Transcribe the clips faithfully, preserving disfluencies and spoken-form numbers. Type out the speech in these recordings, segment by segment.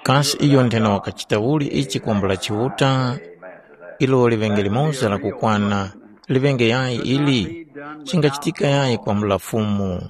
Kasi iyo nthena wakachita uli ichi kwambula Chiuta? Ilo liŵenge limoza lakukwana, liŵenge yayi ili? Chingachitika yayi kwambula Fumu?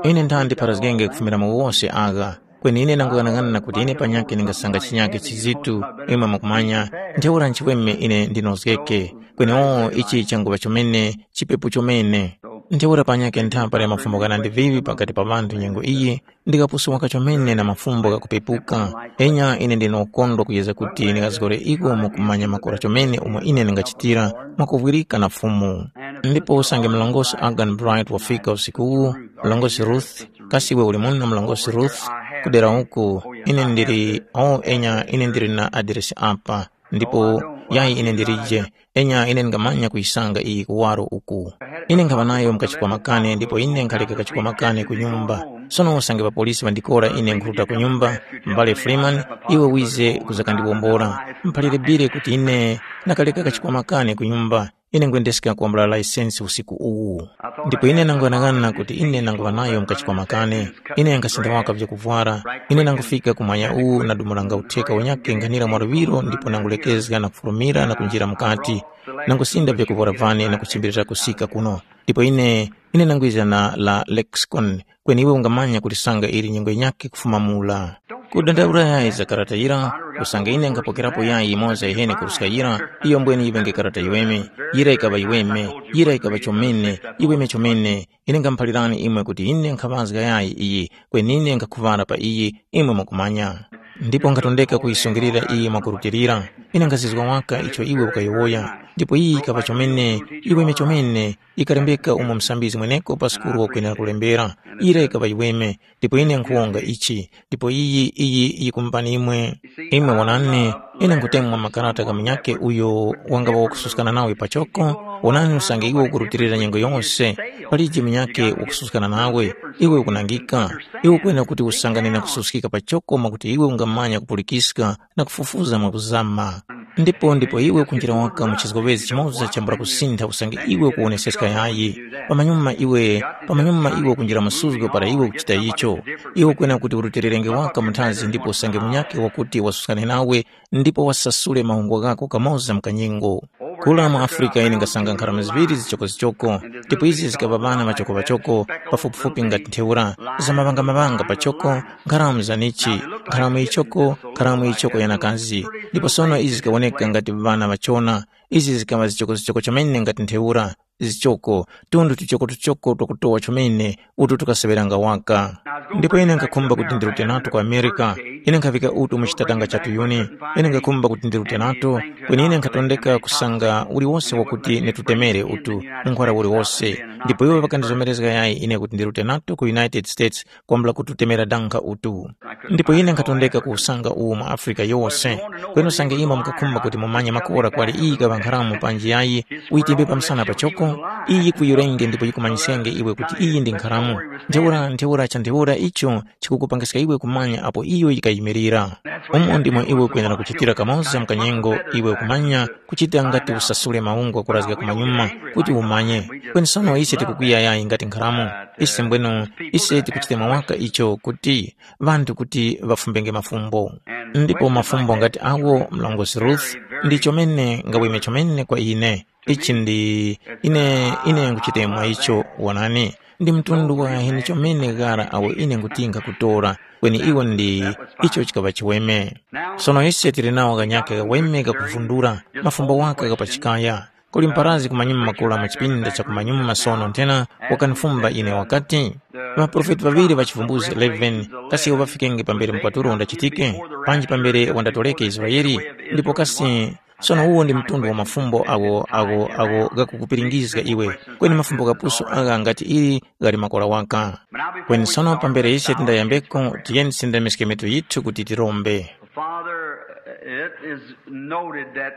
Ine nthandi pharazgenge kufumira mu wose agha, kweni ine nanguyang'ana kuti ine panyakhe ndingasanga chinyakhe chizitu, imwe mukumanya, ntheura nchiweme ine ndinozgeke, kweni oo ichi changuŵa chomene, chipepu chomene. Ntheura panyakhe nthapa ya mafumbo ghanandi viŵi pakati pa ŵanthu nyengo iyi, ndikapusuwaka chomene na mafumbo ghakupepuka, enya ine ndine ukondwa kuyezga kuti ndingazgore iko mu kumanya makora chomene umo ine ndingachitira mwakuvwirika na Fumu. Ndipo usange mlongosi Agan Bright wafika usikuwu, mlongosi Ruth, kasi iwe uli muno mlongosi Ruth? Kudera uku, ine ndili, o enya ine ndili na adiresi apa, ndipo yayi ine ndilije, enya ine ndingamanya kuyisanga iyi kuwaro uku. Ine nkhaŵa nayo mu kachikwama kane ndipo ine nkhaleka kachikwama kane ku nyumba. Sono usange ŵapolisi ŵandikora ine nkhuruta ku nyumba, m'bale Freeman, iwe wize kuzakandiwombora. Mphalire bile kuti ine ndakaleka kachikwama kane ku nyumba, ine ngwendeska kwambula laisensi usiku uwu. Ndipo ine nanguyang'ana kuti ine nanguŵa nayo mu kachikwama kane. Ine nkhasinda waka vyakuvwara. Ine nangufika ku mwanya uwu nadumulanga utheka unyakhe nkhanira mwaluŵiro ndipo nangulekezga na kufulumira na kunjira mukati. Nangusinda vyakuvwara vane na kuchimbilira kusika kuno. Ndipo ine, ine nangwiza na la lexicon, kweni iwe ungamanya kulisanga ili nyengo yinyakhe kufuma mula. Kudandaula yayi za karata yira, usange ine nkhapokerapo yayi yimoza yiheni kuruska yira, iyo mbweni yiŵenge karata yiweme. Yira yikaŵa yiweme, yira yikaŵa chomene, yiweme chomene. Ine ngamuphalirani imwe kuti ine nkhaŵazga yayi iyi, kweni ine nkhakhuŵara pa iyi, imwe mukumanya. Ndipo nkhatondeka kuyisungilira iyi mwakurutilira. Ine nkhazizwa waka icho iwe ukayowoya, ndipo iyi yikaŵa chomene, yiweme chomene, ikalembeka umo musambizgi mweneko pa sukulu wakwenera kulembera. Ira yikaŵa yiweme, ndipo ine nkhuwonga ichi, ndipo iyi, iyi yikumumbani imwe. Imwe wonani, ine nkhutemwa makarata gha munyakhe uyo wangaŵa wakususkana nawe pachoko, wonani usange iwe ukurutilira nyengo yose, palije munyakhe wakususkana nawe, iwe ukunangika. Iwe ukwena kuti usangane na kususkika pachoko mwakuti iwe ungamanya kupulikiska na kufufuza mwakuzama. Ndipo ndipo iwe ukunjira waka mu chizgowezi chimoza chambula kusintha usange iwe ukuwoneseska yayi. Pamanyuma iwe, pamanyuma iwe ukunjira mu suzgo para iwe ukuchita icho. Iwe ukwena kuti urutilirenge waka munthazi ndipo usange munyakhe wakuti wasuskane nawe ndipo wasasule mahungwa ghako kamoza mu kanyengo. Kula mu Afrika ine ngasanga nkharama ziŵiri zichokozichoko, ndipo izi zikaŵa ŵana ŵachokoŵachoko, pafupifupi ngati ntheura, za maŵangamawanga pachoko, nkharamu za nichi, nkharamu yichoko, nkharamu yichoko ya nakazi. Ndipo sono izi zikawoneka ngati ŵana ŵachona, izi zikaŵa zichokozichoko chomene ngati ntheura, zichoko, tundu tuchokotuchoko twakutowa chomene, utu tukaseŵeranga waka. Ndipo ine nkhakhumba kuti ndirute nato ku Amerika. Ine nkhavika utu mu chitatanga cha tuyuni. Ine nkhakhumba kuti ndirute nato, kweni ine nkhatondeka kusanga uliwose wakuti nitutemere utu, nkhwara uliwose. Ndipo iwo ŵakandizomerezga yayi ine kuti ndirute nato ku United States, kwambula kututemera dankha utu. Ndipo ine nkhatondeka kuwusanga uwu mu Afrika yose. Kweni usange imwe mukakhumba kuti mumanye makora kwali iyi kaŵa nkharamu panji yayi, uyitimbe pamsana pachoko, iyi yikuyurenge ndipo yikumanyisenge iwe kuti iyi ndi nkharamu. Ntheura, ntheura cha ntheura icho chikukupangiska iwe kumanya apo iyo yikayimirira. Umo ndimo iwe ukwenera kuchitira kamoza mu kanyengo iwe ukumanya kuchita ngati usasule maungu akurazga kumanyuma kuti umanye. Kweni sono ise tikukwiya yayi ngati nkharamu. Ise mbwenu, ise tikuchita mwawaka icho kuti ŵanthu kuti ŵafumbenge mafumbo. Ndipo mafumbo ngati awo mlongosi Ruth ndi chomene ngaweme chomene kwa ine. Ichi ndi ine ine nguchitemwa icho wonani. Ndi mtundu wa heni chomene ghara awo ine ngutinga kutora, kweni iwo ndi icho chikaŵa chiweme. Sono ise tili nawo ghanyakhe ghaweme ghakuvundura, mafumbo waka ghapachikaya. Kuli mparazi kumanyuma makula mu chipinda cha kumanyuma sono nthena wakanifumba ine wakati, ŵaprofeti ŵaŵiri ŵa chivumbuzi eleven kasi iwo ŵafikenge pambere mupatulo undachitike, panji pambere wandatoleke Israele? Ndipo kasi sono uwo ndi mtundu wa mafumbo agho agho agho ghakukupiringizga iwe, kweni mafumbo ghapusu agha ngati ili ghali makola waka. Kweni sono pambere ise tindayambeko, tiyeni tisindamiske mitu yithu kuti tirombe. Father, it is noted that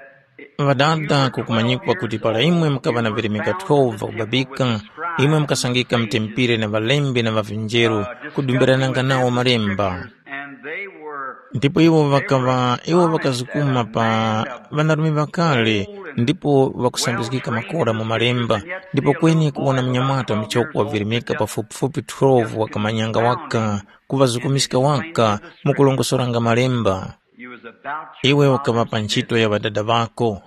Ŵadada, kukumanyikwa kuti para imwe mukaŵa na virimika twelve vakubabika, imwe mukasangika mutempire na ŵalembi na ŵavinjeru, kudumbirananga nawo malemba. They were Ndipo iwo ŵakaŵa iwo ŵakazukuma pa ŵanarume ŵakale, ndipo ŵakusambizgika makora mu malemba, ndipo kweni kuwona munyamata muchoko wavirimika pafupifupi twelve wakamanyanga waka kuŵazukumiska waka mu kulongosoranga malemba. You was about Iwe ukaŵa pa ntchito ya ŵadada ŵako.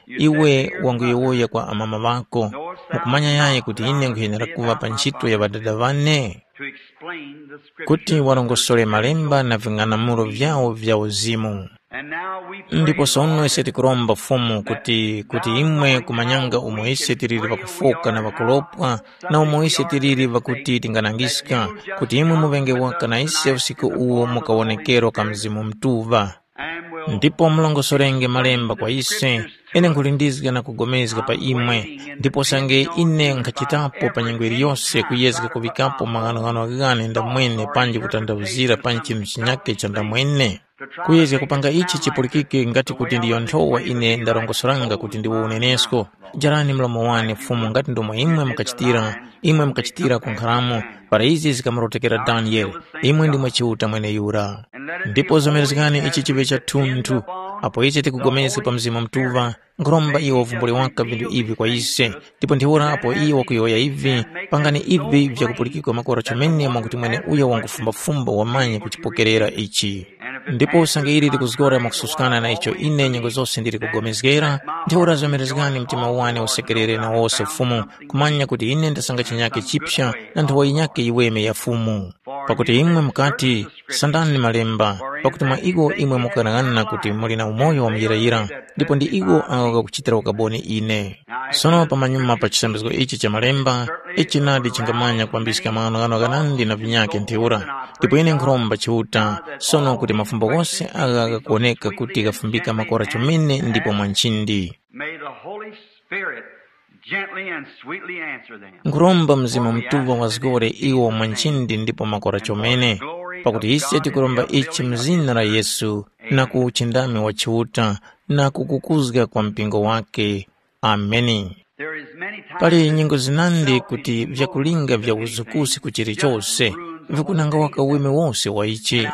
Iwe wanguyowoya kwa amama ŵako, mukumanya yayi kuti ine nkhuyenera kuŵa pa ntchito ya ŵadada ŵane? To explain the scripture. Kuti warongosole malemba na ving'anamulo vyawo vya uzimu. And now we pray, Ndipo sono Lord, ise tikuromba Fumu kuti kuti imwe kumanyanga umo ise tiliri ŵakufoka na ŵakulopwa, na umo ise tiliri ŵakuti tinganangiska, kuti imwe muŵenge waka na ise usiku uwo mu kawonekero ka Mzimu Mutuŵa. Ndipo mulongosorenge malemba kwa ise, ine nkhulindizga na kugomezga pa imwe, ndipo sange ine nkhachitapo pa nyengo yiliyose kuyezga kuŵikapo maghanoghano ghane ndamwene panji kutanthauzira pa chinthu chinyakhe cha ndamwene. Kuyezga kupanga ichi chipulikike ngati kuti ndiyo nthowa ine ndarongosanga kuti ndiwo unenesko. Jarani mlomo wane Fumu ngati ndomwe imwe mukachitira, imwe mukachitira ku nkharamo, para izi zikamurotekera Daniele, imwe ndimwe Chiuta mweneyura. Ndipo zomerezgani ichi chiŵe chathunthu, apo ichi tikupulikana pa Mzimu Mutuŵa, nkhuromba iwo wavumbule waka vinthu ivi kwa ise, ndipo ntheura apo iye wakuyowoya ivi, pangani ivi vyakupulikika makora chomene mwakuti mweneuyo wangufumbafumba wamanya kuchipokerera ichi. Ndipo usange ili likuzgora mwakususkana na icho ine nyengo zose ndili kugomezgera, ntheura zomerezgani mtima wane usekerere na wose Fumu, kumanya kuti ine ndasanga chinyake chipsa na nthowa yinyake yiweme ya Fumu. Pakuti imwe mukati, sandani malemba, pakuti mwa iwo imwe mukughanaghana kuti muli na umoyo wa muyirayira, ndipo ndi iwo awo ghakuchitira ukaboni ine. Sono pamanyuma pa chisambizgo ichi cha malemba, ichi nadi chingamanya kwambiska maghanoghano ghanandi na vinyakhe ntheura. Ndipo ine nkhuromba Chiuta, sono kuti mafumbo ghose agha ghakuwoneka kuti ghafumbika makora chomene ndipo mwa nchindi. May the Holy Spirit gently and sweetly answer them. Nkhuromba Mzimu Mutuŵa wazgore iwo mwa nchindi ndipo makora chomene, pakuti ise tikuromba ichi mu zina la Yesu, na ku uchindami wa Chiuta, na kukukuzga kwa mpingo wake. Ameni. There is many times Pali nyengo zinandi kuti vyakulinga vya uzukusi ku chilichose vikunanga waka uweme wose wa ichi.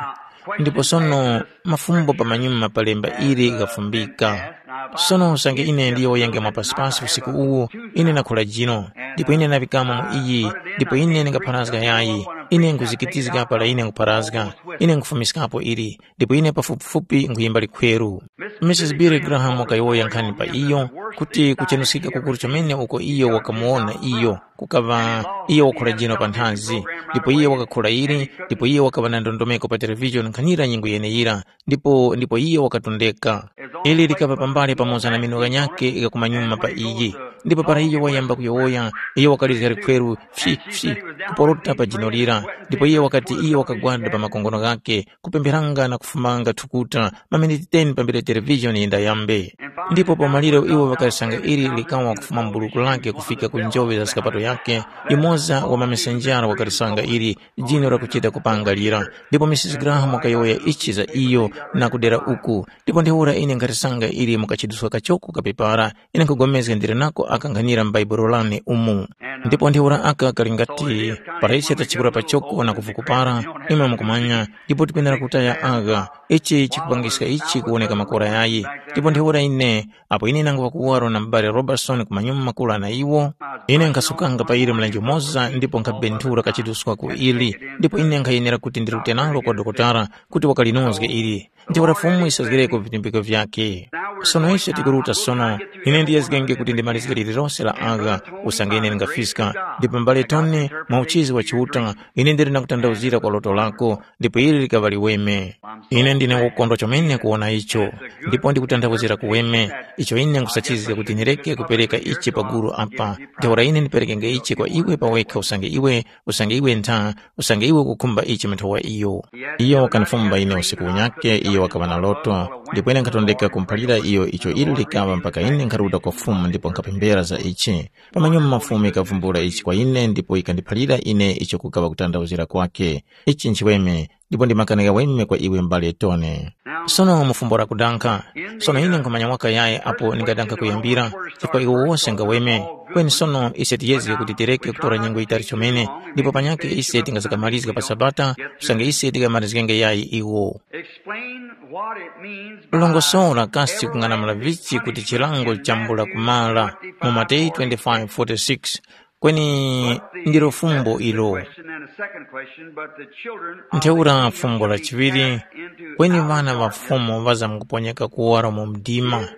Ndipo sono mafumbo pamanyuma pa lemba ili ghafumbika. Sono usange ine ndiyowoyenge mwapasipasi usiku uwu, ine nakhula jino, ndipo ine naŵikamo mu iyi, ndipo ine ndingapharazga yayi, ine nkhuzikitizga para ine nkupharazga, ine nkhufumiskapo ili, ndipo ine pafupifupi nkhuyimba likhweru. Misisi Billy Graham wakayowoya nkhani pa iyo, kuti kuchenuskika kukuru chomene uko iyo wakamuwona iyo, kukaŵa iyo wakhula jino pa nthazi, ndipo iye wakakhula ili, ndipo iye wakaŵa na ndondomeko pa televishoni nkhanira nyengo yeneyira, ndipo ndipo iye wakatondeka. Ili likaŵa pambali pamoza na mino ghanyakhe gha kumanyuma pa iyi. Ndipo para iyo wayamba kuyowoya, iyo wakalizga likhweru fyi fyi kuporota pa jino lira, ndipo iye wakati iyo wakagwada pa makongono ghakhe, kupempheranga na kufumanga thukuta, maminiti ten pambere televishoni yindayambe. Ndipo pa maliro iwo ŵakalisanga ili likawa kufuma mu buluku lake kufika ku njoŵe za skapato yake, yumoza wa mamesenjaro wakalisanga ili jino lakuchita kupanga lira. Ndipo Misisi Graham wakayowoya ichi za iyo na kudera uku. Ndipo ntheura ine nkhatisanga ili mu kachiduska kachoko ka pepara, ine nkhupulikana ndili nako aka nkhanira m'Baibulo lane umu. Ndipo ntheura aka kali ngati para ise tachikula pachoko na kuvukupara, imwe mukumanya, ndipo tipendera kutaya agha. Ichi chikupangiska ichi kuwoneka makora yayi. Ndipo ntheura ine, apo ine nanguŵa kuwaro na m'bale Robertson kumanyuma makula na iwo, ine nkhasukanga pa ili mlenje umoza ndipo nkhabenthura kachiduska ku ili, ndipo ine nkhayenera kuti ndirute nalo kwa dokotala kuti wakalinozge ili. Ntheura Fumu yisazgireko vitumbiko vyakhe. Sono ise tikuruta sono, ine ndiyezgenge kuti ndimalizge lililose la agha, usange ine ndingafiska, ndipo m'bale Tony, mwa uchizi wa Chiuta, ine ndili na kutanthauzira kwa loto lako, ndipo ili likaŵa liweme. Ine ndine wokondwa chomene kuwona icho, ndipo ndikutanthauzira kuweme, icho ine nkhusachizga kuti ndireke kupereka ichi pa gulu apa. Ntheura ine ndiperekenge ichi kwa iwe pawekha usange iwe, usange iwe ntha, usange iwe ukukhumba ichi mu nthowa iyo. Iyo wakanifumba ine usiku unyakhe, iyo wakaŵa na loto, ndipo ine nkhatondeka kumuphalira iyo icho ili likaŵa mpaka ine nkharuta kwa Fumu ndipo nkhapemphera za ichi. Pamanyuma Fumu yikavumbula ichi kwa ine ndipo yikandiphalira ine icho kukaŵa kutanthauzira kwakhe. Ichi nchiweme, Ndipo ndi makani ghaweme kwa iwe m'bale Tone. Sono mu fumbo lakudankha, sono ine nkhumanya waka yayi apo ndingadankha kuyambira, chifukwa iwo wose ngaweme. Kweni sono ise tiyezge kuti tireke kutora nyengo yitali chomene, ndipo panyakhe ise tingazakamalizga pa Sabata, usange ise tikamalizgenge yayi iwo. Explain what it means by longosora kasi kung'anamula vichi kuti chilango chambula kumala mu Mateyu twenty-five forty-six. Kweni ndilo fumbo ilo. Question and a second question, but the children of ntheura the king fumbo shall la be chiŵiri cast into kweni outer vana va darkness. Fumu vazamkuponyeka kuwaro mu mdima.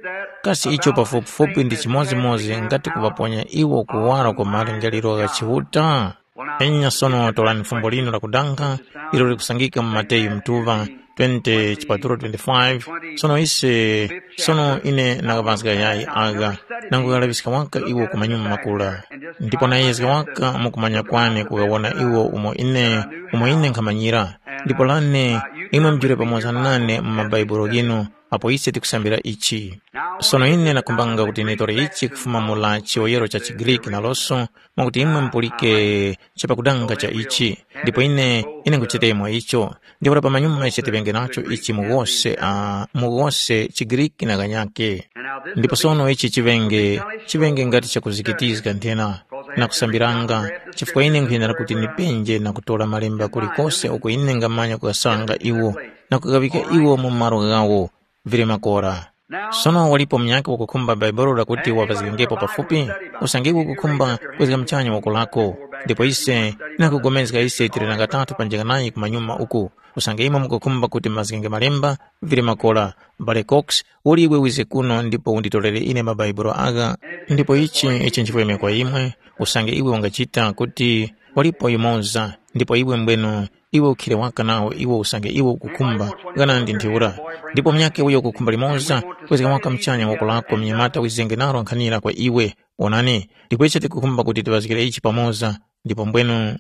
Kasi icho pafupifupi ndi chimodzimodzi ngati kuvaponya iwo kuwaro ku malingaliro gha Chiuta? Enya sono torani fumbo linu lakudankha ilo likusangika mu Mateyu mtuŵa twenty chipatulo twenty-five. Sono ise sono ine nakaŵazga yayi agha, nangugalaŵiska waka iwo ku manyuma makula. Ndipo nayezga waka mukumanya kwane kugawona iwo umo ine umo ine nkhamanyira. Ndipo lane imwe mujule pamoza nane mu mabaibulo ghinu apo ise tikusambira ichi. Sono ine nakhumbanga kuti nitore ichi kufuma mu la chiyoyero cha chigriki naloso, mwakuti imwe mupulike chapakudanga cha ichi. Ndipo ine ine nkuchitemo icho. Ntheura pamanyuma ise tiŵenge nacho ichi mu ghose uh, mu ghose chigriki na ghanyake. Ndipo sono ichi chiŵenge chiŵenge ngati chakuzikitizga nthena na kusambiranga, chifukwa ine nkhuyenera kuti nipenje na kutora malemba kulikose uko ine ngamanya kukasanga iwo na kukaŵika iwo mu malo ghawo vili makora. Sono walipo munyakhe wakukhumba Bhaibuli lakuti wapazgikengepo pafupi? Usange iwe ukukhumba kwezga muchanya woko lako, ndipo ise nakugomezga ise tili na katatu panjika nayi kumanyuma uku. Usange imwe mukukhumba kuti mazgenge malemba vili makora, m'bale Cox, uli iwe wize kuno ndipo unditorere ine mabaibulo agha. Ndipo ichi ichi nchifweme kwa imwe, usange iwe ungachita kuti walipo yumoza, ndipo iwe mbwenu iwe ukhire waka nawo iwo usange iwe ukukhumba, ghanandi ntheura. Ndipo munyakhe uyo ukukhumba limoza, kwezga waka muchanya woko lako mnyamata wizenge nalo nkhanira kwa iwe. Wonani, ndipo ise tikukhumba kuti tiŵazgire ichi pamoza, ndipo mbwenu. Now,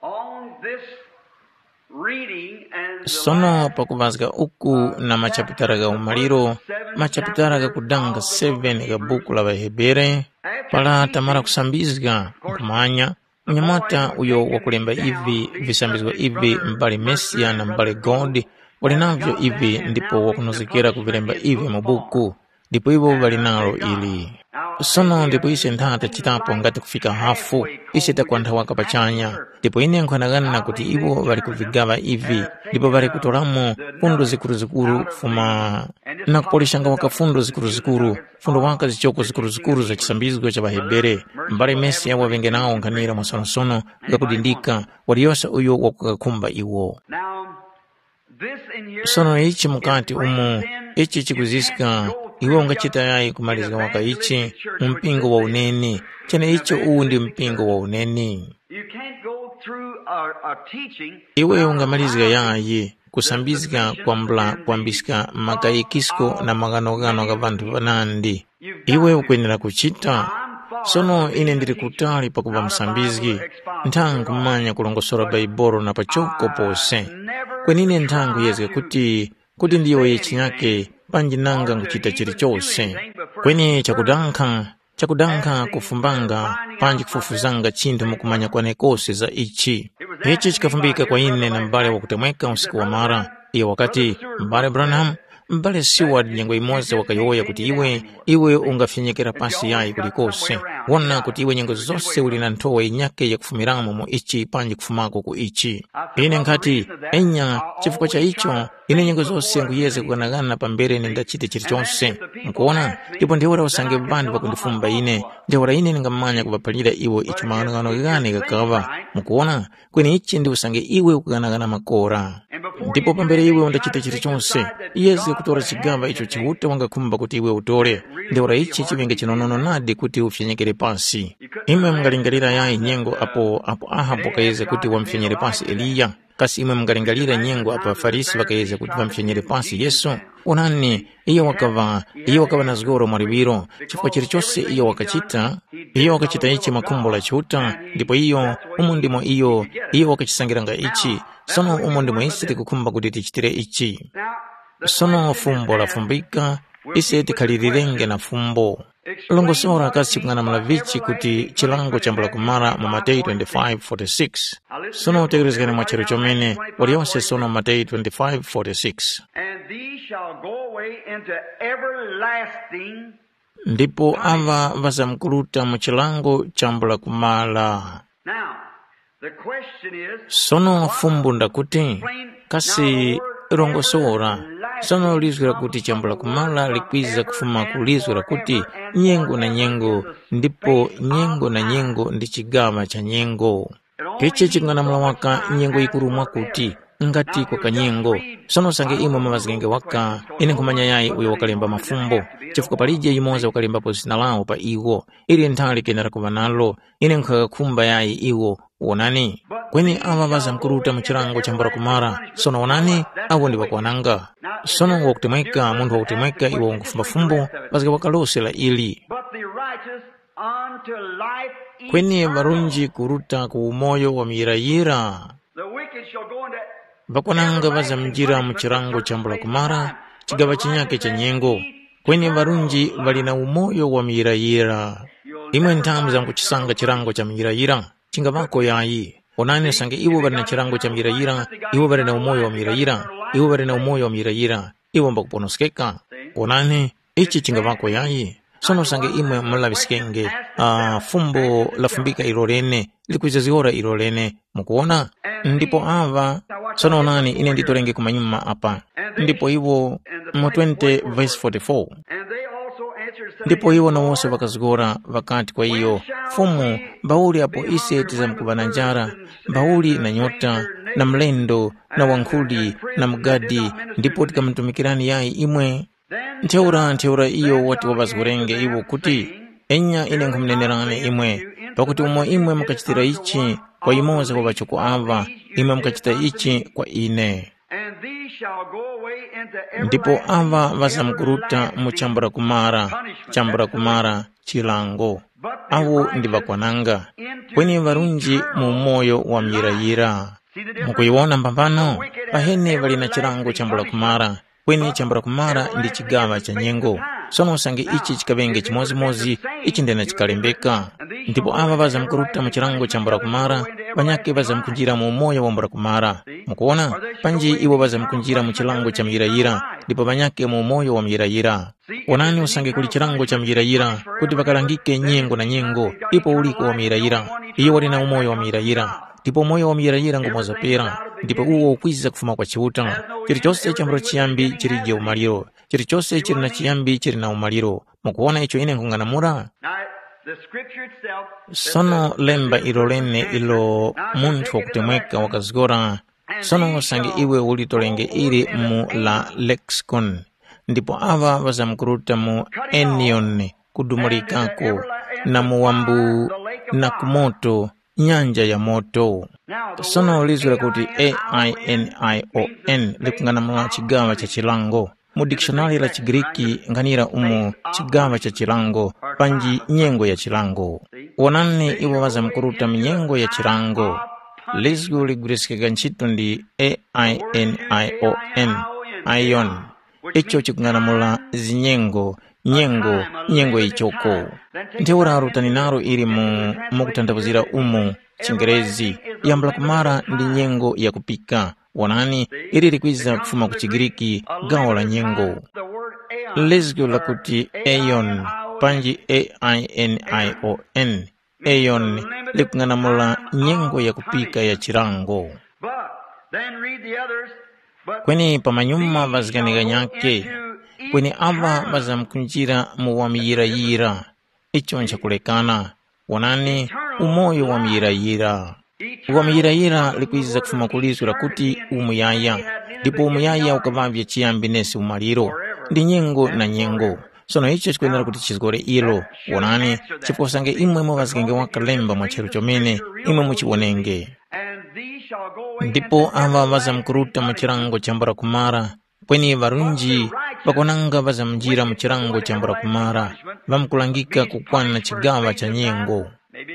on this reading and the sono last pakuŵazga uku na machapitala gha umaliro, machapitala ghakudanga seven gha buku la ŵaHebere, para tamara kusambizga, nkhumanya, mnyamata uyo wakulemba ivi visambizgo ivi m'bale Mesiya na m'bale God wali navyo ivi ndipo wakunozgekera kuvilemba ivi mu buku, ndipo iwo ŵali nalo ili. Sono ndipo ise ntha tachitapo ngati kufika hafu, ise takwantha waka pachanya. Ndipo ine nkhanagana kuti iwo ŵali kuvigaŵa ivi, ndipo ŵali kutoramo fundo zikuruzikuru kufuma na kupoleshanga waka fundo zikuruzikuru, fundo waka zichoko zikuruzikuru za chisambizgo cha ŵaHebere. M'bale Mesiya waŵenge nawo nkhanira mwasonosono, gakudindika, waliyose uyo wakukakhumba iwo. Now, this in here sono ichi mukati umu, ichi chikuziska, iwe ungachita yayi kumalizika waka ichi mu mpingo wa uneni, chene icho uwu ndi mpingo wa uneni. You can't go through a, a teaching. Iwe ungamalizika yayi kusambizga kwambula kwambiska makayikisko na maghanoghano gha vanthu vanandi. Iwe ukwenera kuchita. Sono ine ndili kutali pakuva musambizgi, ntha nkhumanya kulongosora Baibolo na pachoko pose. Kweni ine ntha nkhuyezga kuti kuti ndiyowoye chinyake panji nanga nkuchita chilichose. Kweni chakudankha, chakudankha kufumbanga panji kufufuzanga chinthu mukumanya kwane kose za ichi. Ichi chikafumbika kwa ine na m'bale wakutemweka usiku wamara. Iyo wakati, m'bale Branham, m'bale Seward nyengo yimoza wakayowoya kuti iwe, iwe ungafyenyekera pasi yayi kulikose. Wona kuti iwe nyengo zose uli na nthowa yinyake yakufumiramo mu ichi panji kufumako ku ichi. Ine nkhati, enya, chifukwa cha icho, ine nyengo zose nkuyezga kughanaghana pambere nindachite chilichonse. Mukuwona? Ndipo ntheura usange ŵanthu ŵakundifumba ine, ntheura ine ndingamanya kuŵaphalira iwo icho maghanoghano ghane ghakaŵa. Mukuwona? Kweni ichi ndi usange iwe ukughanaghana makora. Ndipo pambere iwe undachita chilichonse, yezge kutora chigaŵa icho Chiuta wangakhumba kuti iwe utore. Ntheura ichi chiŵenge chinonono nadi kuti ufyenyekere pasi. Imwe mungalingalira yayi nyengo apo apo Ahabu wakayezga kuti wamufyenyere pasi Eliya. Kasi imwe mungalingalira nyengo apo ŵaFarisi ŵakayezga kuti ŵamufyenyere pasi Yesu? Onani, iyo wakaŵa iyo wakaŵa na zgoro mwa liwiro, chifukwa chilichose iyo wakachita, iyo wakachita ichi mwa khumbo la Chiuta, ndipo iyo umo ndimo iyo iyo wakachisangiranga ichi. Sono umo ndimo ise tikukhumba kuti tichitire ichi. Sono fumbo lafumbika, ise tikhalilirenge na fumbo. Longosora kasi chikung'anamula vichi kuti chilango chambula kumara mu Mateyu twenty-five forty-six? Sono utekerezgani mwa chero chomene, waliyonse sono Mateyu twenty-five forty-six. And these shall go away into everlasting. Ndipo ava ŵazamkuruta mu chilango chambula kumara. Now, the question is, sono fumbo ndakuti, kasi longosora, sono lizgu lakuti chambula kumara likwiza kufuma ku lizgu lakuti nyengo na nyengo, ndipo nyengo na nyengo ndi chigaŵa cha nyengo. Ichi chikung'anamula waka nyengo yikuru mwakuti, ngati kwa kanyengo. Sono usange imwe muŵazgenge waka, ine nkhumanya yayi uyo wakalemba mafumbo, chifukwa palije yumoza wakalembapo zina lawo pa iwo. Ili nthali kenera kuŵa nalo, ine nkhakakhumba yayi iwo. Wonani, kweni aŵa ŵazamkuruta mu chilango chambula kumara. Sono wonani, awo ndi ŵakwananga. Sono wakutemweka, munthu wakutemweka iwo wangufumba fumbo, mazgeka wakalosera ili. But the righteous unto life eternal. Kweni ŵarunji kuruta ku umoyo wa muyirayira. The wicked shall go into ŵakwananga ŵazamjira mu chilango chambula kumara, chigaŵa chinyake cha nyengo. Kweni ŵarunji ŵali na umoyo wa muyirayira. Imwe nthamu zamkuchisanga chilango cha muyirayira, chingaŵako yayi. Onani usange iwo ŵali na chilango cha muyirayira, iwo ŵali na umoyo wa muyirayira, iwo ŵali na umoyo wa muyirayira, iwo mbakuponoskeka. Onani, ichi chingaŵako yayi. Sono usange imwe mulaŵiskenge, ah, fumbo lafumbika ilo lene, likwiza zihora ilo lene. Mukuwona? Ndipo aŵa, sono onani, ine nditorenge kumanyuma apa. Ndipo iwo mu twenty verse forty-four. And they also answered, saying, ndipo iwo nawose ŵakazgora ŵakati kwa iyo, Fumu, mbauli apo ise tizamkuŵa na njara, mbauli na nyota, na mlendo, na wankhuli, na mugadi, ndipo tikamutumikirani yayi imwe? Ntheura ntheura iyo wati waŵazgorenge iwo kuti, enya ine nkhumunenerani imwe, pakuti umo imwe mukachitira ichi kwa yumoza wa ŵachoko aŵa, imwe mukachita ichi kwa ine. And these shall go away into ndipo everlasting aŵa ŵazamkuruta mu chambula kumara, chambula kumara, chilango. Awo ndi ŵakwananga. Kweni ŵarunji mu umoyo wa muyirayira. Mukuyiwona mbambano? Pahene ŵali na chilango chambula kumara, kweni chambula kumara ndi chigaŵa cha nyengo. Sono usange ichi chikaŵenge chimodzimodzi, ichi ndena chikalembeka. Ndipo aŵa ŵazamkuruta mu chilango chambula kumara, ŵanyakhe ŵazamkunjira mu umoyo wambula kumara. Mukuwona? Panji iwo ŵazamkunjira mu chilango cha muyirayira, ndipo ŵanyakhe mu umoyo wa muyirayira. Wonani usange kuli chilango cha muyirayira, kuti ŵakalangike nyengo na nyengo, ipo uliko wa muyirayira. Iyo wali na umoyo wa muyirayira, ndipo umoyo wa muyirayira ngumozapera, ndipo uwo ukwiza kufuma kwa Chiuta. Chilichose chambula chiyambi chilije umaliro, chilichose chili na chiyambi chili na umaliro. Mukuwona icho ine nkhung'anamula? Now, the scripture itself, sono lemba ilo lene ilo munthu wakutemweka wakazgora. Sono usange iwe ulitolenge ili mu la lexicon, ndipo aŵa ŵazamkuruta mu enion, kudumulikako, na mu wambu, na ku moto, nyanja ya moto. Sono lizwi lakuti ainion likung'anamula chigaŵa cha chilango. Mu dikishonari la chiGriki nghanira umo chigaŵa cha chilango, panji nyengo ya chilango. Wonani iwo ŵazamkuruta mu nyengo ya chilango. Lizgu ligwiriskika ntchito ndi ainion, ion, icho chikung'anamula zinyengo, nyengo, nyengo yichoko. Ntheura rutani naro ili mu mukutanthauzira umu chingerezi, yambula kumara ndi nyengo yakupika. Wonani, ili likwiza kufuma ku chiGriki, gawo la nyengo. Lizgu lakuti aeon, panji ainion, aeon, likung'anamula nyengo yakupika ya chilango. But then read the others. But kweni pamanyuma ŵazikanika nyake, kweni aŵa ŵazamkunjira mu wamuyirayira. Icho nchakulekana. Wonani, umoyo wamuyirayira. Wamuyirayira likwiza kufuma ku lizgu lakuti umuyaya, ndipo umuyaya ukaŵavye chiyambi nesi umaliro, ndi nyengo na nyengo. Sono icho chikwenera kuti chizgore ilo. Wonani, chifukwa usange imwe muŵazgenge waka lemba mwa charu chomene, imwe muchiwonenge. Ndipo aŵa ŵazamkuruta mu chilango chambula kumara, kweni ŵarunji ŵakwananga ŵazamjira mu chilango chambula kumara, ŵamkulangika kukwana chigaŵa cha nyengo.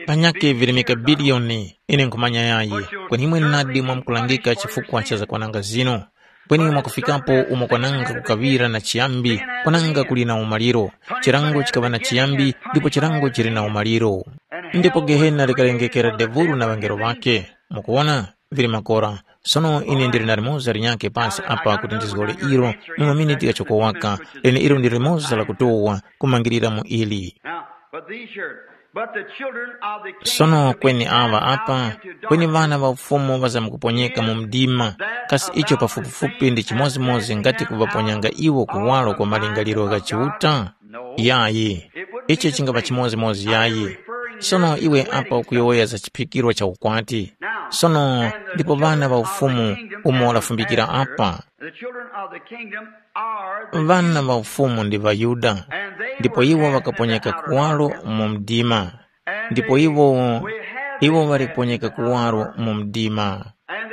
Panyakhe vili mikabiliyoni, ine nkhumanya yayi, kweni imwe nadi mwamkulangika chifukwa cha zakwananga zinu. Kweni mwakufikapo umo kwananga kukaŵira na chiyambi, kwananga kuli na umaliro. Chilango chikaŵa na chiyambi, ndipo chilango chili na umaliro. Ndipo Gehena likalengekera Devulu na ŵangelo ŵakhe. Mukuwona? Vili makora. Sono ine ndili na limoza linyakhe pasi apa kuti ndizgore ilo mu maminiti ghachoko waka, leneilo ndi limoza lakutowa kumangirira mu ili. Now, but these here, but the children of the kingdom Sono of the kweni aŵa apa, kweni ŵana ŵa ufumu ŵazamkuponyeka mu mdima, kasi icho pafupifupi ndi chimodzimodzi ngati kuŵaponyanga iwo kuwaro kwa malingaliro gha Chiuta? Yayi, ichi chingapa chimodzimodzi yayi. Sono iwe apa ukuyowoya za chiphikirwa cha ukwati. Sono ndipo ŵana ŵa ufumu umo lafumbikira apa. The children of the kingdom are the Ŵana ŵa ufumu ndi ŵaYuda, ndipo iwo ŵakaponyeka kuwaro mu mdima. Ndipo iwo iwo ŵali kuponyeka kuwaro mu mdima.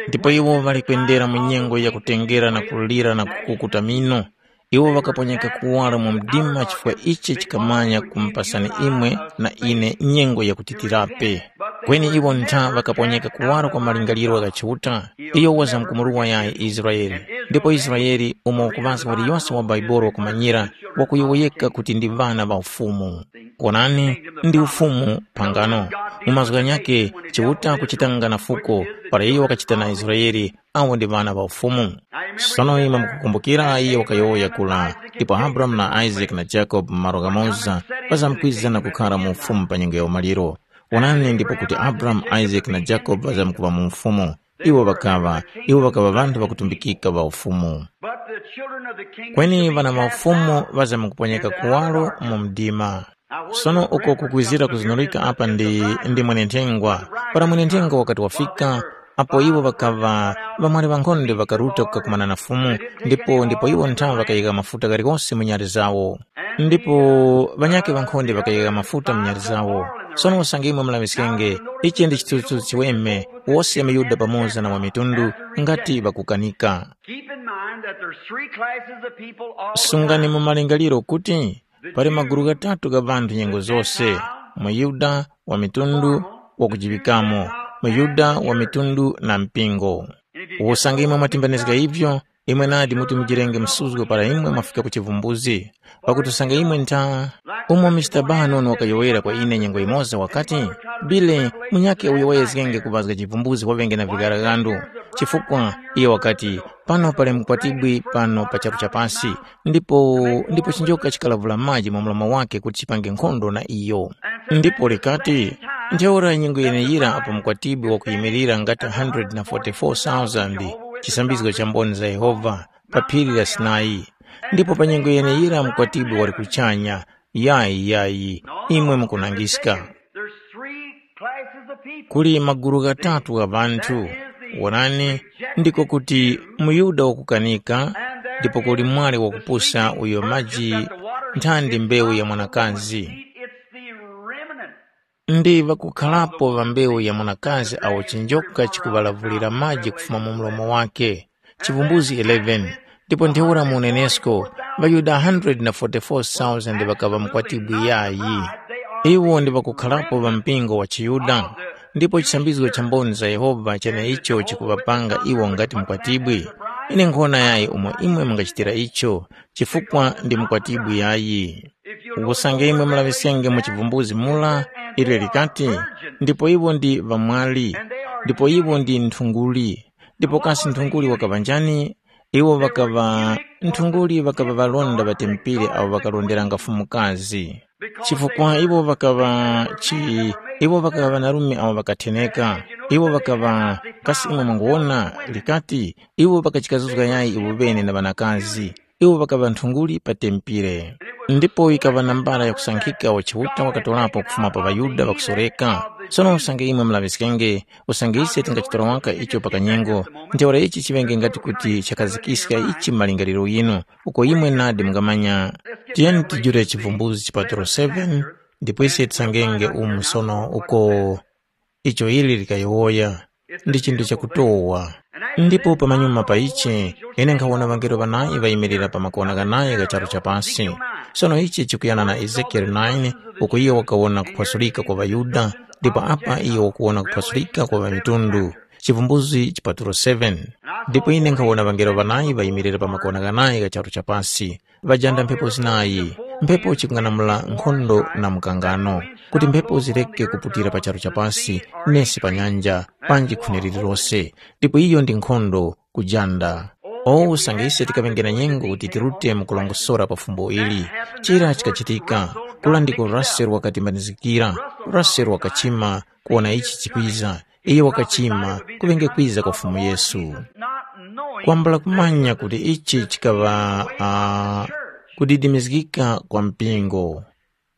Ndipo iwo ŵali kwendera mu nyengo yakutengera na kulira na kukukuta mino. Iwo ŵakaponyeka kuwaro mu mdima chifukwa ichi chikamanya kumupasani imwe na ine nyengo yakutitirape. Kweni iwo ntha ŵakaponyeka kuwaro kwa malingaliro gha Chiuta, iyo wazamkumuruwa yayi Israele. Ndipo Israele, umo ukuŵazga waliyose wa Baibolo wakumanyira, wakuyowoyeka kuti ndi ŵana ŵa Ufumu. Wonani, ndi Ufumu phangano. Mu mazgu ghanyakhe, Chiuta kuchitanga na fuko, para iyo wakachita na Israele, awo ndi ŵana ŵa Ufumu. Sono imwe mukukumbukira iyo wakayowoya kula, ndipo Abrahamu na Isake na Jakobe mu malo ghamoza ŵazamkwiza na kukhara mu ufumu pa nyengo ya umaliro. Wonani ndipo kuti Abrahamu, Isake na Jakobe ŵazamkuŵa mu ufumu. Iwo ŵakaŵa, iwo ŵakaŵa ŵanthu ŵakutumbikika ŵa ufumu. But the children of the kingdom Kweni shall be ŵana ŵa cast ufumu down. Ŵazamkuponyeka kuwaro mu mdima. Sono uko kukwizira kuzunulika apa ndi, ndi mwenenthengwa. Para mwenenthengwa wakati wafika, apo iwo ŵakaŵa ŵamwali ŵankhonde ŵakaruta kukakumana na Fumu, ndipo ndipo iwo nthawe ŵakayika mafuta ghalikose mu nyali zawo. Ndipo ŵanyakhe ŵankhonde ŵakayika mafuta mu nyali zawo. Sono usange imwe mulaŵiskenge, ichi ndi chithunzithunzi chiweme, wose ŵaYuda pamoza na ŵamitundu ngati ŵakukanika. Keep in mind that there's three classes of people all the Sungani time. Mu malingaliro kuti pali magulu ghatatu gha ŵanthu nyengo zose, muYuda, wa mitundu, wakujiŵikamo, muYuda wa mitundu na mpingo. Usange imwe mwatimbanizga ivyo, imwe nadi muti mujirenge msuzgo para imwe mwafika ku chivumbuzi. Pakuti usange imwe ntha, umo Mister Bannon wakayowoyera kwa ine nyengo yimoza wakati, Bile, munyakhe uyo wayezgenge kuŵazga chivumbuzi waŵenge na vigaraghandu. Chifukwa, iyo wakati, pano pali mukwatibwi pano pa charu cha pasi, ndipo ndipo chinjoka chikalavula maji mu mlomo wake kuti chipange nkhondo na iyo. Ndipo likati, ntheura nyengo yeneyira apo mukwatibwi wakuyimirira ngati hundred na forty-four thousand chisambizgo cha mboni za Yehova pa phiri la Sinai. Ndipo pa nyengo yeneyira mukwatibwi wali kuchanya, yayi yayi, imwe mukunangiska. There's three classes of people. Kuli magulu ghatatu gha ŵanthu. Wonani, ndiko kuti muYuda wakukanika, ndipo kuli mwali wakupusa uyo maji nthandi mbewu ya mwanakazi. It's the remnant. Ndi ŵakukharapo ŵa mbewu ya mwanakazi awo chinjoka chikuŵalavulira maji kufuma mu mlomo wake. Chivumbuzi eleven. Ndipo ntheura mu unenesko, ŵaYuda hundred na forty-four thousand ŵakaŵa mukwatibwi yayi. Iwo ndi ŵakukharapo ŵa mpingo wa chiYuda, ndipo chisambizgo cha mboni za Yehova cheneicho chikuŵapanga iwo ngati mukwatibwi. Ine nkhona yayi umo imwe mungachitira icho, chifukwa ndi mukwatibwi yayi. Usange imwe mulaŵiskenge mu chivumbuzi mura, ilyo likati, ndipo iwo ndi ŵamwali, ndipo iwo ndi nthunguli. Ndipo kasi nthunguli wakaŵa njani? Iwo ŵakaŵa, nthunguli ŵakaŵa ŵalonda ŵa tempere awo ŵakalonderanga fumukazi. Chifukwa iwo ŵakaŵa chi, iwo ŵakaŵa ŵanarume awo ŵakatheneka. Iwo ŵakaŵa, kasi imwe mwanguwona, likati, iwo ŵakachikazuzga yayi iwo ŵene na ŵanakazi. Iwo ŵakaŵa nthunguli pa tempere. Ndipo yikaŵa nambala yakusankhika wa Chiuta wakatorapo kufuma pa ŵaYuda ŵakusoreka. Sono usange imwe mulaŵiskenge, usange ise tingachitora waka icho pa kanyengo, ntheura ichi chiŵenge ngati kuti chakazikiska ichi mu malingaliro ghinu, uko imwe nadi mungamanya. Tiyeni tijule chivumbuzi chipatulo seven, ndipo ise tisangenge umu sono uko icho ili likayowoya. Ndi chinthu chakutowa. Ndipo pamanyuma pa ichi, ine nkhawona ŵangelo ŵanayi ŵayimirira pa makona ghanayi gha charu cha pasi. Sono ichi chikuyana na Ezekieli nine, uko iyo wakawona kuphwasulika kwa ŵaYuda, ndipo apa iyo wakuwona kuphwasulika kwa ŵamitundu. Chivumbuzi chipatulo seven. Ndipo ine nkhawona ŵangelo ŵanayi ŵayimirira pa makona ghanayi gha charu cha pasi, ŵajanda mphepo zinayi, mphepo chikung'anamula nkhondo na mkangano, kuti mphepo zireke kuputira pa charu cha pasi, nesi pa nyanja, panji khuni lililose. Ndipo iyo ndi nkhondo, kujanda. O usange ise tikaŵenge na nyengo kuti tirute mu kulongosora pa fumbo ili, chira chikachitika, kula ndiko Russell wakatimbanizikira. Russell wakachima kuwona ichi chikwiza. Iyo wakachima kuŵenge kwiza kwa Fumu Yesu. Kwambula kumanya kuti ichi chikaŵa uh, kudidimizgika kwa mpingo.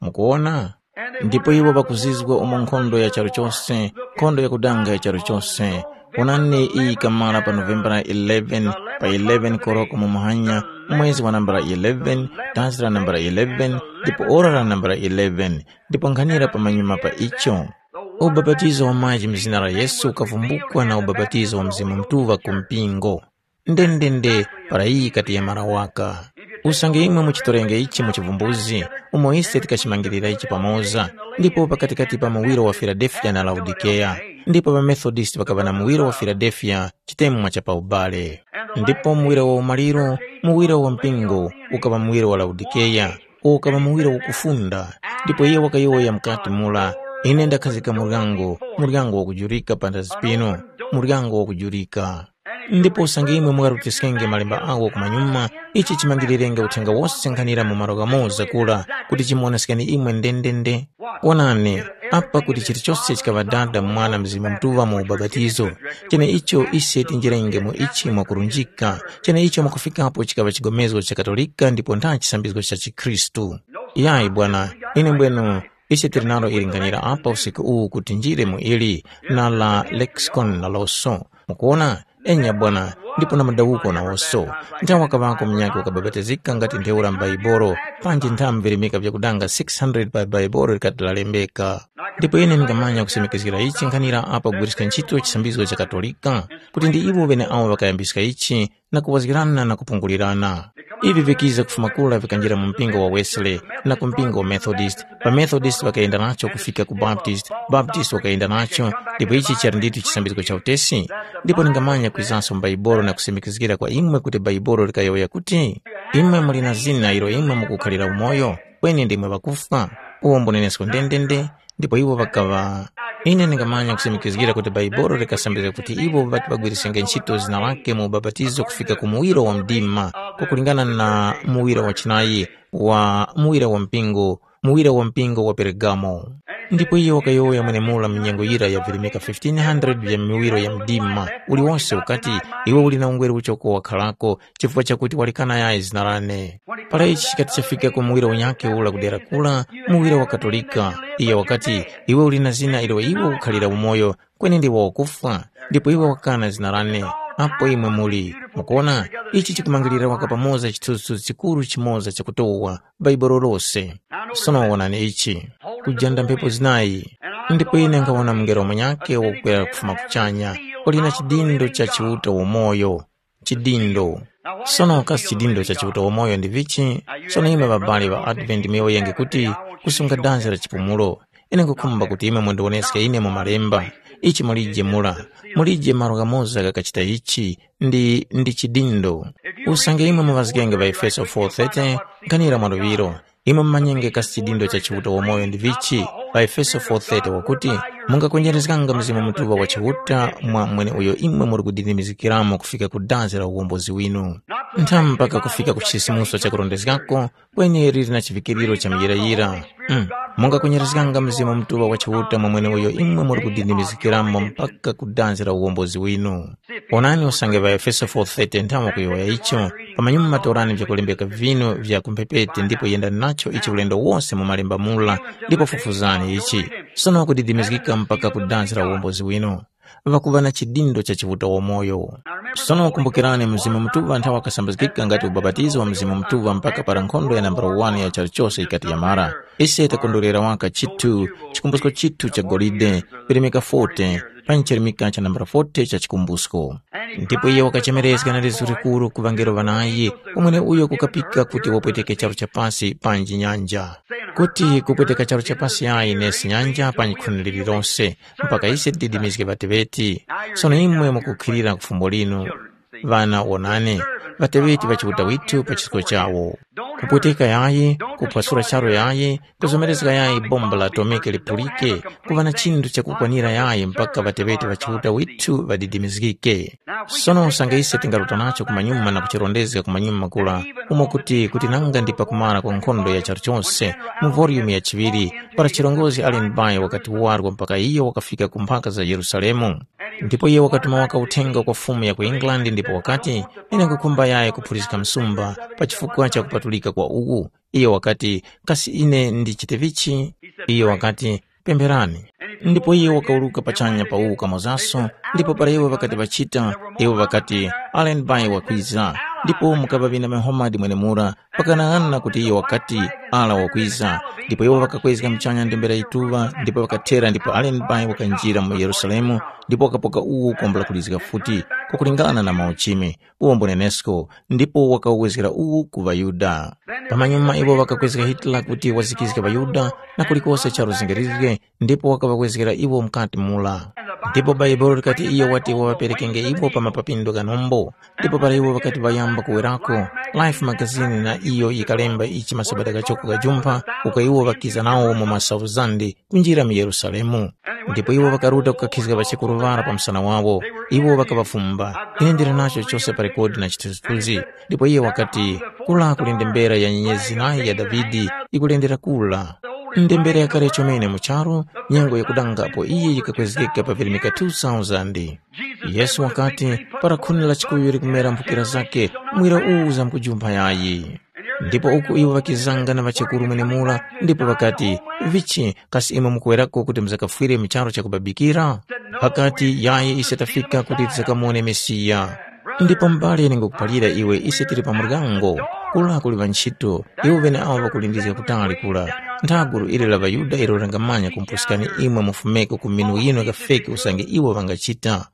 Mukuwona? Ndipo iwo ŵakuzizwa umo nkhondo ya charu chose, nkhondo yakudanga ya charu chose. Wonani, iyi ikamara pa Novembara eleven, pa eleven koroko mu muhanya, mwezi wa nambala eleven, dazi la nambala eleven, ndipo ora la nambala eleven, ndipo nkhanira pamanyuma pa icho. Ubapatizo wa maji mu zina la Yesu ukavumbukwa na ubapatizo wa Mzimu Mutuŵa ku mpingo. Ndendende, para iyi ikati yamara waka. Usange imwe muchitorenge ichi mu chivumbuzi, umo ise tikachimangirira ichi pamoza, ndipo pakatikati pa muwiro wa Filadelfiya na Laodikeya, ndipo ŵaMethodist ŵakaŵa na muwiro wa Filadelfiya chitemwa cha pa ubale. Ndipo muwiro wa umaliro, muwiro wa mpingo, ukaŵa muwiro wa Laodikeya, uwo ukaŵa muwiro wakufunda, ndipo iye wakayowoya mukati mura, ine ndakhazika muryango, muryango wakujurika panthazi pinu, muryango wakujurika. Ndipo usange imwe mungarutiskenge malemba agho kumanyuma, ichi chimangilirenge uthenga wose nkhanira mu malo ghamoza kura, kuti chimuwonesekeni imwe ndendende. Wonani, apa kuti chilichose chikaŵa Dada, Mwana, Mzimu Mutuŵa mu ubapatizo. Cheneicho ise tinjirenge mu ichi mwakurunjika, cheneicho mwakufikapo chikaŵa chigomezgo cha Katolika ndipo ntha chisambizgo cha chikhristu. Yayi bwana, ine mbwenu, ise tili nalo ili nkhanira apa usiku uwu kuti njire mu ili, na la lexicon naloso. Mukuwona? Enya bwana, ndipo na madawuko nawoso. Nthawi wakaŵako munyakhe wakabapatizika ngati ntheura m'Baibolo, panji nthawi mvirimika vyakudanga six hundred pa Baibolo likati lalembeka. Ndipo ine ndingamanya kusimikizgira ichi nkhanira apa kugwiriska ntchito chisambizgo cha Katolika, kuti ndi iwo ŵeneawo ŵakayambiska ichi, na kuwazgirana na kupungulirana. Ivi vikiza kufuma kura vikanjira mu mpingo wa Wesley na ku mpingo wa Methodist, pa Methodist ŵakayenda nacho kufika ku Baptist, Baptist wakayenda nacho, ndipo ichi chali ndithu chisambizgo cha utesi. Ndipo ningamanya kwizanso mu Baibolo na kusimikizgira kwa imwe kuti Baibolo likayowoya kuti, imwe muli na zina ilo imwe mukukhalira umoyo, kweni ndimwe ŵakufwa. Uwo mbunenesko ndendende, ndipo iwo ŵakaŵa. Ine ndingamanya kusimikizgira kuti Baibolo likasambizga kuti iwo ŵati ŵagwirisenge ntchito zina lake mu ubapatizo kufika ku muwiro wa mdima, kwakulingana na muwiro wa chinayi wa muwira wa mpingo, muwira wa mpingo wa Peregamo. Ndipo iyo wakayowoya mwenemura mu nyengo yira ya virimika fifteen hundred vya miwiro ya mdima uliwonse ukati, iwe uli na ungweru uchoko wakharako, chifukwa chakuti walikana yayi zina lane. Para ichi chikati chafika ku muwiro unyakhe ula kudera kula, muwiro wa Katolika, iye wakati, iwe uli na zina ilo iwe ukukhalira umoyo, kweni ndiwe wakufwa, ndipo iwe wakana zina lane. Apo imwe muli, mukuona, ichi chikumangirira waka pamoza chithunzithunzi chikuru chimoza chakutowa Bhaibuli lose. Sono wonani ichi, kujanda mphepo zinayi, ndipo ine nkhawona mungelo munyakhe wakukwera kufuma kuchanya, wali na chidindo cha Chiuta wamoyo. Chidindo. Sono kasi chidindo cha Chiuta wamoyo ndi vichi? Sono imwe ŵabali ŵa Advent muyowoyenge kuti, kusunga danzi la chipumulo. Ine nkhukhumba kuti imwe mundiwoneske ine mu Malemba. Ichi mulije mura. Mulije malo ghamoza ghakachita ichi, ndi, ndi chidindo. Usange imwe muŵazgenge ŵaEfeso four thirty, nkhanira mwa luŵiro, imwe mumanyenge kasi chidindo cha Chiuta wamoyo ndi vichi. PaEfeso four thirty wakuti, mungakwenjerezganga Mzimu Mutuŵa wa Chiuta mwa mweneuyo imwe muri kudindimizgikiramo kufika ku danzi la uwombozi winu. Ntha mpaka kufika ku chisisimuso cha kurondezgako, kweni liri na chivikiriro cha muyirayira. Mm. Mungakwenyereska Mzimu Mutuŵa wa Chiuta mwa mweneuyo imwe muri kudindimizgikiramo mpaka ku danzi la uwombozi winu. Onani usange ŵaEfeso four thirty nthawe kuyowoya icho, pamanyuma torani vyakulembeka vinu vya kumphepete ndipo yendani nacho ichi ulendo wose mu malemba mura, ndipo fufuzani ichi. Sono kudidimizgika mpaka ku danzi la uwombozi winu. Ŵakuŵa na chidindo cha Chiuta wamoyo. Sono kumbukirani, Mzimu Mutuŵa nthawe wakasambizgika ngati ubapatizo wa Mzimu Mutuŵa mpaka para nkhondo ya nambala one ya charu chose yikati yamara. Ise takondwerera waka chithu, chikumbusko chithu cha golide, chirimika forty, pa chirimika cha nambala forty cha chikumbusko. Ndipo iye wakachemerezga na lizu likuru ku ŵangelo ŵanayi, umwene uyo kukapika kuti wapweteke charu cha pasi panji nyanja. Kuti kupweteka charu cha pasi yayi nesi nyanja pa nkhuni lililose, mpaka ise tididimizge ŵateŵeti. Sono imwe mukukhilira ku fumbo linu, ŵana wonani, ŵateŵeti ŵa Chiuta withu pa chisko chawo. Kupweteka yayi, kuphwasula charu yayi, kuzomerezga yayi bomba la atomike lipulike, kuŵa na chinthu chakukwanira yayi mpaka ŵateŵeti ŵa Chiuta withu ŵadidimizgike. Sono usange ise tingaruta nacho kumanyuma na kuchirondezga kumanyuma kura, umo kuti kuti nanga ndi pakumara kwa nkhondo ya charu chose, mu volume ya chiŵiri, para chirongozgi Allen Bay wakati warwa mpaka iyo wakafika ku mphaka za Yerusalemu. Ndipo iyo wakatuma waka uthenga kwa fumu ya ku England ndipo wakati, ine nkukhumba yayi kuphuliska msumba pa chifukwa cha kupatulika kwa uku. Iyo wakati, kasi ine ndichite vichi? Iyo wakati, pempherani. Ndipo iyo wakawuruka pachanya pa uwu kamozaso, ndipo para iwo ŵakati ŵachita, iwo ŵakati, Allen Bay wakwiza. Ndipo mukaŵa ŵina Muhammad mwenemura, pakanang'ana kuti iyo wakati, ala wakwiza. Ndipo iwo ŵakakwezga muchanya ndembera yituŵa, ndipo ŵakathera ndipo Allen Bay wakanjira mu Yerusalemu, ndipo wakapoka uwu kwambula kulizga futi, kwakulingana na mauchimi, uwo mbunenesko, ndipo wakawezgera uwu ku ŵaYuda. Pamanyuma iwo ŵakakwezga Hitler kuti wazikizge ŵaYuda na kulikose charu zingarizge, ndipo wakaŵakwezgera iwo mukati mula. Ndipo Bhaibuli likati iyo wati waŵaperekenge iwo pa mapapindo gha nombo. Ndipo para iwo ŵakati ŵayamba kuwerako, Life magazini na iyo yikalemba ichi masabata ghachoko ghajumpha, uko iwo ŵakiza nawo mu masauzande kunjira mu Yerusalemu. Ndipo iwo ŵakaruta kukakhizga ŵasekuru ŵara pa msana wawo. Iwo ŵakaŵafumba, ine ndili nacho chose pa rekodi na chithunzithunzi. Ndipo iye wakati, kula kuli ndembera ya nyenyezi nayi ya Davide ikulendera kula. Ndembera yakale chomene mu charu, nyengo yakudangapo iye yikakwezgeka pa virimika two thousand. Yesu wakati, para khuni la chikuyu likumera mphukira zake, mwira uwu uzamkujumpha yayi. Ndipo uku iwo ŵakizanga na ŵachekuru mwenemura, ndipo ŵakati, vichi, kasi imwe mukuwerako kuti muzakafwire mu charu chakubabikira? Ŵakati, yayi ise tafika kuti tizakamone Mesiya. Ndipo m'bale ine ngukuphalira iwe ise tili pa muryango, kula kuli ŵantchito, iwo ŵeneawo ŵakulindizga kutali kula. Ntha gulu ili la ŵaYuda ilo lingamanya kumpuskani imwe mufumeko ku minu yinu yakafeki usange iwo ŵangachita.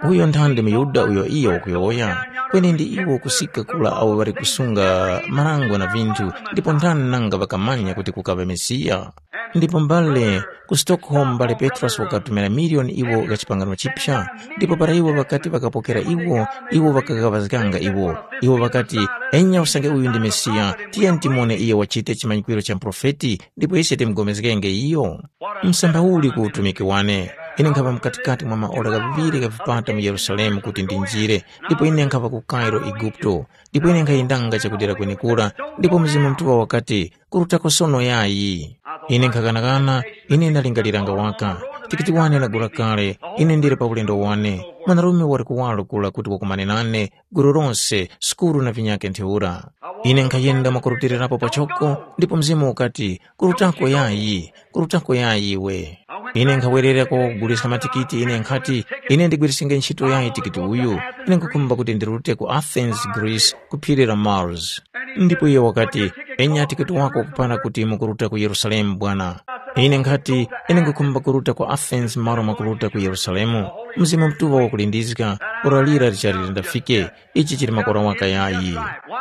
Uyo nthandi muYuda uyo iyo wakuyowoya, kweni ndi iwo kusika kula awo ŵali kusunga marango na vinthu, ndipo nthani nanga ŵakamanya kuti kukaŵa Mesiya? Ndipo mbale ku Stockholm mbale Petrosi wakatumira miliyoni iwo gha chipangano chipya, ndipo para iwo ŵakati ŵakapokera iwo, iwo ŵakaghaŵazganga iwo. Iwo ŵakati, enya usange uyu ndi Mesiya, tiyeni timone iyo wachite chimanyikwiro cha muprofeti, ndipo ise timupulikenge iyo. Msamba uli ku utumiki wane, ine nkhaŵa mkatikati mwa maora ghaŵiri gha vipata mu Yerusalemu kuti ndinjire, ndipo ine nkhaŵa ku Cairo, Eguputo, ndipo ine nkhayendanga chakudera kwenekura, ndipo Mzimu Mutuŵa wakati, kurutako sono yayi. Ine nkhakanakana, ine ndalingaliranga waka, tikiti wane ndagula kale, ine ndili pa ulendo wane, mwanarume wali kuwalo kula kuti wakumane nane, gulu lose, sukuru na vinyakhe ntheura. Ine nkhayenda mwakurutilirapo pachoko, ndipo Mzimu ukati, kurutako yayi, kurutako yayi iwe. Ine nkhawerera kuguliska matikiti, ine nkhati, ine ndigwirisinge ntchito yayi tikiti uyu, ine nkhukhumba kuti ndirute ku Athens, Greece, ku phiri la Mars. Ndipo iye wakati, enya tikiti wako wakupara kuti mukuruta ku Yerusalemu bwana. Ine nkhati, ine nkhukhumba kuruta ku Athens malo mwakuruta ku Yerusalemu. Mzimu Mutuŵa wakulindizga, ora lira lichali lindafike, ichi chili makora waka yayi.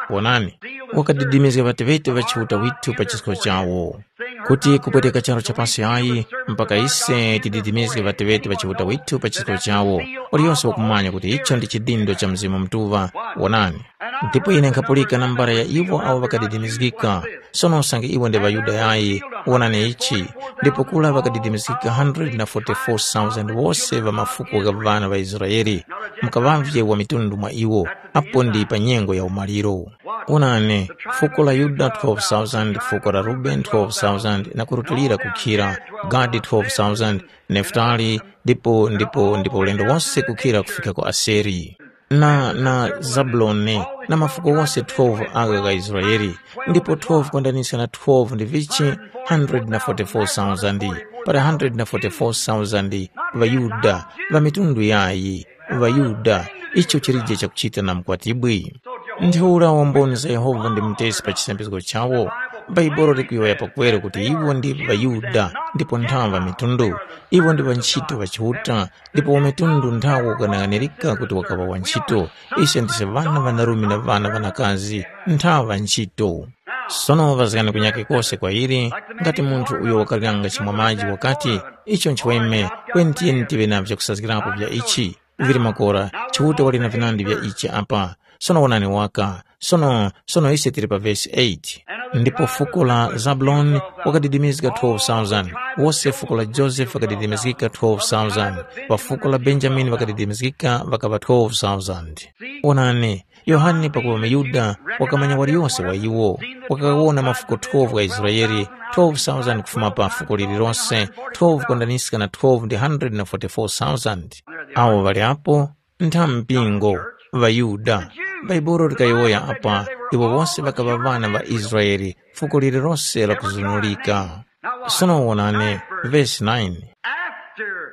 Wonani, wakadidimizga ŵateŵete ŵa Chiuta withu pa chisko chawo. Kuti kupweteka charu cha pasi yayi, mpaka ise tididimizge ŵateŵete ŵa Chiuta withu pa chisko chawo, waliyose wakumanya kuti icho ndi chidindo cha Mzimu Mutuŵa, wonani. Ndipo ine nkhapulika nambala ya iwo awo ŵakadidimizgika. Sono usange iwo ndi ŵaYuda yayi, wonani ichi, ndipo kula ŵakadidimizgika one hundred forty-four thousand wose ŵa mafuko gha ŵana ŵa Israele, mukaŵavye wa mitundu mwa iwo, apo ndi pa nyengo ya umaliro. Wonani, fuko la Yuda twelve thousand, fuko la Rubeni twelve thousand, na kurutilira kukhira, Gadi twelve thousand, Nefutali, ndipo, ndipo, ndipo ulendo wose kukhira kufika ku Aseri. Na, na Zabuloni, na mafuko wose twelve agha gha Israele, ndipo twelve kwendanisa na twelve ndi vichi, one hundred forty-four thousand, para one hundred forty-four thousand ŵaYuda, ŵa mitundu yayi, ŵaYuda, icho chilije chakuchita na mukwatibwi. Ntheura wamboni za Yehova ndi mutesi pa chisambizgo chawo. Bhaibuli likuyowoya pakweru kuti iwo ndi ŵaYuda ndipo nthawa ŵa mitundu. Iwo ndi ŵantchito ŵa Chiuta, ndipo wa mitundu nthawo ukanang'anirika kuti wakaŵa wantchito. Ise ndise ŵana ŵanarume na ŵana ŵanakazi, nthawa ŵantchito. Sono ŵazgani kunyake kose kwa ili, ngati munthu uyo wakaliranga chimwa maji wakati, icho nchiweme, kweni tiyeni tive na vyakusazgirapo vya ichi. Vili makora, Chiuta wali na vinandi vya ichi apa. Sono wonani waka, sono, sono ise tili pa vesi eight. Ndipo fuko la Zabuloni wakadidimizga twelve thousand, wose fuko la Josefe ŵakadidimizgika twelve thousand, pa fuko la Benjamini ŵakadidimizgika ŵakaŵa twelve thousand. Wonani, Yohane pakuŵa muYuda wakamanya waliyose wa iwo, wakawona mafuko twelve gha Israele, twelve thousand kufuma pa fuko lililose, twelve kondaniska na twelve ndi one hundred forty-four thousand. Awo ŵali apo, ntha mpingo, ŵaYuda. Bhaibuli likayowoya apa, iwo wose ŵakaŵa ŵana ŵa Israele, fuko lililose lakuzunulika. Sono wonani, vesi nine. After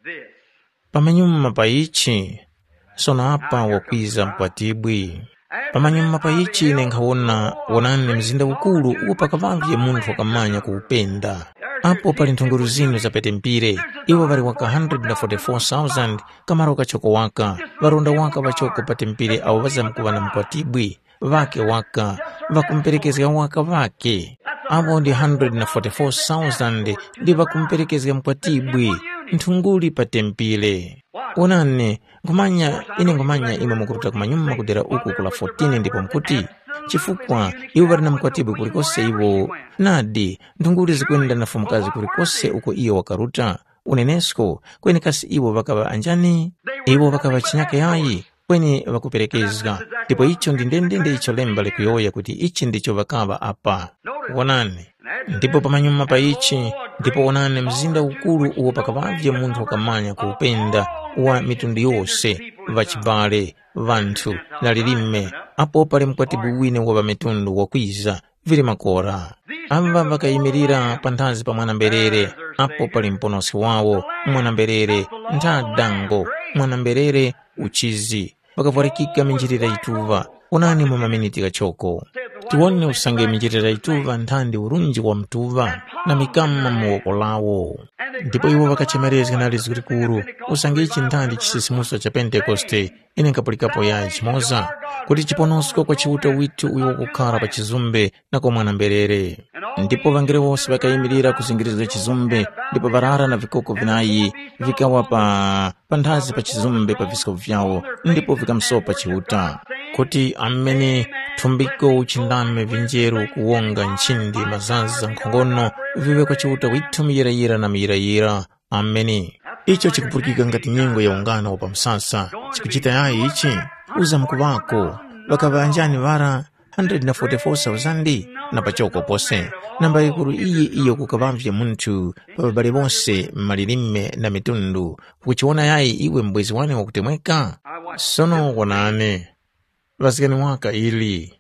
this, Pamanyuma pa ichi, sono apa wakwiza mkwatibwi. Pamanyuma pa ichi ine nkhawona, wonani mzinda ukuru uwo pakaŵavye munthu wakamanya kuwupenda. Apo pali nthunguru zinu za petempire, iwo ŵali waka one hundred forty-four thousand, kamaro kachoko waka, ŵaronda waka ŵachoko patempire awo ŵazamkuŵa na mkwatibwi, ŵake waka, ŵakumuperekezga waka ŵake. Apo ndi one hundred forty-four thousand ndi ŵakumuperekezga mkwatibwi, nthunguli patempire. Wonani, nkhumanya, ine nkhumanya imwe mukuruta kumanyuma kudera uku kula fourteen ndipo mukuti, chifukwa iwo ŵali na mukwatibwi kulikose iwo. Nadi, nthunguli zikwenda na fumukazi kulikose uko iyo wakaruta. Unenesko, kweni kasi iwo ŵakaŵa anjani? Iwo ŵakaŵa chinyaka yayi, kweni ŵakuperekezga. Ndipo icho ndi ndendende icho lemba likuyowoya kuti ichi ndicho ŵakaŵa apa. Wonani, ndipo pamanyuma pa ichi, ndipo wonani mzinda ukuru uwo pakaŵavye munthu wakamanya kuwupenda wa mitundu yose, ŵachibale, ŵanthu, na lilime, apo pali mkwatibwi wine wa ŵamitundu wakwiza, vili makora. Amba ŵakayimirira panthazi pa mwana-mberere, apo pali muponoski wawo, mwana-mberere, ntha dango, mwana-mberere, uchizi. Ŵakavwarikika minjilira yituŵa, onani mu maminiti ghachoko. Tiwone usange minjilira yituŵa nthandi urunji wa mtuŵa, na mikama mu woko lawo. Ndipo iwo ŵakachemerezga na lizgu likuru, usange ichi nthandi chisisimuso cha Pentekoste, ine nkapulikapo yayi chimoza, kuti chiponosko kwa Chiuta withu uyo wakukhara pa chizumbe na kwa mwana-mberere. Ndipo ŵangelo wose ŵakayimirira kuzingirizga chizumbe, ndipo ŵarara na vikoko vinayi vikawa pa panthazi pa chizumbe pa visko vyawo, ndipo vikamusopa Chiuta. Kuti amene thumbiko uchindame vinjeru kuwonga nchindi mazazi za nkhongono viŵe kwa Chiuta withu muyirayira na muyirayira. Ameni. Icho chikupulikika ngati nyengo ya ungano wa pa msasa. Chikuchita yayi ichi? Uza mkuŵako. Ŵakaŵa anjani ŵara? one hundred forty-four thousand? Na pachoko pose. Namba yikuru iyi iyo kukaŵavye munthu pa ŵabale bose, malilime na mitundu. Ukuchiwona yayi iwe mbwezi wane wakutemweka? Sono wonani. Ŵazgani waka ili.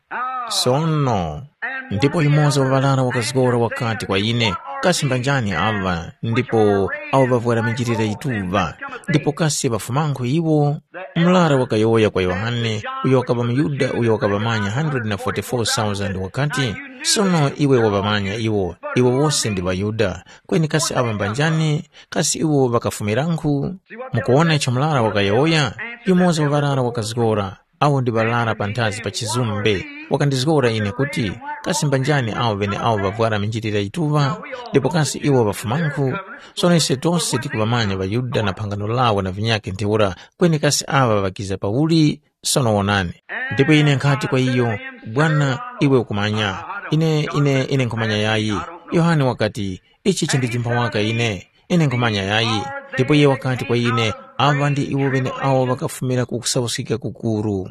Sono, ndipo yumoza wa ŵarara wakazgora wakati kwa ine, kasi mbanjani aŵa, ndipo awo ŵavwara minjilira yituŵa, ndipo kasi ŵafumankhu iwo? Murara wakayowoya kwa Yohane, uyo wakaŵa muYuda uyo wakaŵamanya one hundred forty-four thousand wakati, sono iwe waŵamanya iwo, iwo wose ndi ŵaYuda, kweni kasi aŵa mbanjani? Kasi iwo ŵakafumirankhu? Mukuwona icho murara wakayowoya? Yumoza wa ŵarara wakazgora. Awo ndi ŵarara panthazi pa chizumbe. Wakandizgora ine kuti, kasi mbanjani awo ŵeneawo ŵavwara minjilira yituŵa? Ndipo kasi iwo ŵafumankhu? Sono ise tose tikuŵamanya ŵaYuda na phangano lawo na vinyakhe ntheura, kweni kasi aŵa ŵakiza pauli? Sono wonani. Ndipo ine nkhati kwa iyo, Bwana, iwe ukumanya. Ine, ine, ine nkhumanya yayi. Yohane wakati, ichi chindijimba waka ine. Ine nkhumanya yayi. Ndipo iye wakati kwa ine, aŵa ndi iwo ŵeneawo ŵakafumira ku kusauskika kukuru.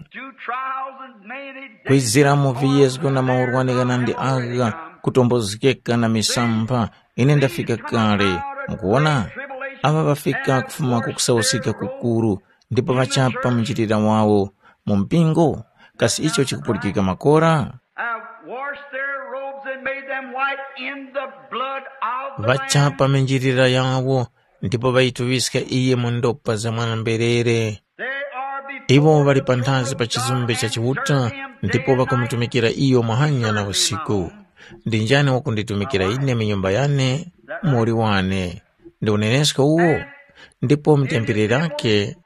Kwizira mu viyezgo na maurwani ghanandi agha, kutombozgeka na misampha, ine ndafika kale. Mukuwona? Aŵa ŵafika kufuma ku kusauskika kukuru, ndipo ŵachapa munjilira wawo. Mu mpingo, kasi icho chikupulikika makora? Have washed their robes and made them white in the blood of the Lamb. Ŵachapa minjilira yawo, ndipo ŵayituŵiska iye mu ndopa za mwana-mberere. They are before Iwo ŵali the panthazi pa throne of chizumbe God cha and Chiuta, serve him ndipo day and night. Ŵakumutumikira iyo mahanya na usiku. Ndi njani wakunditumikira ine mu nyumba yane? Muli wane. Ndi unenesko uwo? Ndipo mutempere lake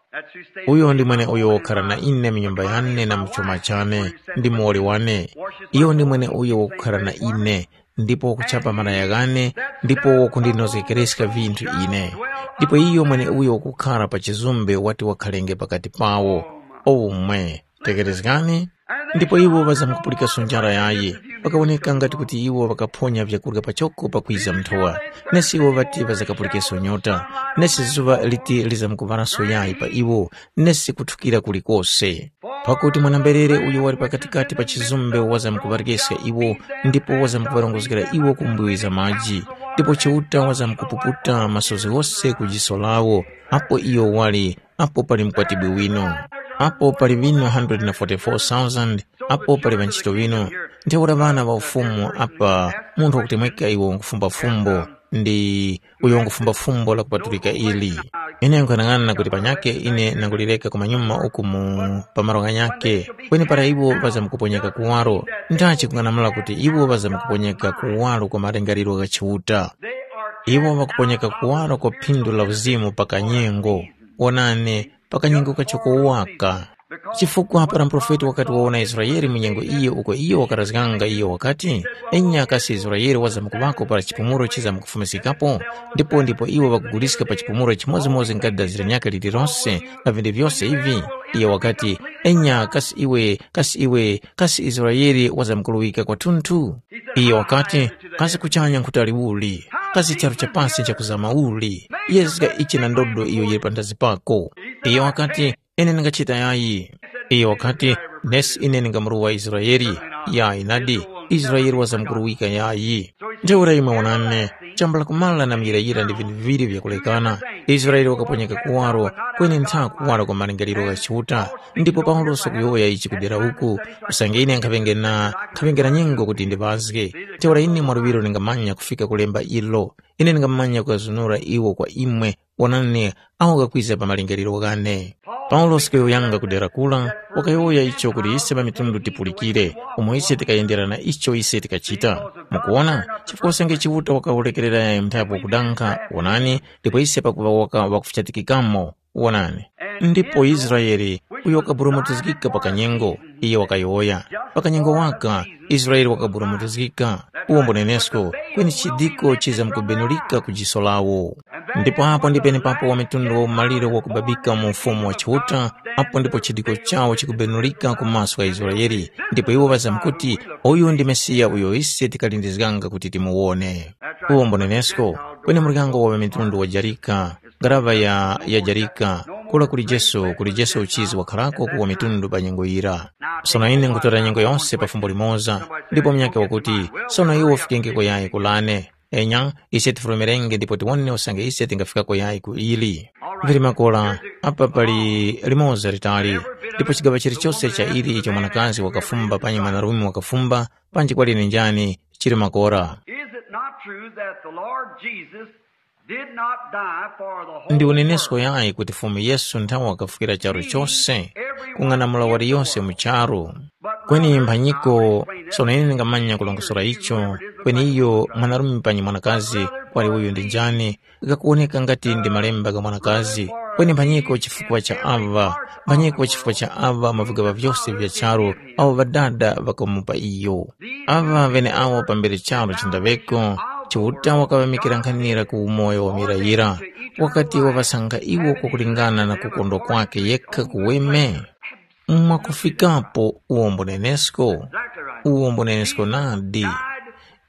Uyo ndi mwene uyo wakhara na ine mu nyumba yane na mu chuma chane, ndi muwoli wane. Iyo ndi mwene uyo wakukhara na ine, ndipo wakuchapa malaya ghane, ndipo wakundinozgekereska vinthu ine. Ndipo iyo mwene uyo wakukhara pa chizumbe wati wakhalenge pakati pawo. Omwe, tekerezgani. Ndipo iwo ŵazamkupulikanso njara yayi. Pakawoneka ngati kuti iwo ŵakaphonya vyakurya pachoko pakwiza nthowa. Nesi iwo ŵati ŵazakapulikenso nyota. Nesi zuŵa liti lizamkuŵaraso yayi pa iwo, nesi kuthukira kulikose. Pakuti mwana-mberere uyo wali pakatikati pa chizumbe wazamkuŵaryesa iwo, ndipo wazamkuŵarongozgera iwo ku mbuwi za maji. Ndipo Chiuta wazamkupuputa masozi ghose ku jiso lawo, apo iyo wali, apo pali mkwatibwi wino. Apo pali ŵino hundred na forty-four thousand, apo pali ŵantchito ŵino. Ntheura ŵana ŵa ufumu apa, munthu wakutemweka iwo nkufumba fumbo, ndi uyo ngufumba fumbo la kupatulika ili. Ine nkhanang'ana kuti panyakhe ine nangulireka kumanyuma uku mu pa malo ghanyakhe, kweni para iwo ŵazamkuponyeka kuwaro, ndachi kung'anamula kuti iwo ŵazamkuponyeka kuwaro kwa malingaliro gha Chiuta. Iwo ŵakuponyeka kuwaro kwa phindu la uzimu pa kanyengo. Wonani, pa kanyengo kachoko waka. Chifukwa para muprofeti wakati wawona Israele mu nyengo iyo uko iyo wakarazganga iyo wakati, enya kasi Israele wazamkuŵako para chipumuro chizamkufumiskikapo? Ndipo ndipo iwo ŵakuguliska pa chipumuro chimodzimodzi nga dazi la nyaka lililose na vinthu vyose ivi? Iyo wakati, enya kasi iwe, kasi iwe, kasi Israele wazamkuruwika kwatunthu? Iyo wakati, kasi kuchanya nkhutali uli? Kasi charu cha pasi nchakuzama uli? Yezga ichi na ndodo iyo yili panthazi pako. Iyo wakati, ine ndingachita yayi. Iyo wakati, nesi ine ndingamuruwa Israeli. Yayi nadi, Israeli wazamkuruwika yayi. Ntheura imwe wonani, chambula kumala na muyirayira ndi vinthu viŵiri vyakulekana. Israeli wakaponyeka kuwaro, kweni ntha kuwaro kwa malingaliro gha Chiuta. Ndipo Paulosi kuyowoya ichi kudera uku, usange ine nkhaŵenge na nkhaŵenge na nyengo kuti ndiŵazge. Ntheura ine mwaluŵiro ndingamanya kufika kulemba ilo. Ine ndingamanya kukazunura iwo kwa imwe. Wonani, awo ghakwiza pa malingaliro ghane. Paulosi kuyowoyanga ku dera kura, wakayowoya icho kuti ise ŵamitundu tipulikire, umo ise tikayendera na icho ise tikachita. Mukuwona, chifukwa usange Chiuta wakaworekerera nthapo kudankha, wonani, ndipo ise pakuŵa waka wakufichatikikamo, wonani. Ndipo Israele, uyo wakaburumutizgika pa kanyengo, iyo wakayowoya, pa kanyengo waka, Israele wakaburumutizgika, uwo mbunenesko, kweni chidiko chizamkubenulika ku jiso lawo. Ndipo apo ndi penepapo wa mitundu wa umaliro wakubabika mu ufumu wa Chiuta, apo ndipo chidiko chawo chikubenulika ku maso gha Israele, ndipo iwo ŵazamkuti, uyu ndi Mesiya uyo ise tikalindizganga kuti timuwone. Uwo mbunenesko, kweni muryango wa ŵamitundu wajarika, ngaraŵa ya yajarika, kura kuli Jesu, kuli Jesu uchizi wakharako ku ŵamitundu pa nyengo yira. Sono ine nkutora nyengo yose pa fumbo limoza, ndipo munyakhe wakuti, sono iwe ufikenge kuyayi kulane. Enya, ise tifulumirenge ndipo tiwone usange ise tingafikako yayi ku ili. Vili makora, apa pali limoza litali, ndipo chigaŵa chilichose cha ili icho mwanakazi wakafumba panyi mwanarume wakafumba, panji kwali ni njani, chili makora. Is it not true that the Lord Jesus did not die for the whole Ndi unenesko world? Yayi kuti Fumu Yesu nthawe wakafukira charu chose, kung'anamula waliyose mu charu. Kweni mphanyiko, sono ine ndingamanya kulongosora icho, kweni iyo mwanarume panyi mwanakazi, kwali uyu ndi njani, ghakuwoneka ngati ndi malemba gha mwanakazi, kweni mphanyiko chifukwa cha ava, mphanyiko chifukwa cha ava mavigaŵa vyose vya charu, awo ŵadada ŵakamupa iyo. Ava ŵeneawo pambere charu chindaŵeko, Chiuta wakaŵamikira nkhanira ku umoyo wa muyirayira, wakati waŵasankha iwo kwakulingana na kukondwa kwakhe yekha kuweme. Mwakufikapo uwombo nenesko, uwombo nenesko nadi.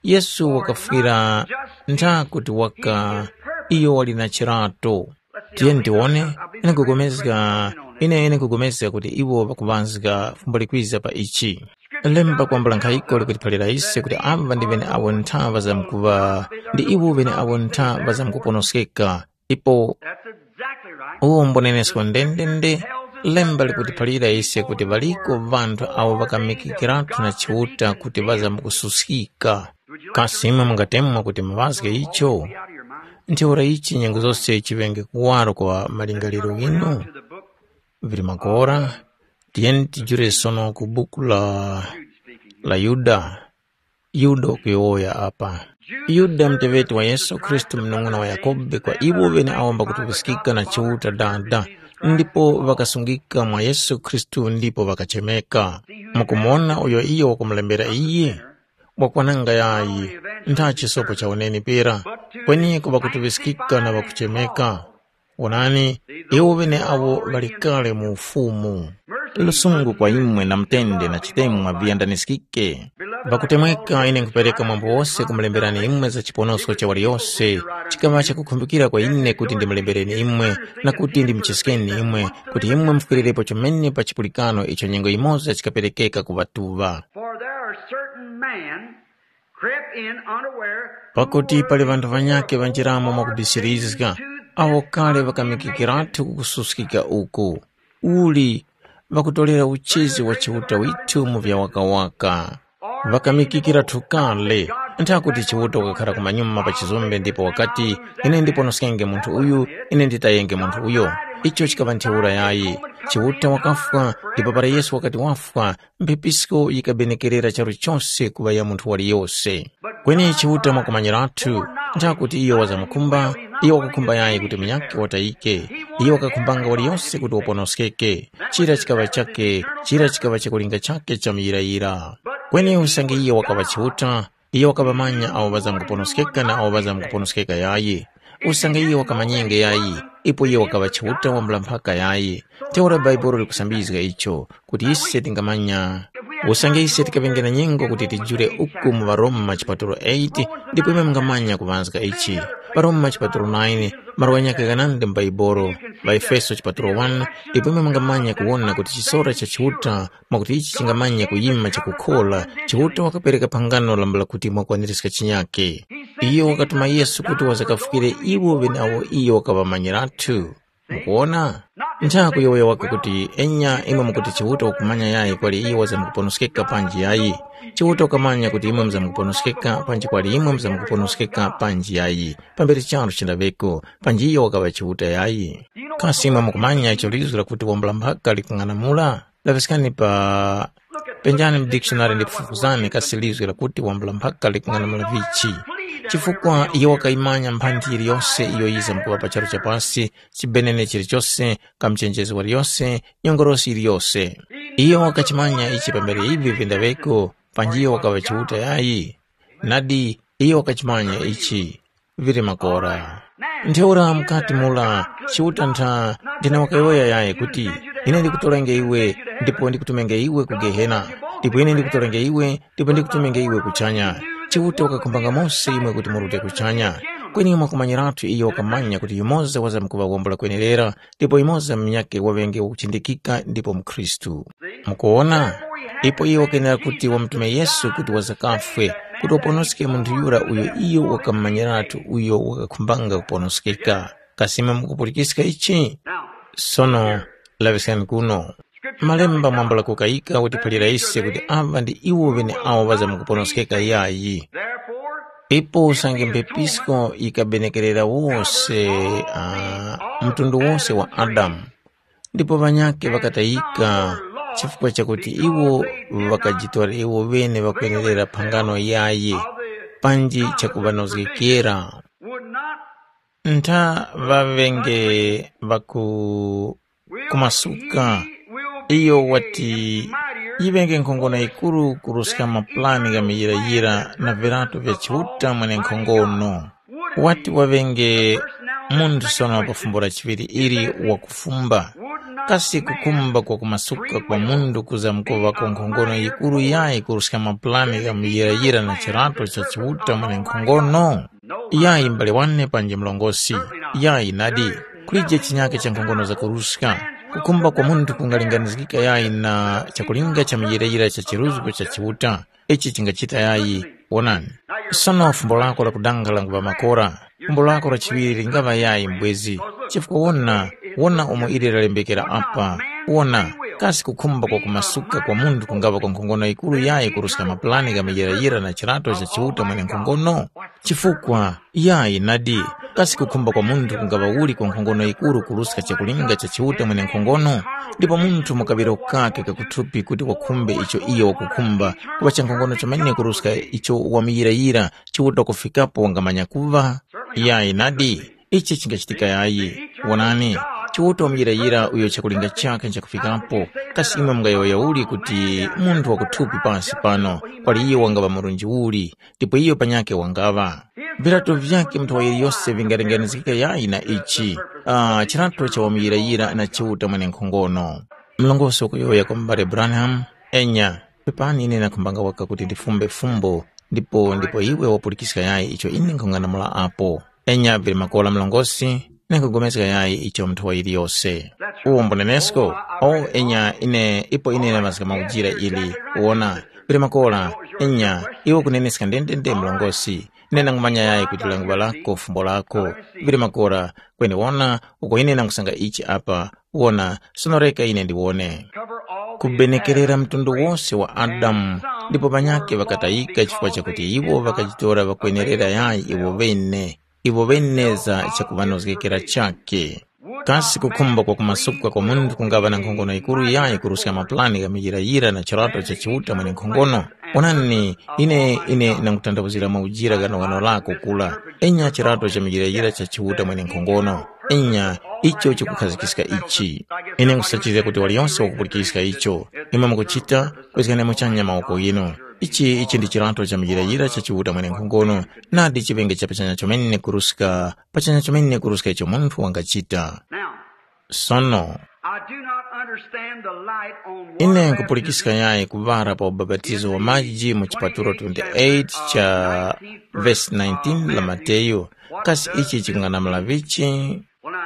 Yesu wakafwira ntha kuti waka iyo wali na chirato. Tiyeni tiwone, ine nkugomezga, ine ine nkugomezga kuti iwo ŵakuŵanzga fumbo likwiza pa ichi. Lemba kwambula nkhayiko likutiphalira ise kuti ava ndi ŵeneawo ntha ŵazamkuŵa, ndi iwo ŵeneawo ntha ŵazamkuponoskeka. Ipo That's exactly right. Uwo mbunenesko ndendende. Lemba likutiphalira ise kuti ŵaliko ŵanthu awo ŵakamikikiratu na Chiuta kuti ŵazamkususkika. Kasi imwe mungatemwa kuti muŵazge icho? Ntheura ichi nyengo zose chiŵenge kuwaro kwa malingaliro ghinu? Vili makora, tiyeni tijule sono ku buku la, la Yuda. Yuda ukuyowoya apa. Yuda muteŵeti wa Yesu Khristu munung'una wa Yakobe kwa iwo ŵeneawo mbakutupiskika na Chiuta Dada, ndipo ŵakasungika mwa Yesu Khristu ndipo ŵakachemeka. Mukumuwona uyo iyo wakumulembera iyi? Wakwananga yayi, ntha chisopo cha uneni pera, kweneko ŵakutuŵiskika na ŵakuchemeka. Wonani, iwo ŵeneawo ŵali kale mu Ufumu. Lusungu kwa imwe na mutende na chitemwa viyandaniskike. Pakutemweka ine nkhupereka mwambo wose kumulemberani imwe za chiponosko cha waliyose, chikaŵa chakukhumbikira kwa ine kuti ndimulembereni imwe, na kuti ndimucheskeni imwe, kuti imwe mufwirirepo chomene pa chipulikano icho nyengo yimoza chikaperekeka ku ŵatuŵa. For there are certain men crept in unaware. Pakuti pali ŵanthu ŵanyakhe ŵanjiramo mwakubisirizga, awo kale ŵakamikikirathu kukususkika uku. Uli, ŵakutolera uchizi wa Chiuta withu mu vyawakawaka. Ŵakamikikira thukale, nthakuti Chiuta wakakhara kumanyuma pa chizumbe ndipo wakati, ine ndiponoskenge munthu uyu, ine nditayenge munthu uyo. Icho chikaŵa ntheura yayi. Chiuta wakafwa, ndipo para Yesu wakati wafwa, mphepisko yikabenekerera charu chose kuŵa ya munthu waliyose. Kweni Chiuta mwakumanyirathu, nthakuti iyo wazamukhumba, iyo wakakhumba yayi kuti munyakhe watayike. Iyo wakakhumbanga waliyose kuti waponoskeke. Chira chikaŵa chakhe, chira chikaŵa chakulinga chakhe cha muyirayira. Kweni usange iyo wakaŵa Chiuta, iyo wakaŵamanya awo ŵazamkuponoskeka na awo ŵazamkuponoskeka yayi. Usange iyo wakamanyenge yayi, ipo iyo wakaŵa Chiuta wambula mphaka yayi. Ntheura Bhaibuli likusambizga icho, kuti ise tingamanya. Usange ise tikaŵenge na nyengo kuti tijule uku mu ŵaRoma chipatulo eight, ndipo imwe mungamanya kuŵazga ichi. ܦa Roma chipatulo nine, malo ghanyakhe ghanandi mu Bhaibuli, ŵaEfeso chipatulo one, ndipo imwe mungamanya kuwona kuti chisora cha Chiuta, mwakuti ichi chingamanya kuyima chakukhora, Chiuta wakapereka phangano lambula kuti mwakwaniska chinyakhe. Iyo wakatuma Yesu kuti wazakafukire iwo ŵeneawo iyo wakaŵamanyirathu. Mukuwona? Nthaku yowoya waka kuti enya imwe mukuti Chiuta wakumanya yayi kwali iyo wazamkuponoskeka panji yayi. Chiuta wakamanya kuti imwe muzamkuponoskeka panji kwali imwe muzamkuponoskeka panji yayi. Pambere charu chindaŵeko, panji iyo wakaŵa Chiuta yayi. Kasi imwe mukumanya icho lizgu lakuti wambula mphaka likung'anamula? Laŵiskani pa penjani mu dictionary ndipo fufuzani kasi lizgu lakuti wambula mphaka likung'anamula vichi. Chifukwa iyo wakayimanya mphanthi yiliyose iyo yiza mkuŵa pa charu cha pasi, chibenene chilichose, kamuchenjezi waliyose, nyongolosi yiliyose. Iyo wakachimanya ichi pambere ivi vindaŵeko, panji iyo wakaŵa Chiuta yayi. Nadi, iyo wakachimanya ichi. Vili makora. Ntheura mukati mura, Chiuta ntha ndina wakayowoya yayi kuti, ine ndikutorenge iwe, ndipo ndikutumenge iwe ku Gehena, ndipo ine ndikutorenge iwe, ndipo ndikutumenge iwe kuchanya. Chiuta wakakhumbanga mose imwe kuti murute kuchanya. Kweni mwakumanyirathu iyo wakamanya kuti yumoza wazamkuŵa wambula kwenerera, ndipo yumoza munyakhe waŵenge wakuchindikika ndipo mkhristu. Mukuwona? Ipo iyo wakenera kuti wamutume Yesu kuti wazakafwe, kuti waponoske munthu yura uyo iyo wakamumanyiratu uyo wakakhumbanga kuponoskeka. Kasi imwe mukupulikiska ichi? Sono, laŵiskani kuno. Malemba mwambula kukayika utiphalira ise kuti aŵa ndi iwo ŵeneawo ŵazamkuponoskeka yayi. Ipo usange mphepisko yikabenekerera wose, uh, mtundu wose wa Adamu, ndipo ŵanyakhe ŵakatayika chifukwa chakuti iwo ŵakajitwala iwo ŵene ŵakwenerera phangano yayi, panji chakuŵanozgekera. Ntha ŵaŵenge ŵaku kumasuka. Iyo wati, yiŵenge nkhongono yikuru kuruska mapulani gha muyirayira na virato vya Chiuta mwenenkhongono. Wati waŵenge munthu sono pa fumbo la chiŵiri ili wakufumba. Kasi kukhumba kwa kumasuka kwa munthu kuzamkuŵako nkhongono yikuru yayi kuruska mapulani gha muyirayira na chirato cha Chiuta mwenenkhongono? Yayi m'bale wane panji mlongosi, yayi nadi, kulije chinyake cha nkhongono zakuruska. Kukhumba kwa munthu kungalinganizgika yayi na chakulinga cha muyirayira cha chiruzgo cha Chiuta. Ichi chingachita yayi. Wonani. Sono fumbo lako la kudanga languŵa makora. Fumbo lako la chiŵiri lingaŵa yayi mbwezi. Chifukwa wona, wona umo ili lalembekera apa. Wona, kasi kukhumba kwa kumasuka kwa munthu kungaŵa kwa nkhongono yikuru yayi kuruska mapulani gha muyirayira na chirato cha Chiuta mwenenkhongono? Chifukwa, yayi nadi, kasi kukhumba kwa munthu kungaŵa uli kwa nkhongono yikuru kuruska chakulinga cha Chiuta mwenenkhongono? Ndipo munthu mu kaŵiro kakhe kakuthupi kuti wakhumbe icho iyo wakukhumba, kuŵa cha nkhongono chomene kuruska icho wamuyirayira, Chiuta kufikapo wangamanya kuŵa? Yayi nadi, ichi chingachitika yayi. Wonani, Chiuta wamuyirayira uyo chakulinga chakhe nchakufikapo. Kasi imwe mungayowoya uli kuti munthu wakuthupi pansi pano, kwali iyo wangaŵa murunji uli, ndipo iyo panyakhe wangaŵa? Virato vyakhe munthu wa yiliyose vingalinganizgika yayi na ichi? Ah, chirato cha wamuyirayira na Chiuta mwenenkhongono. Mlongosi wakuyowoya kwa m'bale Branham, enya, pepani ine nakhumbanga waka kuti ndifumbe fumbo, ndipo ndipo iwe wapulikiska yayi icho ine nkhung'anamula apo. Enya vili makora mlongosi, ine nkhupulikana yayi icho munthu wa yiliyose. Uwo mbunenesko? O enya ine ipo ine namazga maujira ili. Wona, vili makora, enya, iwe ukuneneska ndendende mlongosi. Ine nangumanya yayi kuti languŵa lako fumbo lako. Vili makora, kweni wona, uko ine nangusanga ichi apa. Wona, sono reka ine ndiwone. Kubenekerera mtundu wose wa Adamu, ndipo panyakhe ŵakatayika chifukwa chakuti iwo ŵakajitora ŵakwenerera yayi iwo ŵene, iwo ŵene za chakuŵanozgekera chakhe. Kasi kukhumba kwa kumasuka kwa munthu kungaŵa na nkhongono yikuru yayi kuruska mapulani gha muyirayira na chirato cha Chiuta mwenenkhongono? Onani, ine ine nangutandawuzira maujira ghanoghano lako kula. Enya chirato cha muyirayira cha Chiuta mwenenkhongono. Enya, icho chikukhazikiska ichi. Ine nkhusachizga kuti waliyonse wakupulikiska icho. Imwe mukuchita, kwezgani muchanya mawoko ghinu. Ichi ichi ndi chirato cha muyirayira cha Chiuta mwenenkhongono. Nadi chiŵenge cha pachanya chomene kuruska, pachanya chomene kuruska icho munthu wangachita. Now, Sono, I do not understand the light on water ine nkupulikiska baptism. Yayi kuŵara pa ubapatizo wa maji mu chipatulo twenty-eight cha vesi nineteen la Mateyu. Kasi ichi chikung'anamula vichi?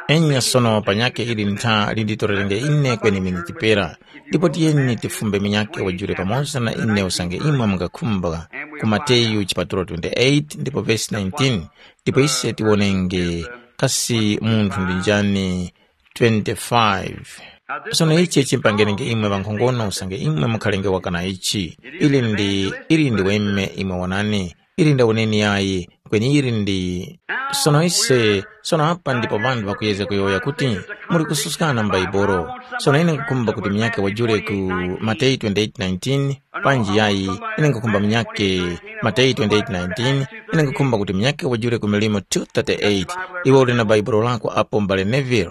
Enya sono panyakhe ili ntha linditorerenge ine kweni miniti pera. Ndipo tiyeni tifumbe minyakhe wajule pamoza na ine usange imwe mungakhumba ku Mateyu chipatulo twenty-eight ndipo vesi nineteen. Ndipo ise tiwonenge kasi munthu ndi njani. Twenty-five. Sono ichi chimpangenenge imwe ŵankhongono usange imwe mukhalenge wakana ichi. Ili ndi ili ndi weme imwe wonani. Ili ndawoneni yayi. Kweni ili ndi sono ise sono apa ndipo ŵanthu ŵakuyezga kuyowoya kuti muli kususkana mu Baibolo. Sono ine nkukhumba kuti munyake wajule ku Mateyu twenty-eight nineteen. Panji yayi, ine nkukhumba munyake Mateyu twenty-eight nineteen. Ine nkukhumba kuti munyake wajule ku Milimo two thirty-eight. Iwe uli na Baibulo lako apo, m'bale Neville?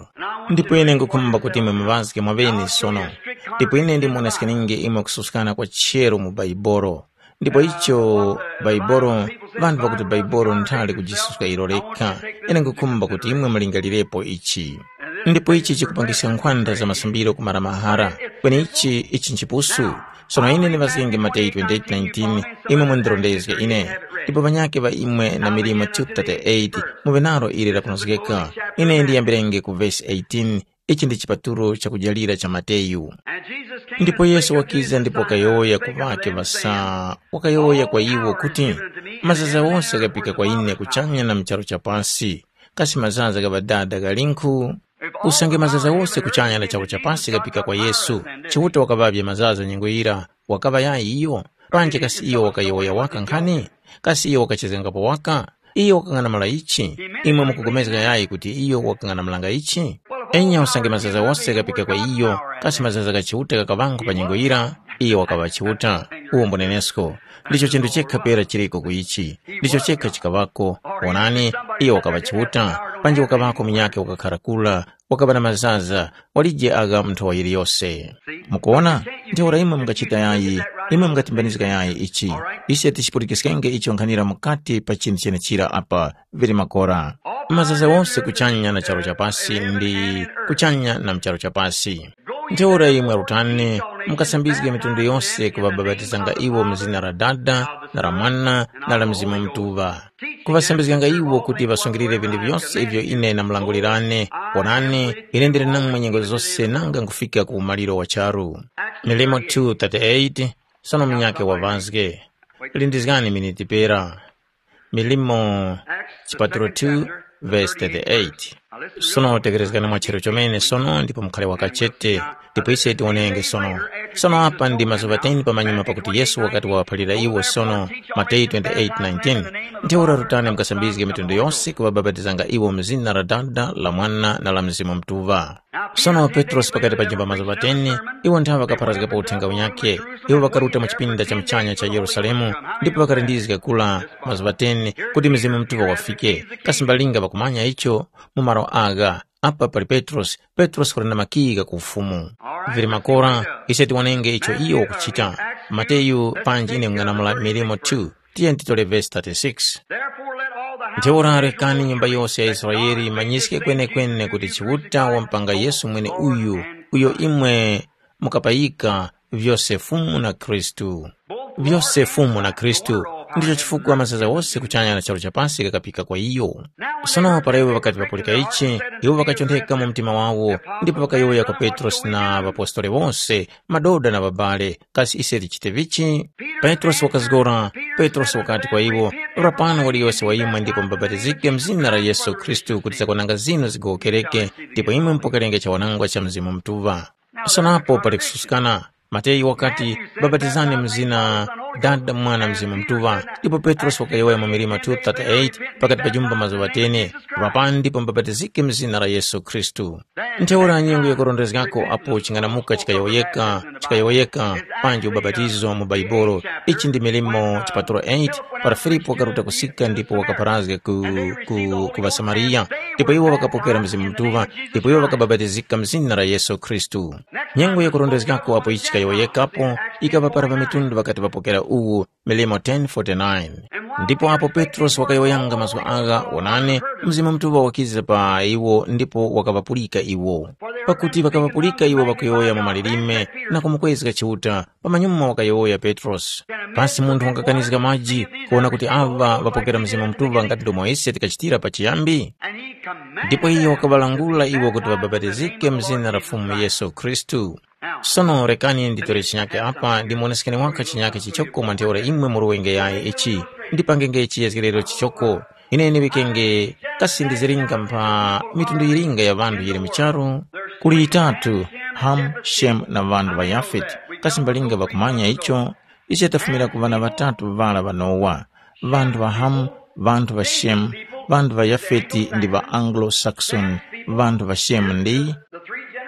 Ndipo ine nkukhumba kuti imwe muŵazge mwaŵene sono. Ndipo ine ndimuoneskeninge imwe kususkana kwa chero mu Baibulo. Ndipo icho Baibulo, vanthu ŵakuti Baibulo nthali kujisuska ilo lekha. Ine nkukhumba kuti imwe mulingalirepo ichi. Ndipo ichi chikupangiska nkhwanda za masambiro kumara mahara. Kweni ichi ichi nchipusu. Sono ine ndiŵazgenge Mateyu twenty-eight nineteen. Imwe mundirondezge ine. Ndipo ŵanyakhe ŵa imwe na Milimo two thirty-eight, muŵe nalo ili lakunozgeka. Ine ndiyambirenge ku vesi eighteen. Ichi ndi chipatulo chakujalira cha Mateyu. Ndipo Yesu wakiza ndipo wakayowoya ku ŵake ŵasa, wakayowoya kwa iwo kuti, mazaza wose ghapika kwa ine kuchanya na mu charu cha pasi. Kasi mazaza gha Ŵadada ghalinkhu? Usange mazaza wose kuchanya na charu cha pasi ghapika kwa Yesu, Chiuta wakaŵavye mazaza nyengo yira, wakaŵa yayi iyo? Panji kasi iyo wakayowoya waka nkhani? Kasi iyo wakachezgangapo waka? Iyo wakang'anamula ichi? Imwe mukupulikana yayi kuti iyo wakang'anamulanga ichi? Enya usange mazaza wose ghapika kwa iyo, kasi mazaza gha Chiuta ghakaŵango pa nyengo yira? Iyo wakaŵa Chiuta. Uwo mbunenesko. Ndicho chinthu chekha pera chiriko ku ichi. Ndicho chekha chikaŵako. Wonani, iyo wakaŵa Chiuta. Panji wakaŵako munyakhe wakakhara kura, wakaŵa na mazaza, walije agha mu nthowa yiliyose. Mukuwona? Ntheura imwe mungachita yayi, imwe mungatimbanizga yayi ichi. Ise tichipulikiskenge icho nkhanira mukati pa chinthu chenechira apa vili makora. Mazaza wose kuchanya na charu cha pasi ndi kuchanya na mu charu cha pasi. Ntheura imwe rutani, mukasambizge mitundu yose kuŵabapatizanga iwo mu zina la Dada, na la Mwana, na la Mzimu Mutuŵa. Kuŵasambizganga iwo kuti ŵasungilire vinthu vyose ivyo ine ndamulangulirani. Wonani, ine ndili namwe nyengo zose nanga nkufika ku umaliro wa charu. Milimo two thirty-eight. Sono munyakhe wavazge. Lindizgani miniti pera. Milimo chipatulo two verse thirty-eight. Sono tekerezgani mwa chero chomene sono ndipo mukhale wakachete. Ndipo ise tionenge sono. Sono apa ndi mazuŵa ten pamanyuma pakuti Yesu wakati wawaphalira iwo sono, Mateyu twenty-eight nineteen. Ntheura rutani mukasambizge mitundu yose kuŵabapatizanga iwo mu zina la Dada, la Mwana, na la Mzimu Mutuŵa. Sono Petrosi pakati pajemba mazuŵa ten, iwo nthawe ŵakapharazgapo uthenga unyakhe. Iwo ŵakaruta mu chipinda cha muchanya cha Yerusalemu, ndipo ŵakalindizga kura mazuŵa ten kuti Mzimu Mutuŵa wafike. Kasi mbalinga ŵakumanya icho? Mu malo agha, Apa pali Petrosi, Petrosi wali na makika ku ufumu. Vili makora, ise tiwonenge icho iyo wakuchita. Mateyu panji ine ng'anamula milimo two, tiyeni titole vesi thirty-six. Ntheura rekani nyumba yose ya Israele imanyiske kwenekwane kuti Chiuta wampanga Yesu mwene uyu, uyo imwe mukapayika vyose Fumu na Khristu. Vyose Fumu na Khristu, ndicho chifukwa mazaza wose kuchanya na charu cha pasi ghakapika kwa iyo. Sono para iwo ŵakati ŵapulika ichi, iwo ŵakachontheka mu mtima wawo, ndipo ŵakayowoya kwa Petrosi na ŵapostoli wose, madoda na ŵabale, kasi ise tichite vichi? Petrosi wakazgora. Petrosi wakati kwa iwo, rapani waliyose wa imwe ndipo mubapatizike mu zina la Yesu Khristu kuti zakwananga zinu zigowokereke, ndipo imwe mupokerenge chawanangwa cha Mzimu Mutuŵa. Sonapo pali kususkana. Mateyu wakati, babatizani mu zina Dada, Mwana, Mzimu Mutuŵa. Ndipo Petrosi wakayowoya mu milima two thirty-eight, pakati pa jumba mazuŵa teni, rapani ndipo mubapatizike mu zina la Yesu Khristu. Ntheura nyengo yakurondezgako apo ching'anamuka chikayowoyeka, chikayowoyeka, panji ubapatizo mu Baibolo. Ichi ndi milimo chipatulo eight, para Filipu wakaruta kusika ndipo wakapharazga ku, ku, ku ŵaSamariya. Ndipo iwo ŵakapokera Mzimu Mutuŵa, ndipo iwo ŵakabapatizika mu zina la Yesu Khristu. Nyengo yakurondezgako apo ichi chikayowoyekapo, ikaŵa para ŵamitundu ŵakati ŵapokera uwu, milimo ten forty-nine. Ndipo apo Petrosi wakayowoyanga mazgu agha, wonani, Mzimu Mutuŵa wakiza pa iwo ndipo wakaŵapulika iwo. Pakuti ŵakaŵapulika iwo ŵakuyowoya mu malilime na kumukwezga Chiuta, pamanyuma wakayowoya Petrosi. Pasi munthu wangakanizga maji kuwona kuti aŵa ŵapokera Mzimu Mutuŵa ngati ndomwe ise tikachitira pachiyambi? Ndipo iyo wakaŵalangula iwo kuti ŵabapatizike mu zina la Fumu Yesu Khristu. Sono rekani nditore chinyake apa ndimuoneskeni waka chinyake chichoko mwa ntheura imwe muruwenge yayi ichi, ndipangenge chiyezgerero chichoko. Ine ndiŵikenge kasi ndiziringa mpha mitundu yiringa ya ŵanthu yili mu charu? Kuli yitatu, Hamu, Shemu na ŵanthu ŵa Yafeti. Kasi mbalinga ŵakumanya icho? Ise tafumira ku ŵana ŵatatu ŵara ŵa Nowa. Ŵanthu ŵa Hamu, ŵanthu ŵa Shemu, ŵanthu ŵa Yafeti ndi ŵa Anglo-Saxon. Ŵanthu ŵa Shemu ndi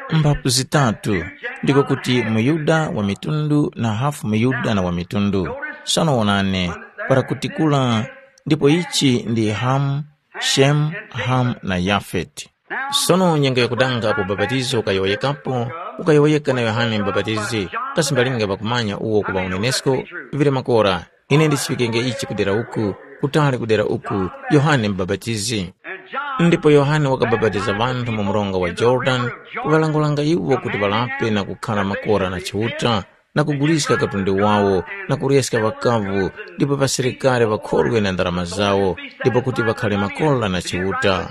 mphapu zitatu, ndiko kuti muYuda wa mitundu na hafu muYuda na wa mitundu. Sono wonani, para kutikula, ndipo ichi ndi Hamu, Shemu, Hamu na Yafeti. Sono nyengo yakudanga apo bapatizo ukayowoyekapo, ukayowoyeka na Yohane Mubapatizi, kasi mbalinga pakumanya uwo kuŵa unenesko, vili makora, ine ndichiŵikenge ichi kudera uku, kutali kudera uku, Yohane Mubapatizi. Ndipo Yohane wakabapatiza ŵanthu mu mronga wa Yorodani, kuŵalangulanga iwo kuti ŵalape na kukhara makora na Chiuta, na kuguliska katundu wawo, na kureska ŵakavu, ndipo ŵasilikari ŵakhorwe na ndarama zawo, ndipo kuti ŵakhare makora na Chiuta.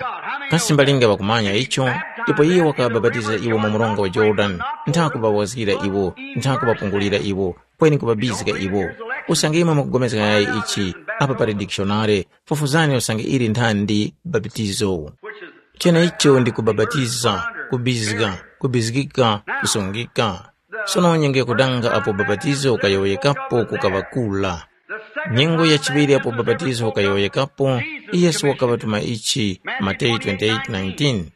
Kasi mbalinga ŵakumanya icho? Ndipo iye wakabapatiza iwo mu mronga wa Yorodani, ntha kuŵawazgira iwo, ntha kuŵapungulira iwo, kweni kuŵabizga iwo. Usange imwe mukupulikana yayi ichi, apa pali dikishonare, fufuzani usange ili nthandi baptizo. Cheneicho ndi kubapatiza, kubizga, kubizgika, kusungika. Sono nyengo yakudanga apo bapatizo ukayowoyekapo kukaŵa kula. Nyengo yachiŵiri apo bapatizo ukayowoyekapo, Yesu wakaŵatuma ichi, Mateyu twenty-eight nineteen.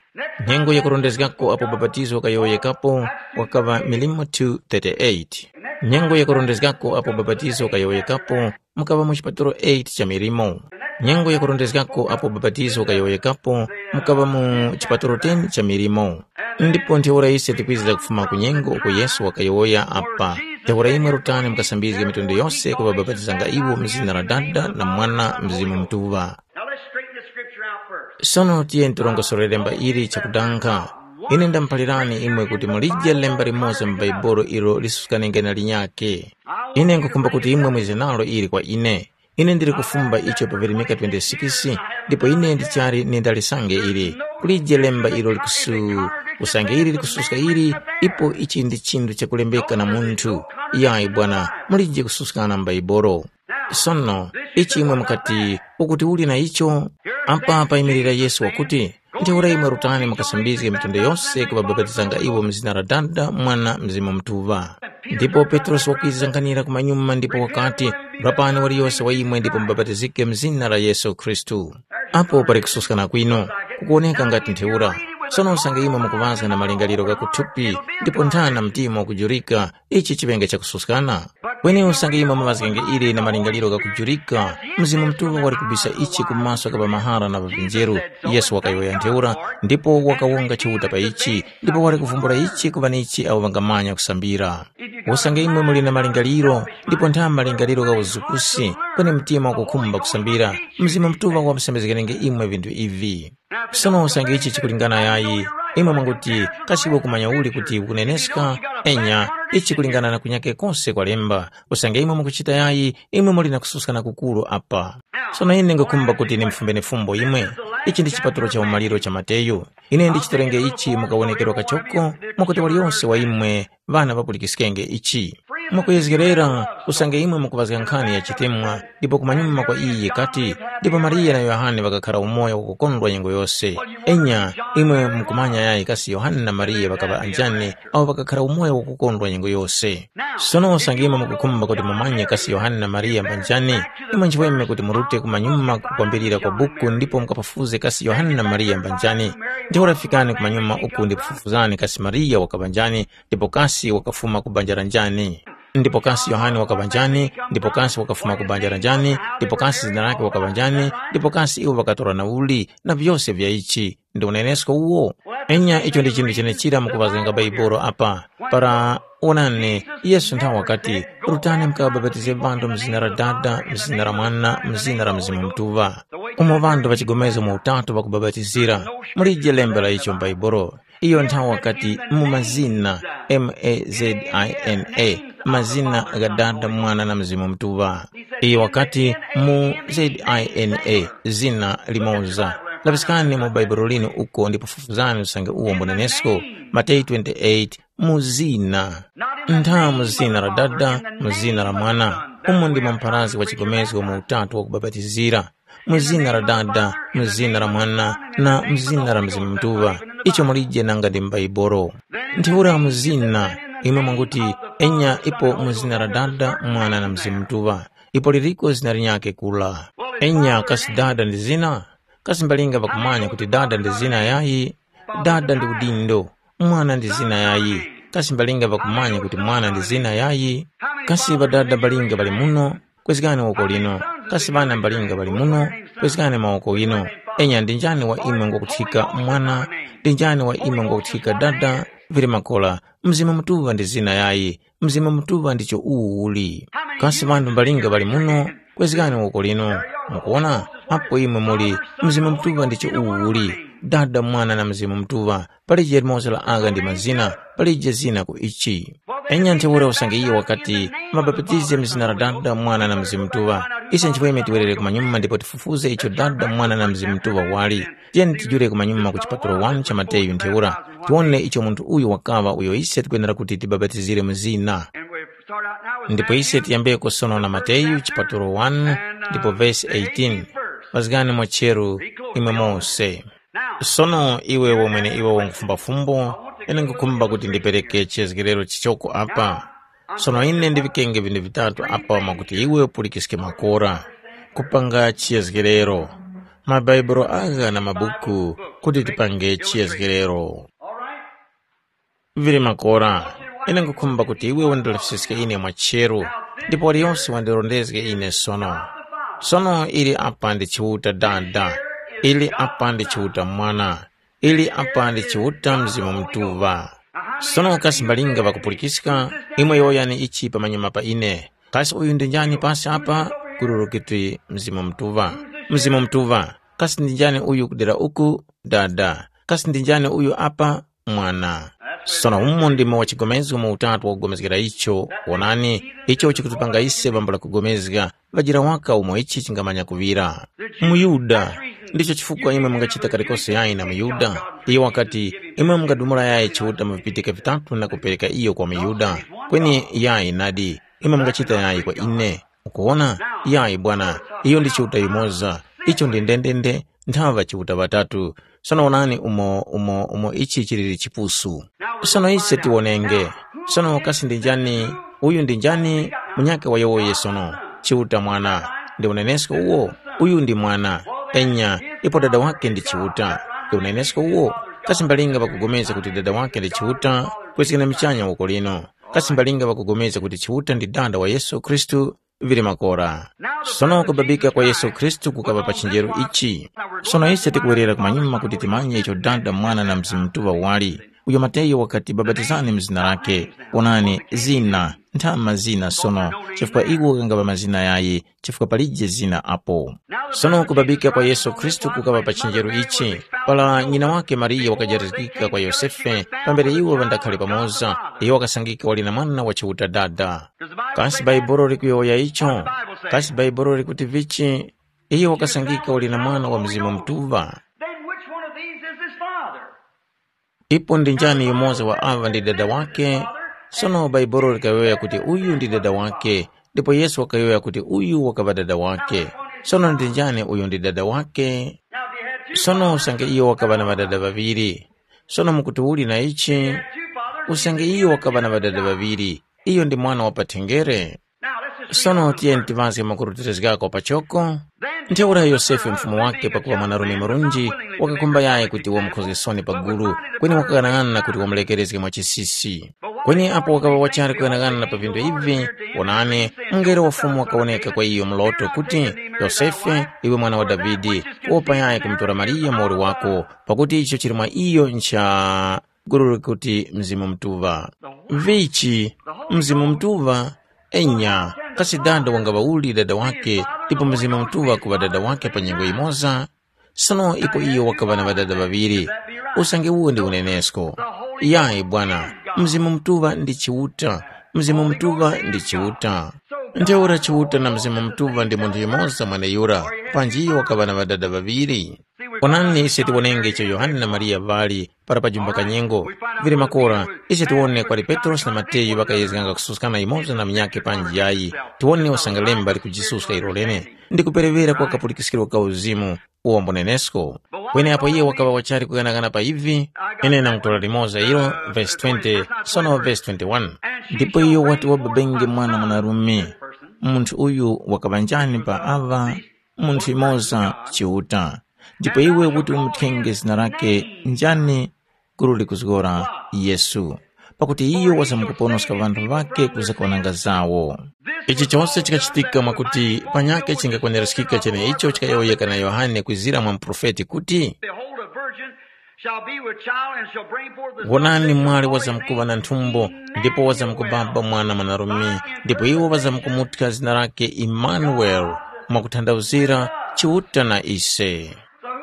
Nyengo yakurondezgako apo bapatizo ukayowoyekapo wakaŵa Milimo two thirty-eight. Nyengo yakurondezgako apo bapatizo ukayowoyekapo mukaŵa mu chipatalo eight cha milimo. Nyengo yakurondezgako apo bapatizo ukayowoyekapo mukaŵa mu chipatalo ten cha milimo. Ndipo ntheura ise tikwizira kufuma ku nyengo uko Yesu wakayowoya apa, ntheura imwe rutani mukasambizge mitundu yose kubabapatizanga iwo mu zina la Dada na Mwana Mzimu Mutuŵa. Now let's straighten the scripture out first. Sono tiyeni tirongosorere lemba ili chakudanga. Ine ndamuphalirani imwe kuti mulije lemba limoza mu Baibolo ilo lisusukanenge na linyakhe. Ine nkhukhumba kuti imwe mwize nalo ili kwa ine. Ine ndili kufumba icho pa Veronika twenty-six, ndipo ine ndichali nindalisange ili. Kulije lemba ilo likusu, usange ili likususka ili, ipo ichi ndi chinthu chakulembeka na munthu. Yayi bwana, mulije kususkana mu Baibolo. Sono, ichi imwe mukati, ukuti uli na icho? Apa payimirira Yesu wakuti, ntheura imwe rutani mukasambizge mitundu yose kubabapatizanga iwo mu zina la Dada, Mwana, Mzimu Mutuŵa. Ndipo Petrosi wakwiza nkhanira kumanyuma ndipo wakati, rapani waliyose wa imwe ndipo mubapatizike mu zina la Yesu Khristu. Apo pali kususkana kwino, kukuwoneka ngati ntheura. Sono usange imwe mukuŵazga na malingaliro gha kuthupi ndipo nthana mtima wakujurika, ichi chiŵenge chakususkana. Kweni usange imwe mumazgenge ili na malingaliro ghakujurika, Mzimu Mutuŵa wali kubisa ichi ku maso gha ŵamahara na ŵa vinjeru. Yesu wakayowoya ntheura, ndipo wakawonga Chiuta pa ichi, ndipo wali kuvumbula ichi ku ŵanichi awo ŵangamanya kusambira. Usange imwe muli na malingaliro, ndipo ntha malingaliro gha uzukusi, kweni mtima wakukhumba kusambira, Mzimu Mutuŵa wamusembezgerenge imwe vinthu ivi. Sono usange ichi chikulingana yayi, imwe mwanguti, kasi iwe ukumanya uli kuti ukuneneska? Enya, ichi chikulingana na kunyake kose kwa lemba. Usange imwe mukuchita yayi, imwe muli na kususkana kukuru apa. Sono ine ngukhumba kuti ndimufumbe fumbo imwe. Ichi ndi chipatulo cha umaliro cha Mateyu. Ine ndichitorenge ichi mukawonekerwa kachoko, mwakuti waliyonse wa imwe ŵana ŵapulikiskenge ichi. Mwakuyezgerera, usange imwe mukuŵazga nkhani ya chitemwa, ndipo kumanyuma kwa iyi yikati, ndipo Mariya na Yohane ŵakakhara umoyo wakukondwa nyengo yose. Enya, imwe mukumanya yayi kasi Yohane na Mariya ŵakaŵa anjani awo ŵakakhara umoyo wakukondwa nyengo yose. Sono usange imwe mukukhumba kuti mumanye kasi Yohane na Mariya mbanjani, imwe nchiweme kuti murute kumanyuma kukwambirira kwa buku ndipo mukapafuze kasi Yohane na Mariya mbanjani. Ntheura fikani kumanyuma uku ndipo fufuzani kasi Mariya wakaŵa njani, ndipo kasi wakafuma ku banja la njani. Ndipo kasi Yohane wakaŵa njani, ndipo kasi wakafuma ku banja la njani, ndipo kasi zina lake wakaŵa njani, ndipo kasi iwo ŵakatora na uli, na vyose vya ichi. Ndi unenesko uwo? Enya icho ndi chinthu chenechira mukuŵazganga Baibolo apa. Para wonani, Yesu nthawe wakati, “Rutani mukabapatize ŵanthu mu zina la Dada, mu zina la Mwana, mu zina la Mzimu Mutuŵa.” Umo ŵanthu ŵachigomezga mu utatu ŵakubapatizira, mulije lembe la icho m'Baibolo. Iyo nthawe wakati, “Mu mazina, M A Z I N A, mazina gha Dada, Mwana na Mzimu Mutuŵa.” Iyo wakati, “Mu Z I N A, zina limoza.” Lapiskani mu Bhaibuli linu uko ndipo fufuzani usange uwo mbunenesko, Mateyu twenty-eight, mu zina. Ntha mu zina la Dada, mu zina la Mwana, umo ndimo mpharazgi wa chigomezgo mu utatu wakubapatizira. Mu zina la Dada, mu zina la Mwana, na mu zina la Mzimu Mutuŵa. Icho mulije nanga ndi m'Baibolo. Ntheura mu zina, imwe mwanguti, enya ipo mu zina la Dada, Mwana na Mzimu Mutuŵa. Ipo liliko zina linyakhe kula. Enya kasi Dada ndi zina? Kasi mbalinga ŵakumanya kuti Dada ndi zina yayi? Dada ndi udindo. Mwana ndi zina yayi? Kasi mbalinga ŵakumanya kuti Mwana ndi zina yayi? Kasi ŵadada mbalinga ŵali muno? Kwezgani woko lino. Kasi ŵana mbalinga ŵali muno? Kwezgani mawoko ghinu. Enya ndi njani wa imwe ngwakuthika mwana? Ndi njani wa imwe ngwakuthika dada? Vili makora, Mzimu Mutuŵa ndi zina yayi. Mzimu Mutuŵa ndicho uwu uli. Kasi ŵanthu mbalinga ŵali muno? Kwezgani woko lino. Mukuwona? Apo imwe muli, Mzimu Mutuŵa ndicho uwu uli. Dada, Mwana na Mzimu Mutuŵa. Palije limoza la agha ndi mazina, palije zina ku ichi. Enya ntheura usange iyo wakati, mabapatize mu zina la Dada, Mwana na Mzimu Mutuŵa. Ise nchifukwa tiwerere kumanyuma ndipo tifufuze icho Dada, Mwana na Mzimu Mutuŵa wali. Tiyeni tijule kumanyuma ku chipatulo wani cha Mateyu ntheura, tiwone icho munthu uyu wakaŵa uyo ise tikwenera kuti tibapatizire mu zina. Ndipo ise tiyambeko sono na Mateyu chipatulo wani ndipo vesi eighteen. Mazgani mwacheru imwe mose. Sono iwe wamwene iwe wangufumba fumbo, ine ngukhumba kuti ndipereke chiyezgerero chichoko apa. Sono ine ndivikenge vinthu vitatu apa mwakuti iwe upulikiske makora. Kupanga chiyezgerero. Mabaibulo agha na mabuku kuti tipange chiyezgerero. Vili makora, ine ngukhumba kuti iwe wandilefiske ine mwacheru, ndipo waliyonse wandirondezge ine sono. Sono ili apa ndi Chiuta Dada, ili apa ndi Chiuta Mwana, ili apa ndi Chiuta Mzimu Mutuŵa. Sono kasi mbalinga ŵakupulikiska, imwe yowoyani ichi pamanyuma pa ine. Kasi uyu ndi njani pasi apa? Kururu kuti Mzimu Mutuŵa. Mzimu Mutuŵa, kasi ndi njani uyu kudera uku? Dada. Kasi ndi njani uyu apa? Mwana. Sono umo ndimo wachigomezgo mu utatu wakugomezgera icho, wonani, icho chikutipanga ise pambula kugomezga, ŵajira waka umo ichi chingamanya kuŵira. MuYuda. Ndicho chifukwa imwe mungachita kalikose yayi na muYuda. Iyo wakati, imwe mungadumula yayi Chiuta mu vipitika vitatu na kupereka iyo kwa muYuda. Kweni yayi nadi, imwe mungachita yayi kwa ine. Ukuwona? Yayi bwana, iyo ndi Chiuta yumoza. Icho ndi ndendende, nthaŵa Chiuta ŵatatu. Sono wonani umo, umo, umo ichi chiliri chipusu. Sono ise tiwonenge. Sono kasi ndi njani, uyu ndi njani, munyakhe wa yowoye sono? Chiuta Mwana. Ndi unenesko uwo? Uyu ndi Mwana. Enya, ipo dada wake ndi Chiuta. Ndi unenesko uwo? Kasi mbalinga ŵakugomeza kuti dada wake ndi Chiuta? Kwesekana michanya woko lino. Kasi mbalinga ŵakupulikana kuti Chiuta ndi dada wa Yesu Khristu? Vili makora. Sono kubabika kwa Yesu Khristu kukaŵa pa chinjeru ichi. Sono ise tikuwerera kumanyuma kuti timanye icho Dada, Mwana na Mzimu Mutuŵa wali. Uyo Mateyu wakati, babatizani mu zina lake. Onani, zina, ntha mazina sono, chifukwa iwo ghangapa mazina yayi, chifukwa palije zina apo. Sono kubabika kwa Yesu Khristu kukaŵa pa chinjeru ichi, para nyina wake Mariya wakajatizgika kwa Yosefe, pambere iwo ŵandakhale pamoza, iyo wakasangika wali na mwana wa Chiuta Dada. Kasi Bhaibuli likuyowoya icho? Kasi Bhaibuli likuti vichi? Iyo wakasangika wali na mwana wa Mzimu Mutuŵa. Then which one of these is his father? Ipo ndi njani yumoza wa aŵa ndi dada wake? Sono Bhaibuli likayowoya kuti uyu ndi dada wake, ndipo Yesu wakayowoya kuti uyu wakaŵa dada wake. Sono ndi njani uyu ndi dada wake? Sono usange iyo wakaŵa na ŵadada ŵaŵiri. Sono mukuti uli na ichi? Usange iyo wakaŵa na ŵadada ŵaŵiri, iyo ndi mwana wa pathenjere. Sono tiyeni tiŵazge makurutilizgako pachoko. Ntheura Yosefe mfumu wake pakuŵa mwanarume murunji, wakakhumba yayi kuti wamukhozgesoni pa gulu, kweni wakaghanag'ana kuti wamulekerezge mwa chisisi. Kweni apo wakaŵa wachali kughanag'ana pa vinthu ivi, wonani, mungelo wa Fumu wakawoneka kwa iyo mloto kuti, Yosefe, iwe mwana wa Davide, wopa yayi kumutora Mariya muwoli wako, pakuti icho chili mwa iyo ncha gulu likuti Mzimu Mutuŵa. Vichi, Mzimu Mutuŵa? Enya, kasi dada wangaŵa uli dada wake, ndipo Mzimu Mutuŵa kuŵa dada wake pa nyengo yimoza? Sono ipo iyo wakaŵa na ŵadada ŵaŵiri, usange uwo ndi unenesko? Yayi bwana, Mzimu Mutuŵa ndi Chiuta, Mzimu Mutuŵa ndi Chiuta. Ntheura Chiuta na Mzimu Mutuŵa ndi munthu yumoza mweneyura, panji iyo wakaŵa na ŵadada ŵaŵiri. Onani ise tiwonenge icho Yohane na Mariya ŵali para pajumba kanyengo. Vili makora, ise tiwone kwali Petrosi na Mateyu ŵakayezganga kususkana yumoza na munyakhe panji yayi. Tiwone usangalemba likujisuska ilo lene. Ndi kuperewera kwa kapulikiskiro ka uzimu, uwo mbunenesko. Kweni apo iye wakaŵa wachali kughanagana pa ivi, ine ndangutolera limoza ilo, vesi twenty, sono vesi twenty-one. Ndipo iyo wati wababenge mwana mwanarume. Munthu uyu wakaŵa njani pa aŵa? Munthu yumoza Chiuta. Ndipo iwe kuti umuthenge zina lake njani? Gulu likuzgora Yesu. Pakuti iyo wazamkuponoska ŵanthu ŵake kuza ku nanga zawo. Ichi chose chikachitika mwakuti panyakhe chingakwaniraskika cheneicho chikayowoyeka na Yohane kwizira mwa muprofeti kuti, Behold, a virgin shall be with child and shall bring forth a son, wonani, mwali wazamkuŵa na nthumbo, ndipo wazamkubaba mwana mwanarume, ndipo iwo wazamkumuthya zina lake Imanueli, mwakuthandauzira, Chiuta na ise.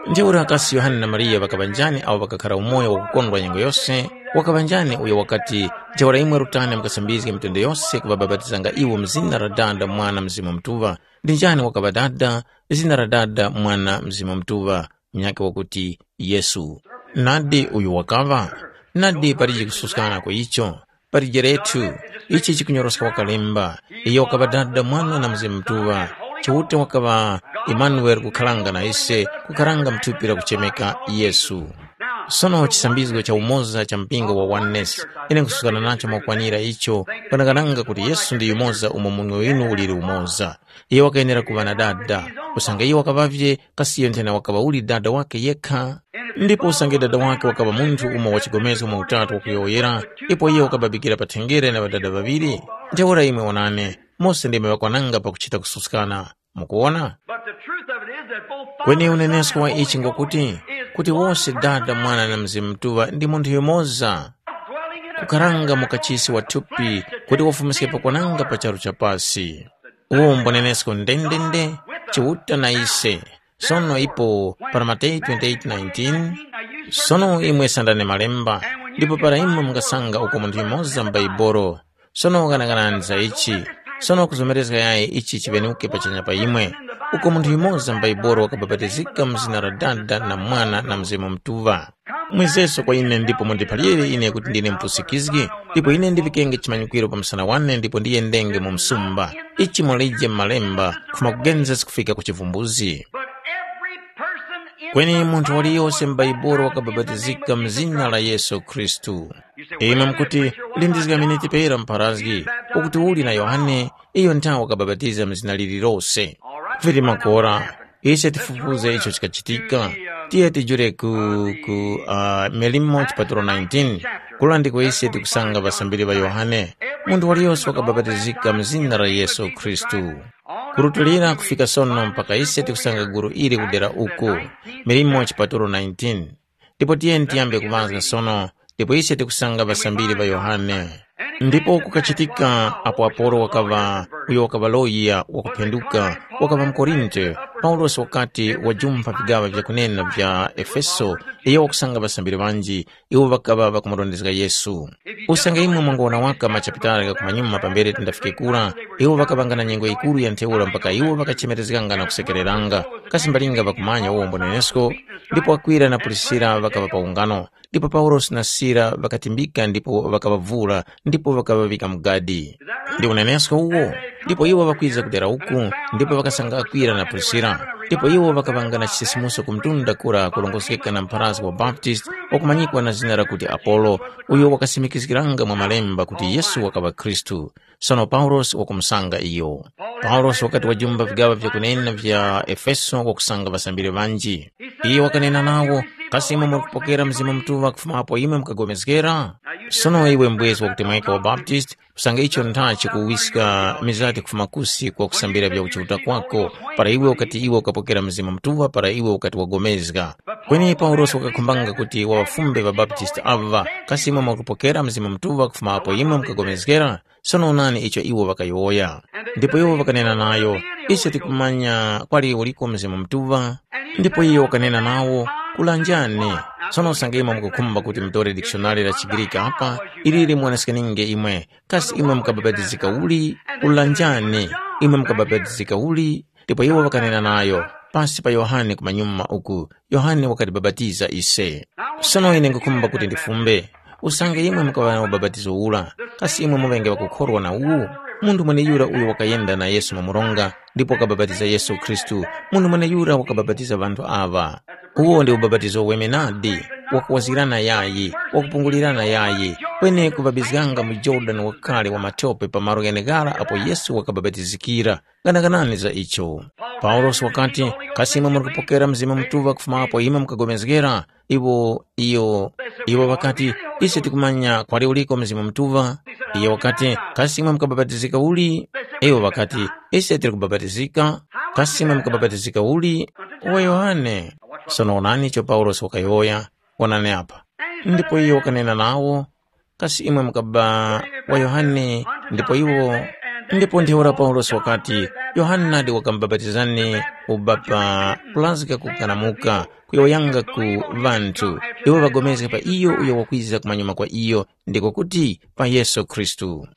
Ntheura kasi Yohane na Mariya ŵakaŵa njani awo ŵakakhara umoyo wakukondwa nyengo yose? Wakaŵa njani uyo wakati, ntheura imwe rutani mukasambizge mitundu yose kuŵabapatizanga iwo mu zina la Dada, Mwana, Mzimu Mutuŵa? Ndi njani wakaŵa Dada? Zina la Dada, Mwana, Mzimu Mutuŵa, munyakhe wakuti Yesu. Nadi uyu wakaŵa? Nadi palije kususkana ku icho. Palijeretu, ichi chikunyoroska wakalemba, iyo wakaŵa Dada, Mwana na Mzimu Mutuŵa. Chiuta wakaŵa Imanueli kukharanga na ise, kukharanga mthupi lakuchemeka Yesu. Sono chisambizgo cha umoza cha mpingo wa Oneness, ine nkusuzgana nacho mwakwanira icho, kwanangananga kuti Yesu ndi yumoza umo munwe winu uliri umoza. Iyo wakayenera kuŵa na Dada, usange iyo wakaŵavye, kasi iyo nthena wakaŵa uli Dada wake yekha? Ndipo usange dada wake wakaŵa munthu umo wa chigomezgo mwa Utatu wakuyowoyera, ipo iye wakababikira pa thengere na ŵadada ŵaŵiri? Ntheura imwe wonani, mose ndimwe ŵakwananga pakuchita kususkana. Mukuwona? But the truth of it is that both Father Kweni and Son unenesko wa are ichi one ngokuti, kuti wose Dada, Mwana na Mzimu Mutuŵa ndi munthu yumoza, dwelling in a kukharanga mu kachisi wa thupi kuti wafumiske pakwananga pa charu cha pasi. Uwo mbunenesko ndendende, Chiuta na ise. Sono ipo para Mateyu twenty-eight nineteen, sono imwe sandani malemba, ndipo para imwe mungasanga uko munthu yumoza m'Baibolo, sono ghanaghanani za ichi, sono kuzomerezga yayi ichi chiŵenuke pachanya pa imwe, uko munthu yumoza m'Baibolo wakabapatizika mu zina la Dada na Mwana na Mzimu Mutuŵa. Mwizeso kwa ine ndipo mundiphalire ine kuti ndine mupusikizgi, ndipo ine ndivikenge chimanyikwiro pa msana wane ndipo ndiyendenge mu msumba. Ichi mwalije m'malemba, kufuma ku Genesis kufika ku chivumbuzi. But every person in Kweni the munthu Bible waliyose was m'Baibolo baptized in the wakabapatizika name of mu Jesus zina la Christ. Yesu Khristu. You say, imwe well, mukuti, preacher, what lindizga about miniti John? Pera mpharazgi, ukuti uli na Yohane, iyo nthawi wakabapatiza mu zina lililose. All right, vili find out what makora happened. Ise tifufuze icho chikachitika. Tiye tijule ku, ku uh, Milimo chipatulo nineteen. Kula ndiko ise tikusanga ŵasambiri ŵa Yohane. Munthu waliyose wakabapatizika mu zina la Yesu Khristu. Kurutulira kufika sono mpaka ise tikusanga gulu ili kudera uku. Milimo chipatulo nineteen. Ndipo tiyeni tiyambe kuŵazga sono, ndipo ise tikusanga ŵasambiri ŵa Yohane. Ndipo kukachitika apo Apolo wakaŵa, uyo wakaŵa loya wakuphenduka, wakaŵa muKorinte, Paulosi wakati wajumpha vigaŵa vyakunena vya Efeso, iyo wakusanga ŵasambiri ŵanji, iwo ŵakaŵa ŵakumurondezga Yesu. Usange imwe mwangowona waka machapitala gha kumanyuma pambere tindafike kura, iwo ŵakaŵanga na nyengo yikuru ya ntheura mpaka iwo ŵakachemerezganga na kusekereranga, kasi mbalinga ŵakumanya uwo mbonenesko? Ndipo Akwila na Prisila ŵakaŵa pa ungano, ndipo Paulosi na Sila ŵakatimbika ndipo ŵakaŵavura ndipo ŵakaŵavika mu gadi. Ndi unenesko uwo? Ndipo iwo ŵakwiza kudera uku, ndipo ŵakasanga Akwila na Prisila, ndipo iwo ŵakaŵanga na chisisimuso ku mtunda kura kurongozgeka na mupharazgi wa Baptist wakumanyikwa na zina lakuti Apolo, uyo wakasimikizgiranga mwa Malemba kuti Yesu wakaŵa Khristu. Sono Paulosi wakumusanga iyo. Paulosi wakati wajumba vigaŵa vyakunena vya Efeso wakusanga ŵasambiri ŵanji. Iyo wakanena nawo, kasi imwe mukupokera Mzimu Mutuŵa kufuma apo imwe mukagomezgera? Sono iwe mbwezi wakutemweka wa Baptist, usange icho ntha chikuwiska mizati kufuma kusi kwa kusambira vya kuchiuta kwako, para iwe ukati iwe ukapokera Mzimu Mutuŵa para iwe ukati wagomezga. Kweni Paulosi wakakhumbanga kuti waŵafumbe ŵaBaptist aŵa, kasi imwe mwakupokera Mzimu Mutuŵa kufuma apo imwe mukagomezgera? Sono onani icho iwo ŵakayowoya. Ndipo iwo ŵakanena nayo, ise tikumanya kwali uliko Mzimu Mutuŵa. Ndipo iyo wakanena nawo, kulanjani. Sono usange imwe mukukhumba kuti mutore dikishonari la chiGriki apa, ili limuwoneskaninge imwe, kasi imwe mukabapatizika uli? Kulanjani, imwe mukabapatizika uli? Ndipo iwo ŵakanena nayo, pasi pa Yohane kumanyuma uku, Yohane wakatibapatiza ise. Sono ine nkhukhumba kuti ndifumbe, usange imwe mukaŵa na ubapatizo ura, kasi imwe muŵenge ŵakukhorwa na uwu? Munthu mweneyura uyo wakayenda na Yesu mu mronga, ndipo wakabapatiza Yesu Khristu, munthu mweneyura wakabapatiza ŵanthu aŵa. Uwo ndi ubapatizo wemenadi, wakuwazgirana yayi, wakupungulirana yayi, kweni kubabizganga mu Jorodani wakale wa matope pa malo gheneghara apo Yesu wakabapatizikira. Ganaganani za icho. Paulosi wakati, kasi imwe muri kupokera Mzimu Mutuŵa kufuma apo imwe mukagomezgera? Iwo iyo iwo ŵakati, ise tikumanya kwali uliko Mzimu Mutuŵa. Iyo wakati, kasi imwe mukabapatizika uli? Iwo ŵakati, ise tiri kubapatizika. Kasi imwe mukabapatizika uli? Wa Yohane. Sono onani icho Paulosi wakayowoya. Onani apa. Ndipo iyo wakanena nawo, kasi imwe mukaba wa Yohane? Ndipo iwo ndipo ntheura Paulosi wakati, Yohane nadi wakamubapatizani ubapa kulazga kukanamuka kuyowoyanga ku ŵanthu, iwo ŵagomezge pa iyo uyo wakwiza kumanyuma kwa iyo, ndiko kuti pa Yesu Khristu.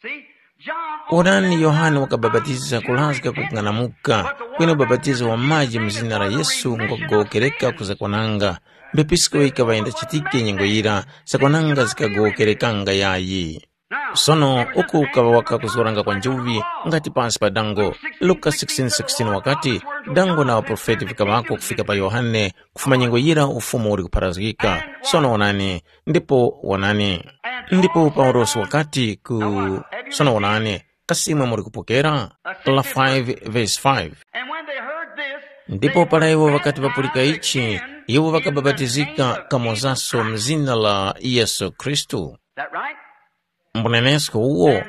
Onani, Yohane wakabapatiza kulazga kukung'anamuka, kweni ubapatizo wa maji mu zina la Yesu ngwakugowokereka kuzakwananga. Mbepisko yikaŵa yindachitike nyengo yira, zakwananga zikagowokerekanga yayi. Sono uku ukaŵa waka kuzgoranga kwa njuŵi ngati pansi pa dango. Luka sixteen sixteen wakati, dango na ŵaprofeti vikaŵako kufika pa Yohane, kufuma nyengo yira ufumu uli kupharazgika. Sono wonani, ndipo wonani. Ndipo Paulosi wakati ku, sono wonani, kasi imwe muli kupokera? La five verse five. And when they heard this, ndipo para iwo ŵakati ŵapulika ichi, iwo ŵakabapatizika kamozaso mzina la Yesu Khristu. That right? Mbunenesko uwo,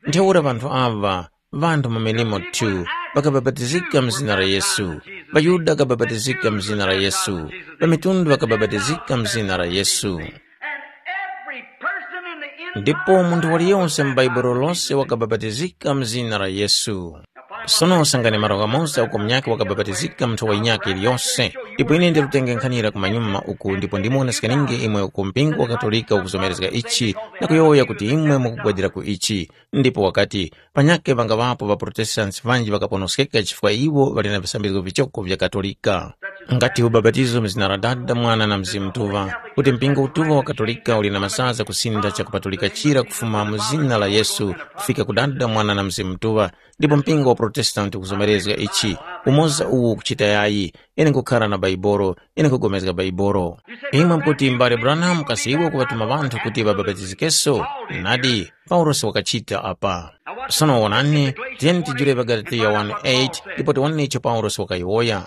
ntheura ŵanthu aŵa, ŵanthu mu milimo two, ŵakabapatizika mzina la Yesu. ޣaYuda ŵakabapatizika mzina la Yesu. ޣaMitundu ŵakabapatizika mzina la Yesu. And every person in the ndipo munthu waliyonse mu baibulo lonse wakabapatizika mzina la Yesu. Sono usangani malo ghamonse uko munyakhe wakabapatizika munthu wa yinyakhe iliyonse. Ndipo ine ndirutenge nkhanira kumanyuma uku ndipo ndimuwoneskaninge imwe uko mpingo wa katolika ukuzomerezga ichi, na kuyowoya kuti imwe mukugwadira ku ichi. Ndipo wakati, panyakhe ŵangaŵapo ŵaprotestanti ŵanji ŵakaponoskeka chifukwa iwo ŵali na visambizgo vichoko vya katolika. Ngati ubapatizo mu zina la Dada, Mwana na Mzimu Mutuŵa, kuti mpingo utuŵa wa katolika uli na mazaza kusinda chakupatulika chira kufuma mu zina la Yesu kufika ku Dada, Mwana na Mzimu Mutuŵa, ndipo mpingo wa Protestanti ukuzomerezga ichi, umoza uwu ukuchita yayi, ine nkukhara na Baibolo, ine nkugomezga Baibolo. Imwe mukuti, Mbale Branham, kasi iwe ukuŵatuma ŵanthu kuti ŵabapatizikenso? Nadi, Paulosi wakachita apa. Sono wonani, tiyeni tijule pa Galatiya one eight ndipo tiwone icho Paulosi wakayowoya.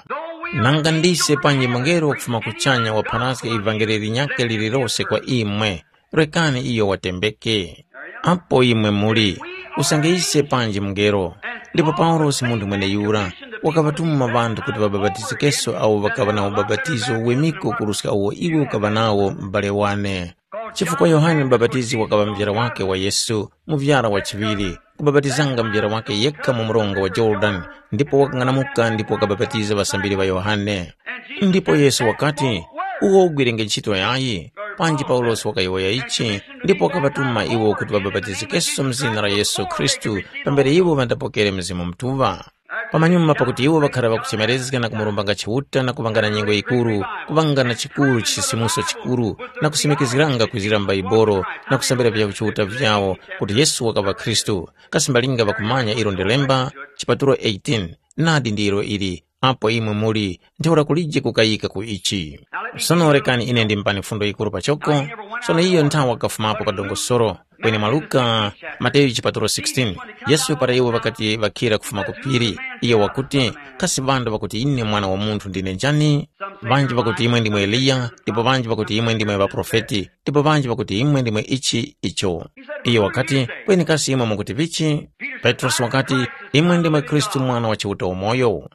Nanga ndise panji mungelo wakufuma kuchanya waphanaska ivangeli linyakhe lililose kwa imwe, rekani iyo watembeke. Apo imwe muli, usange ise panji mungelo. Ndipo Paulosi munthu mweneyura, wakaŵatuma ŵanthu kuti ŵabapatizikenso awo ŵakaŵa na ubapatizo wemiko kuruska uwo iwe ukaŵa nawo m'bale wane. Chifukwa Yohane Mubapatizi wakaŵa muvyara wake wa Yesu, muvyara wa chiŵiri, kubapatizanga muvyara wake yekha mu mronga wa Jorodani, ndipo wakang'anamuka ndipo wakabapatiza ŵasambiri ŵa Yohane. Ndipo Yesu wakati, “Uwo ugwirenge ntchito yayi?” Panji Paulosi wakayowoya ichi, ndipo wakaŵatuma iwo kuti ŵabapatizikenso mu zina la Yesu Khristu, pambere iwo ŵandapokere Mzimu Mutuŵa. Pamanyuma pakuti iwo ŵakhara ŵakuchemerezga na kumurombanga Chiuta na kuŵanga na nyengo yikuru, kuŵanga na chikuru chisisimuso chikuru, na kusimikizgiranga kwizira m'Baibolo na kusambira vya Chiuta vyawo kuti Yesu wakaŵa Khristu, kasi mbalinga ŵakumanya ilo ndi lemba, chipatulo eighteen, nadi ndilo ili, apo imwe muli, ntheura kulije kukayika ku ichi. Sono rekani ine ndimupani fundo yikuru pachoko, sono iyo nthawi wakafumapo pa dongosolo, kweni mwa Luka, Mateyu chipatulo sixteen, Yesu para iwo ŵakati ŵakhira kufuma ku phiri, iyo wakuti, kasi ŵanthu ŵakuti ine Mwana wa Munthu ndine njani? Ŵanji ŵakuti imwe ndimwe Eliya, ndipo ŵanji ŵakuti imwe ndimwe ŵaprofeti, ndipo ŵanji ŵakuti imwe ndimwe ichi icho. Iyo wakati, kweni kasi imwe mukuti vichi? Petrosi wakati, imwe ndimwe Khristu Mwana wa Chiuta umoyo.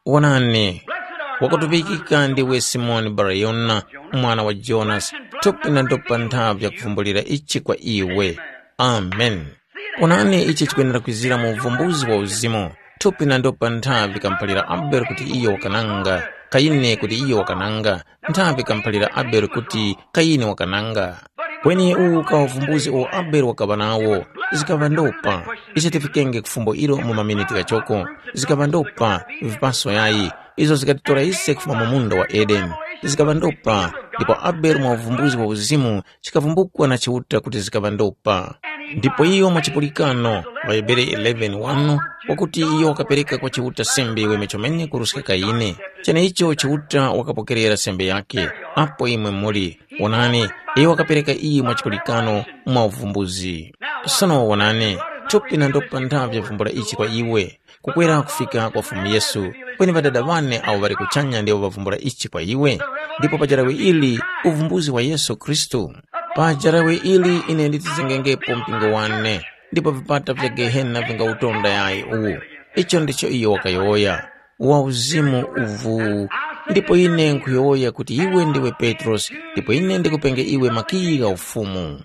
Wonani, wakutuŵikika ndiwe Simoni Barayona, mwana wa Jonasi, thupi na ndopa nthavi yakuvumbulira ichi kwa iwe. Amen. Wonani, ichi chikwenera kwizira mu uvumbuzi wa uzimu. Thupi na ndopa nthavi kamuphalira Abele kuti iyo wakananga, Kayini kuti iyo wakananga, nthavi kamuphalira Abele kuti Kayini wakananga. Kweni uwu ukawavumbuzi uwo Abele wakaŵa nawo, zikaŵa ndopa. Ise tifikenge ku fumbo ilo mu maminiti ghachoko. Zikaŵa ndopa, vipaso yayi, izo zikatitora ise kufuma mu munda wa Edeni. Zikaŵa ndopa, ndipo Abele mwa uvumbuzi wa uzimu chikavumbukwa na Chiuta kuti zikaŵa ndopa. Ndipo iyo mwa chipulikano, ŵaHebere eleven wanu, wakuti iyo wakapereka kwa Chiuta sembe weme chomene kuruska Kayini. Cheneicho Chiuta wakapokerera sembe yakhe, apo imwe muli. Wonani, iyo wakapereka iyi mwa chipulikano mwa uvumbuzi. Sono wonani, thupi na ndopa nthavi yavumbula ichi kwa iwe, kukwera kufika kwa Fumu Yesu, kweni ŵadada ŵane awo ŵali kuchanya ndiwo ŵavumbula ichi kwa iwe. Ndipo pa jarawe ili, uvumbuzi wa Yesu Khristu. Pa jarawe ili ine nditizengengepo mpingo wane, ndipo vipata vya Gehena vingawutonda yayi uwu. Icho ndicho iyo wakayowoya. Wa uzimu uvu. Ndipo ine nkhuyowoya kuti iwe ndiwe Petrosi, ndipo ine ndikupenge iwe makiyi gha ufumu.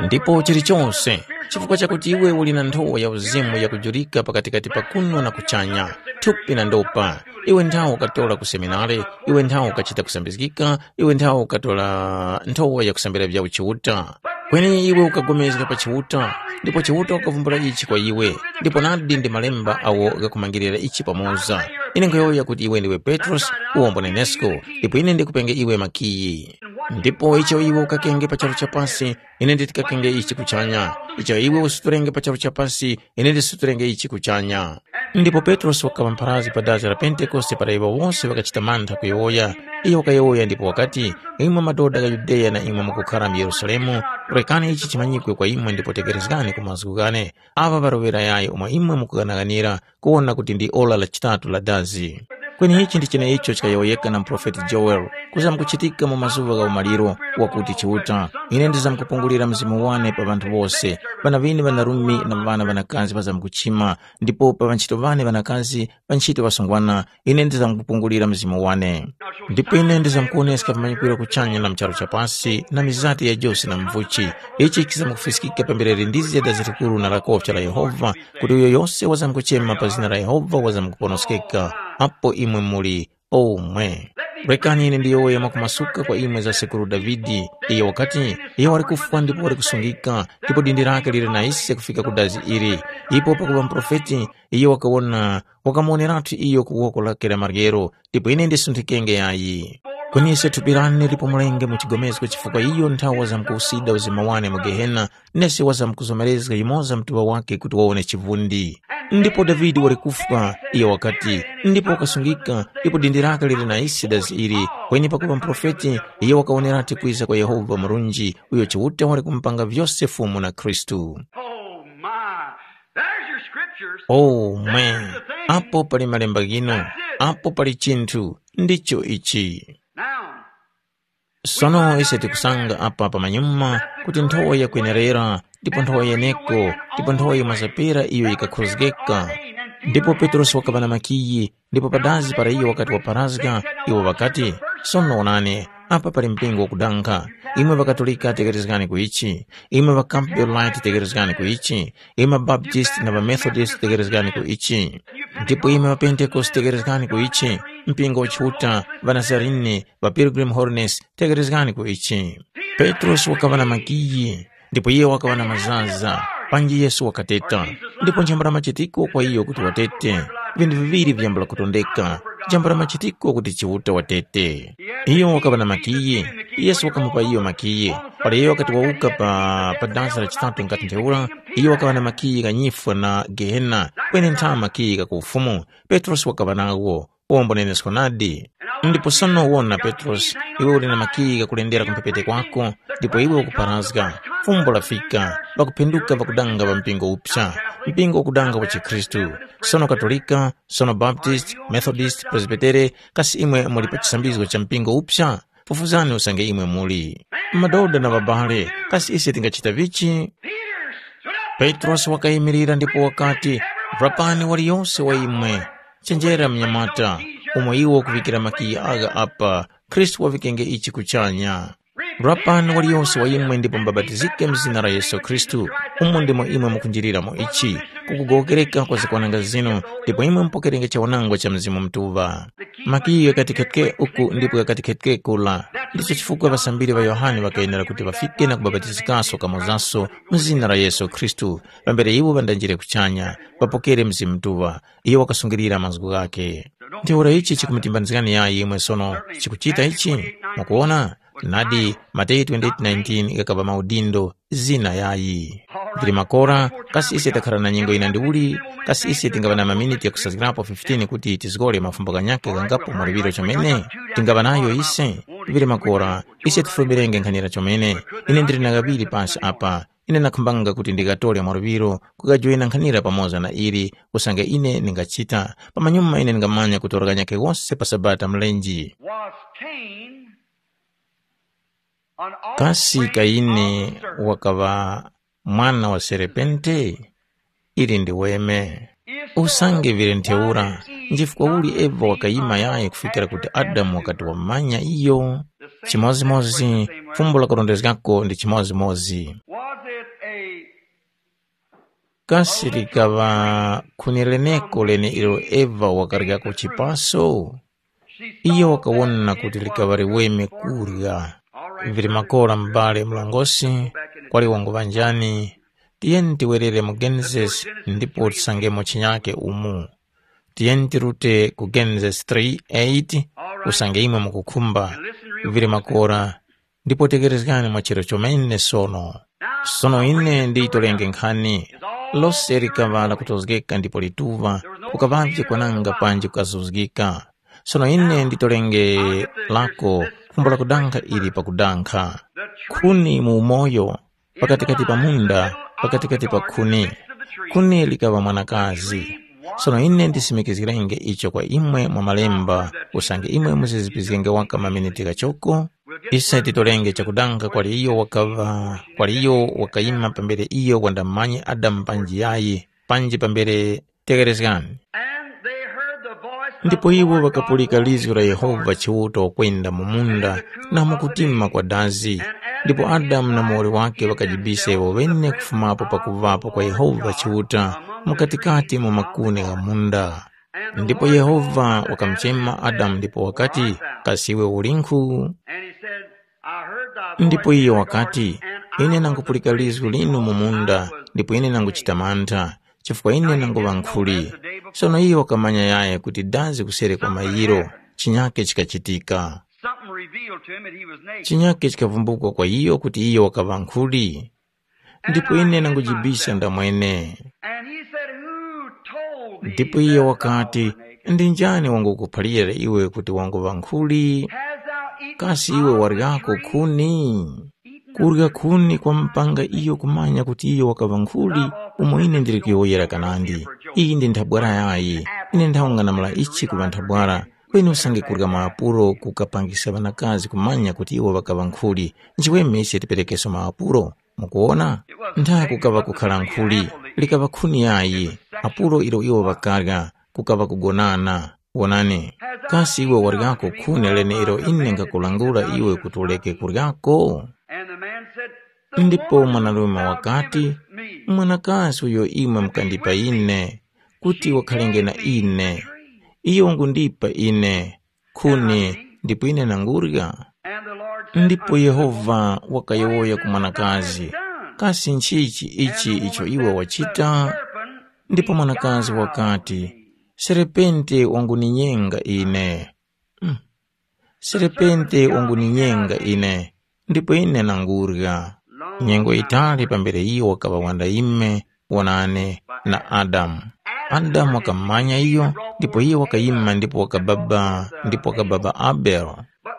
Ndipo chilichonse, chifukwa chakuti iwe uli na nthowa ya uzimu yakujurika pakatikati pa kuno na kuchanya, thupi na ndopa, iwe nthawe ukatola ku seminari, iwe nthawe ukachita kusambizgika, iwe nthawe ukatora nthowa yakusambira vya uchiuta. Kweni iwe ukapulikana pa Chiuta, ndipo Chiuta wakavumbula ichi kwa iwe, ndipo nadi ndi malemba awo ghakumangirira ichi pamoza. Ine nkhuyowoya kuti iwe ndiwe Petrosi, uwombo nenesko, ndipo ine ndikupenge iwe makiyi. Ndipo icho iwe ukakenge pa charu cha pasi, ine nditikakenge ichi kuchanya. Icho iwe usuturenge pa charu cha pasi, ine ndisuturenge ichi kuchanya. Ndipo Petrosi wakaŵa mpharazgi pa dazi la Pentekoste para iwo wose ŵakachita mantha kuyowoya. Iyo wakayowoya ndipo wakati, “Imwe madoda gha Yudeya na imwe mukukhara mu Yerusalemu, rekani ichi chimanyikwe kwa imwe ndipo tegherezgani ku mazgu ghane. Aŵa ŵarowera yayi umo imwe mukughanaghanira kuwona kuti ndi ora la chitatu la dazi.” Kweni ichi ndi cheneicho chikayowoyeka na muprofeti Joele, kuzamkuchitika mu mazuŵa gha umaliro, wakuti Chiuta, ine ndizamkupungulira mzimu wane pa ŵanthu wose, ŵana ŵinu ŵanarume na ŵana ŵanakazi ŵazamkuchima, ndipo pa ŵanchito ŵane ŵanakazi, ŵanchito ŵasungwana, ine ndizamkupungulira mzimu wane. Ndipo ine ndizamkuwoneska vimanyikwiro kuchanya na mu charu cha pasi, na mizati ya josi na mvuchi. Ichi chizamkufiskika pambere lindizga dazi likuru na lakofya la Yehova, kuti uyo yose wazamkuchema pa zina la Yehova wazamkuponoskeka. Apo imwe muli omwe. Rekani ine ndiyowoye mwakumasuka kwa imwe za sekuru Davide. Iyo wakati, iyo wali kufwa ndipo wali kusungika, ndipo dindi lake lili na ise kufika ku dazi ili. Ipo pakuŵa muprofeti, iyo wakawona, wakamuwoneratu iyo ku woko lake la maryero, ndipo ine ndisunthikenge yayi. Kweni ise thupi lane lipumulenge mu chigomezgo chifukwa iyo nthawe wazamkuwusida uzima wane mu Gehena, nesi wazamkuzomerezga yumoza mtuŵa wake kuti wawone chivundi. Ndipo Davide wali kufwa, iyo wakati, ndipo wakasungika, ndipo dindi lake lili na ise dazi ili, kweni pakuŵa muprofeti, iyo wakawoneratu kwiza kwa Yehova murunji, uyo Chiuta wali kumupanga vyose Fumu na Khristu. Oh my. There's your scriptures. Oh man, apo pali malemba ghino, apo pali chinthu, ndicho ichi. Now, sono ise tikusanga apa pamanyuma kuti nthowa yakwenerera, ndipo nthowa yeneko, ndipo nthowa yimwazapera iyo yikakhozgeka. Ndipo Petrosi wakaŵa na makiyi, ndipo padazi para iyo wakati waparazga, iwo ŵakati, sono onani, apa pali mpingo wakudankha. Imwe ŵakatolika tekerezgani ku ichi, imwe ŵa Campbell Light tekerezgani ku ichi, imwe ŵabaptisti na ŵamethodist tekerezgani ku ichi, ndipo imwe ŵapentekoste tekerezgani ku ichi, mpingo wa Chiuta, ŵanazarini, ŵa Pilgrim Holiness, tekerezgani ku ichi. Petrosi wakaŵa na makiyi, ndipo iye wakaŵa na mazaza, panji Yesu wakateta. Ndipo njambula machitiko kwa iyo kuti watete, vinthu viŵiri vyambula kutondeka, njambula machitiko kuti Chiuta watete. Iyo wakaŵa na makiyi, Yesu wakamupa iyo makiyi. Para iyo wakati wawuka pa, pa dansi la chitatu ngati ntheura, iyo wakaŵa na makiyi gha nyifwa na Gehena, kweni ntha makiyi gha ku ufumu. Petrosi wakaŵa nawo, uwo mbunenesko nadi. Ndipo sono wona Petrosi, iwe uli na makiyi ghakulendera ku mphepete kwako, ndipo iwe ukuparazga. Fumbo lafika, ŵakuphenduka ŵakudanga ŵa mpingo upsa, mpingo ukudanga wa chikhristu, sono Katolika, sono Baptist, Methodist, Presbytere, kasi imwe muli pa chisambizgo cha mpingo upsa? Fufuzani usange imwe muli. Madoda na ŵabale, kasi ise tingachita vichi? Petrosi wakayimirira ndipo wakati, rapani waliyose wa imwe, chenjera mnyamata, umo iwo ukuvikira makiyi agha apa, Khristu wavikenge ichi kuchanya. Rapani waliyose wa imwe ndipo mubabatizike mu zina la Yesu Khristu, umo ndimo imwe mukunjiliramo ichi, kukugowokereka kwa zakwananga zinu, ndipo imwe mupokerenge chawanangwa cha Mzimu Mutuŵa. Makiyi ghakati khetke uku ndipo ghakati khetke kula. Ndicho chifukwa ŵasambiri ŵa Yohane ŵakayenera kuti ŵafike na kubabatizikaso kamozaso mu zina la Yesu Khristu, pambere iwo ŵandanjire kuchanya, ŵapokere Mzimu Mutuŵa. Iyo wakasungilira mazgu ghakhe. Ntheura ichi chikumutimbanizgani yayi imwe sono chikuchita ichi? Mukuwona? Nadi, Mateyu twenty-eight nineteen ghakaŵa maudindo, zina yayi. Vili makora, kasi ise takhara na nyengo yina ndiuli? Kasi ise tingaŵa na maminiti ghakusazgirapo fifteen kuti tizgore mafumbo ghanyakhe ghangapo mwa liŵiro chomene? Tingaŵa nayo ise? Vili makora, ise tifumbilenge nkhanira chomene. Ine ndili na ghaŵiri pasi apa. Ine ndakhumbanga kuti ndigatore mwa luŵiro kukajoyina nkhanira pamoza na ili, usange ine ndingachita. Pamanyuma ine ndingamanya kutora ghanyakhe ghose pa Sabata mlenje. Was Cain an Kasi offspring Kaini of the serpent? Wakaŵa mwana wa serepente? Ili ndi weme. Usange vile ntheura, njifukwa uli Eva wakayima yayi kufikira kuti Adamu wakati wamanya iyo? Chimodzimodzi, fumbo lakurondezgako ndi chimodzimodzi. Was it a Kasi likaŵa khuni leneko lene ilo Eva wakaryako chipaso? Iyo wakawona kuti likaŵa liweme kurya. Vili makora m'bale mlongosi, kwali wanguŵa njani? Tiyeni tiwerere mu Genesis ndipo tisangemo chinyake umu. Tiyeni tirute ku Genesis three eight, usange imwe mukukhumba. Vili makora, ndipo tekerezgani mwa chero chomene sono. Sono ine ndiyitolenge nkhani. Lose likaŵa lakutozgeka ndipo lituŵa, kukaŵavye kwananga panji kukazuzgika. Sono ine nditolenge lako khumbo lakudankha ili pakudankha. Khuni mu umoyo, pakatikati pa munda, pakatikati pa khuni. Khuni likaŵa mwanakazi. Sono ine ndisimikizgirenge icho kwa imwe mwa malemba, usange imwe muzizipizgenge waka maminiti ghachoko. Ise titolenge chakudankha kwali iyo wakaŵa, kwali iyo wakayima pambere iyo wandamumanye Adamu panji yayi, panji pambere tekerezgani. And they heard the voice of Ndipo the iwo Lord God ŵakapulika lizgu la Yehova Chiuta wakwenda mu munda na mu kutima kwa dazi. Ndipo Adamu na muwoli wake ŵakajibisa iwo ŵene kufumapo pakuŵapo kwa Yehova Chiuta mu katikati mu makuni gha munda. Ndipo Yehova wakamuchema Adamu ndipo wakati, kasi iwe ulinkhu? And he said, I heard thy voice Ndipo in iyo the wakati, garden, and I ine was nangupulika afraid lizgu linu mu because munda, I was ndipo ine nanguchita mantha, chifukwa ine nanguŵa nkhuli. Sono iyo wakamanya yaye kuti dazi kuseri kwa mayiro, chinyake chikachitika. Something revealed to him that he was naked. Chinyake chikavumbukwa kwa iyo kuti iyo wakaŵa nkhuli. Ndipo ine nangujibisa ndamwene. And he said, who told thee Ndipo iye that thou wakati, wert naked? Ndi njani wangukuphalira iwe kuti wanguŵa nkhuli? Hast thou eaten Kasi iwe of the waryako tree? Khuni? Kurya khuni kwamupanga iyo kumanya kuti iyo wakaŵa nkhuli, umo ine ndili kuyowoyera kanandi. Iyi ndi nthabwara yayi. Ine nthawung'anamula ichi kuŵa nthabwara. Kweni usange kurya maapuro kukapangiska ŵanakazi kumanya kuti iwo ŵakaŵa nkhuli, nchiweme ise tiperekeso maapuro? Mukuwona? Ntha kukaŵa kukhala nkhuli, likaŵa khuni yayi, apuro ilo iwo ŵakarya, kukaŵa kugonana. Wonani, kasi iwe waryako khuni leneilo ine nkhakulangula iwe kuti uleke kuryako? And the man said, "The Ndipo woman mwanarume who wakati, brought me mwanakazi uyo imwe mukandipa ine, kuti wakhalenge na ine, iyo ungundipa ine khuni ndipo ine nangurya." And the Lord said Ndipo unto the Yehova woman, wakayowoya ku mwanakazi, kasi nchichi ichi icho iwe wachita? Ndipo mwanakazi wakati, serepente wanguninyenga ine. Mm. Serepente wanguninyenga ine, ndipo ine nangurya. Nyengo yitali pambere iyo wakaŵa wandayime wonane na Adamu. Adamu wakamanya iyo, ndipo iyo wakayima ndipo wakababa, ndipo wakababa Abele.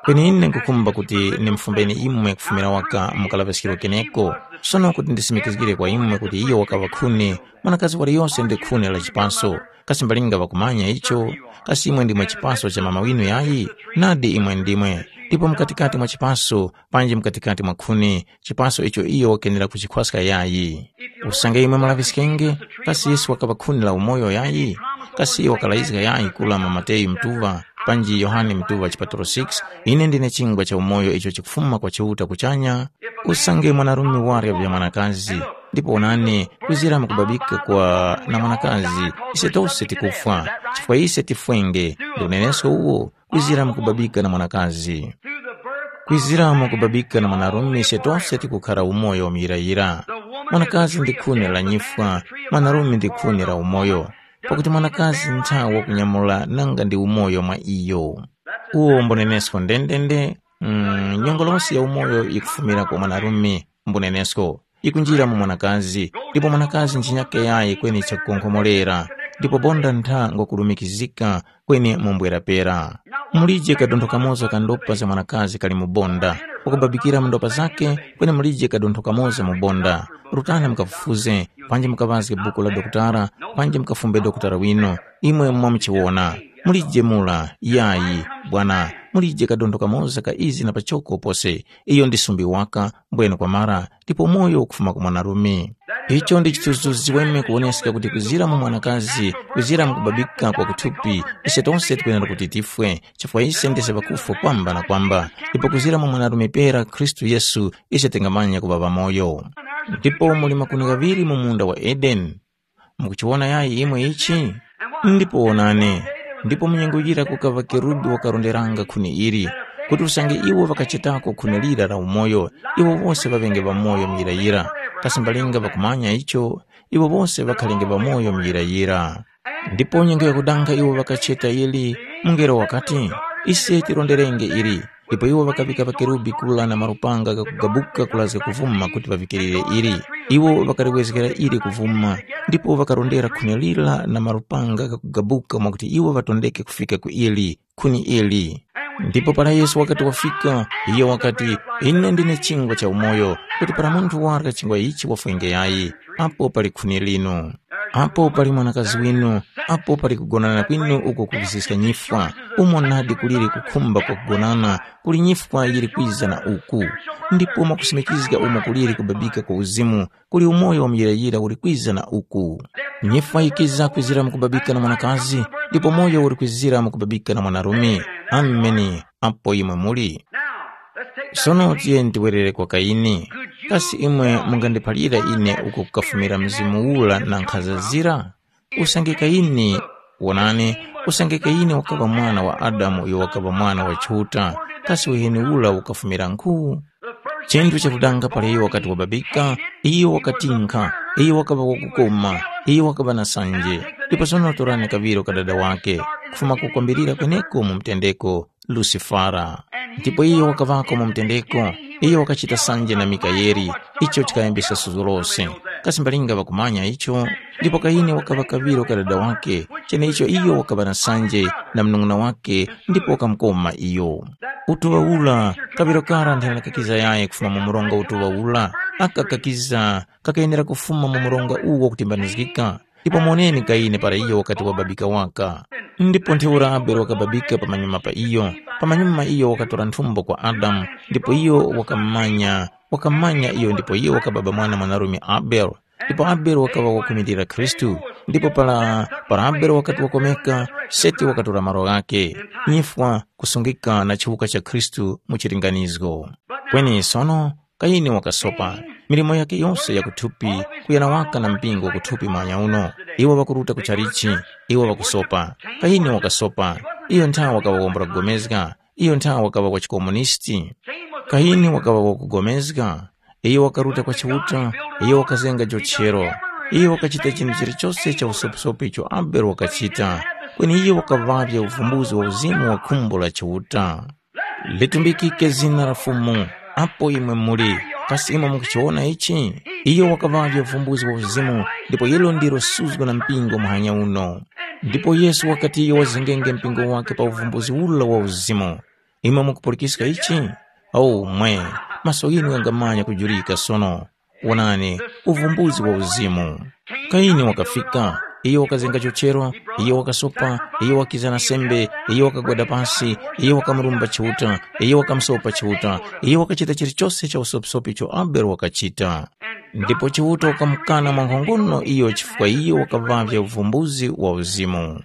Kweni ine nkukhumba kuti nimufumbeni imwe kufumira waka mu kalaŵaskiro keneko. Sono kuti ndisimikizgire kwa imwe kuti iyo wakaŵa khuni, mwanakazi waliyose ndi khuni la chipaso. Kasi mbalinga ŵakumanya icho? Kasi imwe ndimwe chipaso cha mama winu yayi? Nadi imwe ndimwe. Ndipo mkatikati mwa chipaso, panji mkatikati mwa khuni, chipaso icho iyo wakenera kuchikhwaska yayi? Usange imwe mulaŵiskenge, kasi Yesu wakaŵa khuni la umoyo yayi? Kasi iyo wakalayizga yayi kula mwa Mateyu mtuŵa, panji Yohane mtuŵa chipatalo six, ine ndine chingwa cha umoyo icho chikufuma kwa Chiuta kuchanya? Usange mwanarume warya vya mwanakazi, ndipo onani, kuzira mukubabika kwa na mwanakazi, ise tose tikufwa, chifukwa ise tifwenge, ndi unenesko uwo, kuzira mukubabika na mwanakazi. Kwizira mukubabika na mwanarume ise tose tikukhara umoyo muyirayira. Mwanakazi ndi khuni la nyifwa, mwanarume ndi khuni la umoyo. Pakuti mwanakazi nthawi wakunyamula nanga ndi umoyo mwa iyo. Uwo mbunenesko ndendende, mm, nyongolosi ya umoyo yikufumira kwa mwanarume, mbunenesko, yikunjira mu mwanakazi, ndipo mwanakazi nchinyake yayi kweni chakukonkhomorera, ndipo bonda ntha ngwakulumikizika kweni mumbwera pera. Mulije kadontho kamoza ka ndopa za mwanakazi kali mu bonda, wakubabikira mu ndopa zakhe, kweni mulije kadontho kamoza mu bonda. Rutani mukafufuze, panji mukaŵazge buku la dokutara, panji mukafumbe dokutara wino, imwe mwamuchiwona. Mulije mura, yayi, bwana, mulije kadontho kamoza ka izi na pachoko pose, iyo ndi sumbi waka, mbwene kwamara, ndipo moyo ukufuma ku mwanarume. Icho ndi chithunzithunzi chiweme kuwoneska kuti kuzira mu mwanakazi, kuzira mu kubabika kwa kuthupi, ise tonse tikwenera kuti tifwe, chifukwa ise ndise ŵakufwa kwamba na kwamba, ndipo kuzira mu mwanarume pera Khristu Yesu, ise tingamanya kuŵa ŵamoyo. Ndipo muli makuni ghaŵiri mu munda wa Edeni. Mukuchiwona yayi imwe ichi? Ndipo wonani, ndipo mu nyengo yira kukaŵa kerubi wakaronderanga khuni ili, kuti usange iwo ŵakachetako khuni lira la umoyo, iwo wose ŵaŵenge ŵamoyo muyirayira. Kasi mbalinga ŵakumanya icho, iwo wose ŵakhalenge ŵamoyo muyirayira. Ndipo nyengo yakudanga iwo ŵakacheta ili, mungelo wakati, ise tironderenge ili. Ndipo iwo ŵakaŵika ŵakerubi kula na malupanga ghakugabuka kulazga kuvuma kuti ŵavikirire ili. Iwo ŵakaliwezgera ili kuvuma, ndipo ŵakarondera khuni lira na malupanga ghakugabuka mwakuti iwo ŵatondeke kufika ku ili, khuni ili. Ndipo para Yesu wakati wafika, iyo wakati, ine ndine chingwa cha umoyo, kuti para munthu warya chingwa ichi wafwenge yayi, apo pali khuni linu. Apo pali mwanakazi winu, apo pali kugonana kwinu uko kukusiska nyifwa, umo nadi kuliri kukhumba kwa kugonana, kuli nyifwa yiri kwiza na uku. Ndipo mwakusimikizga umo kuliri kubabika kwa uzimu, kuli umoyo wa muyirayira uli kwiza na uku. Nyifwa yikiza kwizira mu kubabika na mwanakazi, ndipo moyo uli kwizira mu kubabika na mwanarume. Ameni. Apo imwe muli. Sono tiyeni tiwerere kwa Kaini. Kasi imwe mungandiphalira ine uko kukafumira mzimu ula na nkhaza zira? Usange Kaini, wonani, usange Kaini wakaŵa mwana wa Adamu uyo wakaŵa mwana wa Chiuta, kasi uheni ula ukafumira nkhu? Chinthu chakudanga para iyo wakati wababika, iyo wakatinkha, iyo wakaŵa wakukoma, iyo wakaŵa na sanje. Ndipo sono torani kaŵiro ka dada wake, kufuma kukwambirira kweneko mu mtendeko, Lusifara. Ndipo iyo wakaŵako mu mtendeko, iyo wakachita sanje na Mikayeli, icho chikayambisa suzo lose. Kasi mbalinga ŵakumanya icho? Ndipo Kaini wakaŵa kaŵiro ka dada wake, cheneicho iyo wakaŵa na sanje na munung'una wake ndipo wakamukoma iyo. Utuŵa ura, kaŵiro kara nthananakakiza yayi kufuma mu mronga utuŵa ura, aka kakiza kakayenera kufuma mu mronga uwo wakutimbanizgika. Ndipo moneni Kayini para iyo wakati wababika waka. Ndipo ntheura Abele wakababika pamanyuma pa iyo, pamanyuma iyo wakatora nthumbo kwa Adamu, ndipo iyo wakamanya, wakamanya iyo ndipo iyo wakababa mwana mwanarume Abele. Ndipo Abele wakaŵa wakumirira Khristu, ndipo para, para Abele wakati wakomeka, Seti wakatora malo ghake, nyifwa kusungika na chiwuka cha Khristu mu chilinganizgo. Kweni sono, Kayini wakasopa, milimo yake yose ya kuthupi, kuyana waka na mpingo wa kuthupi mwanya uno. Iwo ŵakuruta ku chalichi, iwo ŵakusopa. Kayini wakasopa, iyo nthawe wakaŵa wambula kugomezga, iyo nthawe wakaŵa wa chikomunisti. Kayini wakaŵa wakugomezga, iyo wakaruta kwa Chiuta, iyo wakazenga jochero. Iyo wakachita chinthu chilichose cha usopisopi icho Abele wakachita, kweni iyo wakaŵavya uvumbuzi wa uzimu wa khumbo la Chiuta. Litumbikike zina la Fumu, apo imwe muli, kasi imwe mukuchiwona ichi? Iyo wakaŵavya uvumbuzi wa uzimu, ndipo ilo ndilo suzgo na mpingo muhanya uno. Ndipo Yesu wakati iyo wazengenge mpingo wake pa uvumbuzi ula wa uzimu. Imwe mukupulikiska ichi? Aumwe, maso ghinu ghangamanya kujurika sono. Wonani, uvumbuzi wa uzimu. Kayini wakafika, iyo wakazenga chochero, iyo wakasopa, iyo wakiza na sembe, iyo wakagwada pasi, iyo wakamurumba Chiuta, iyo wakamusopa Chiuta, iyo wakachita chilichose cha usopisopi icho Abele wakachita. Ndipo Chiuta wakamukana mwankhongono iyo chifukwa iyo wakaŵavya uvumbuzi wa uzimu.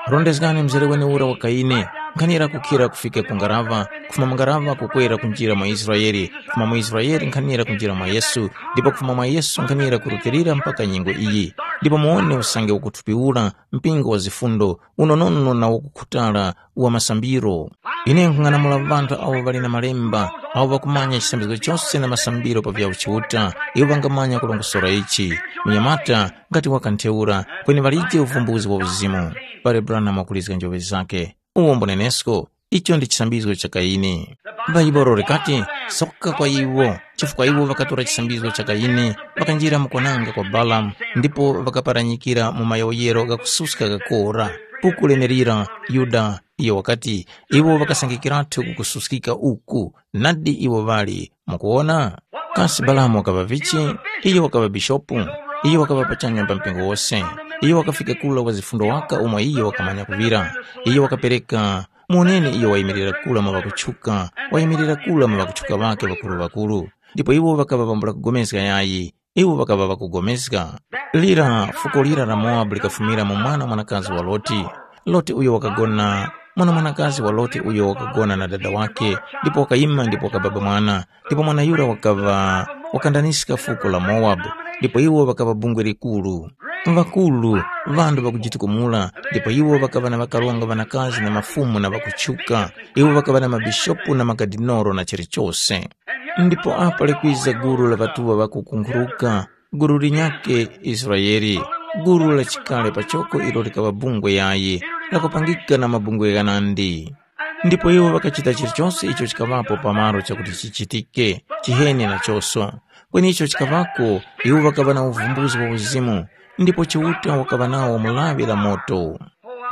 Rondezgani mzere wene ura wa Kayini, nkhanira kukhira kufika ku ngaraŵa, kufuma mu ngaraŵa kukwera kunjira mwa Israele, kufuma mu Israele nkhanira kunjira mwa Yesu, ndipo kufuma mwa Yesu nkhanira kurutilira mpaka nyengo iyi. Ndipo muwone usange wakuthupi ura, mpingo wa zifundo, unonono na wakukhutala wa masambiro. Ine nkhung'anamula ŵanthu awo ŵali na malemba, awo ŵakumanya chisambizgo chose na masambiro pa vya Chiuta, iwo ŵangamanya kulongosora ichi. Munyamata, ngati wakantheura, kweni ŵalije uvumbuzi wa uzimu. Pali Branham wakulizga njoŵe zakhe. Uwo mbunenesko, icho ndi chisambizgo cha Kayini. Bhaibuli likati, soka kwa iwo, chifukwa iwo ŵakatora chisambizgo cha Kayini, ŵakanjira mu kwananga kwa Balamu, ndipo ŵakaparanyikira mu mayowoyero ghakususka ghakora. Buku lenelira, Yuda, iyo wakati, iwo ŵakasangikiratu ku kususkika uku, nadi iwo ŵali, mukuwona? Kasi Balamu wakaŵa vichi? Iyo wakaŵa bishopu, iyo wakaŵa pachanya pa mpingo wose, iyo wakafika kula wa zifundo waka umo iyo wakamanya kuŵira, iyo wakapereka, muwoneni iyo wayimirira kula mwa ŵakutchuka, wayimirira kula mwa ŵakutchuka ŵakhe ŵakuru-ŵakuru, ndipo iwo ŵakaŵa ŵambula kugomezga yayi, iwo ŵakaŵa ŵakugomezga. Lira fuko lira la Mowabu likafumira mu mwana mwanakazi wa Loti. Loti uyo wakagona, mwana mwanakazi wa Loti uyo wakagona na dada wakhe, ndipo wakayima ndipo wakababa mwana, ndipo mwana yura wakaŵa wakandaniska fuko la Mowabu, ndipo iwo ŵakaŵa bungwe likuru. Ŵakuru, ŵanthu ŵakujitukumula, ndipo iwo ŵakaŵa na ŵakaronga ŵanakazi na mafumu na ŵakutchuka, iwo ŵakaŵa na mabishopu na makadinoro na chilichose. Ndipo apa likwiza gulu la ŵatuŵa ŵakukunkhuruka, gulu linyakhe Israele, gulu la chikale pachoko ilo likaŵa bungwe yayi, lakupangika na mabungwe ghanandi. Ndipo iwo ŵakachita chilichose icho chikaŵapo pamalo chakuti chichitike, chiheni nachoso. Kweni icho chikaŵako, iwo ŵakaŵa na uvumbuzi wa uzimu, ndipo Chiuta wakaŵa nawo mu lawi la moto.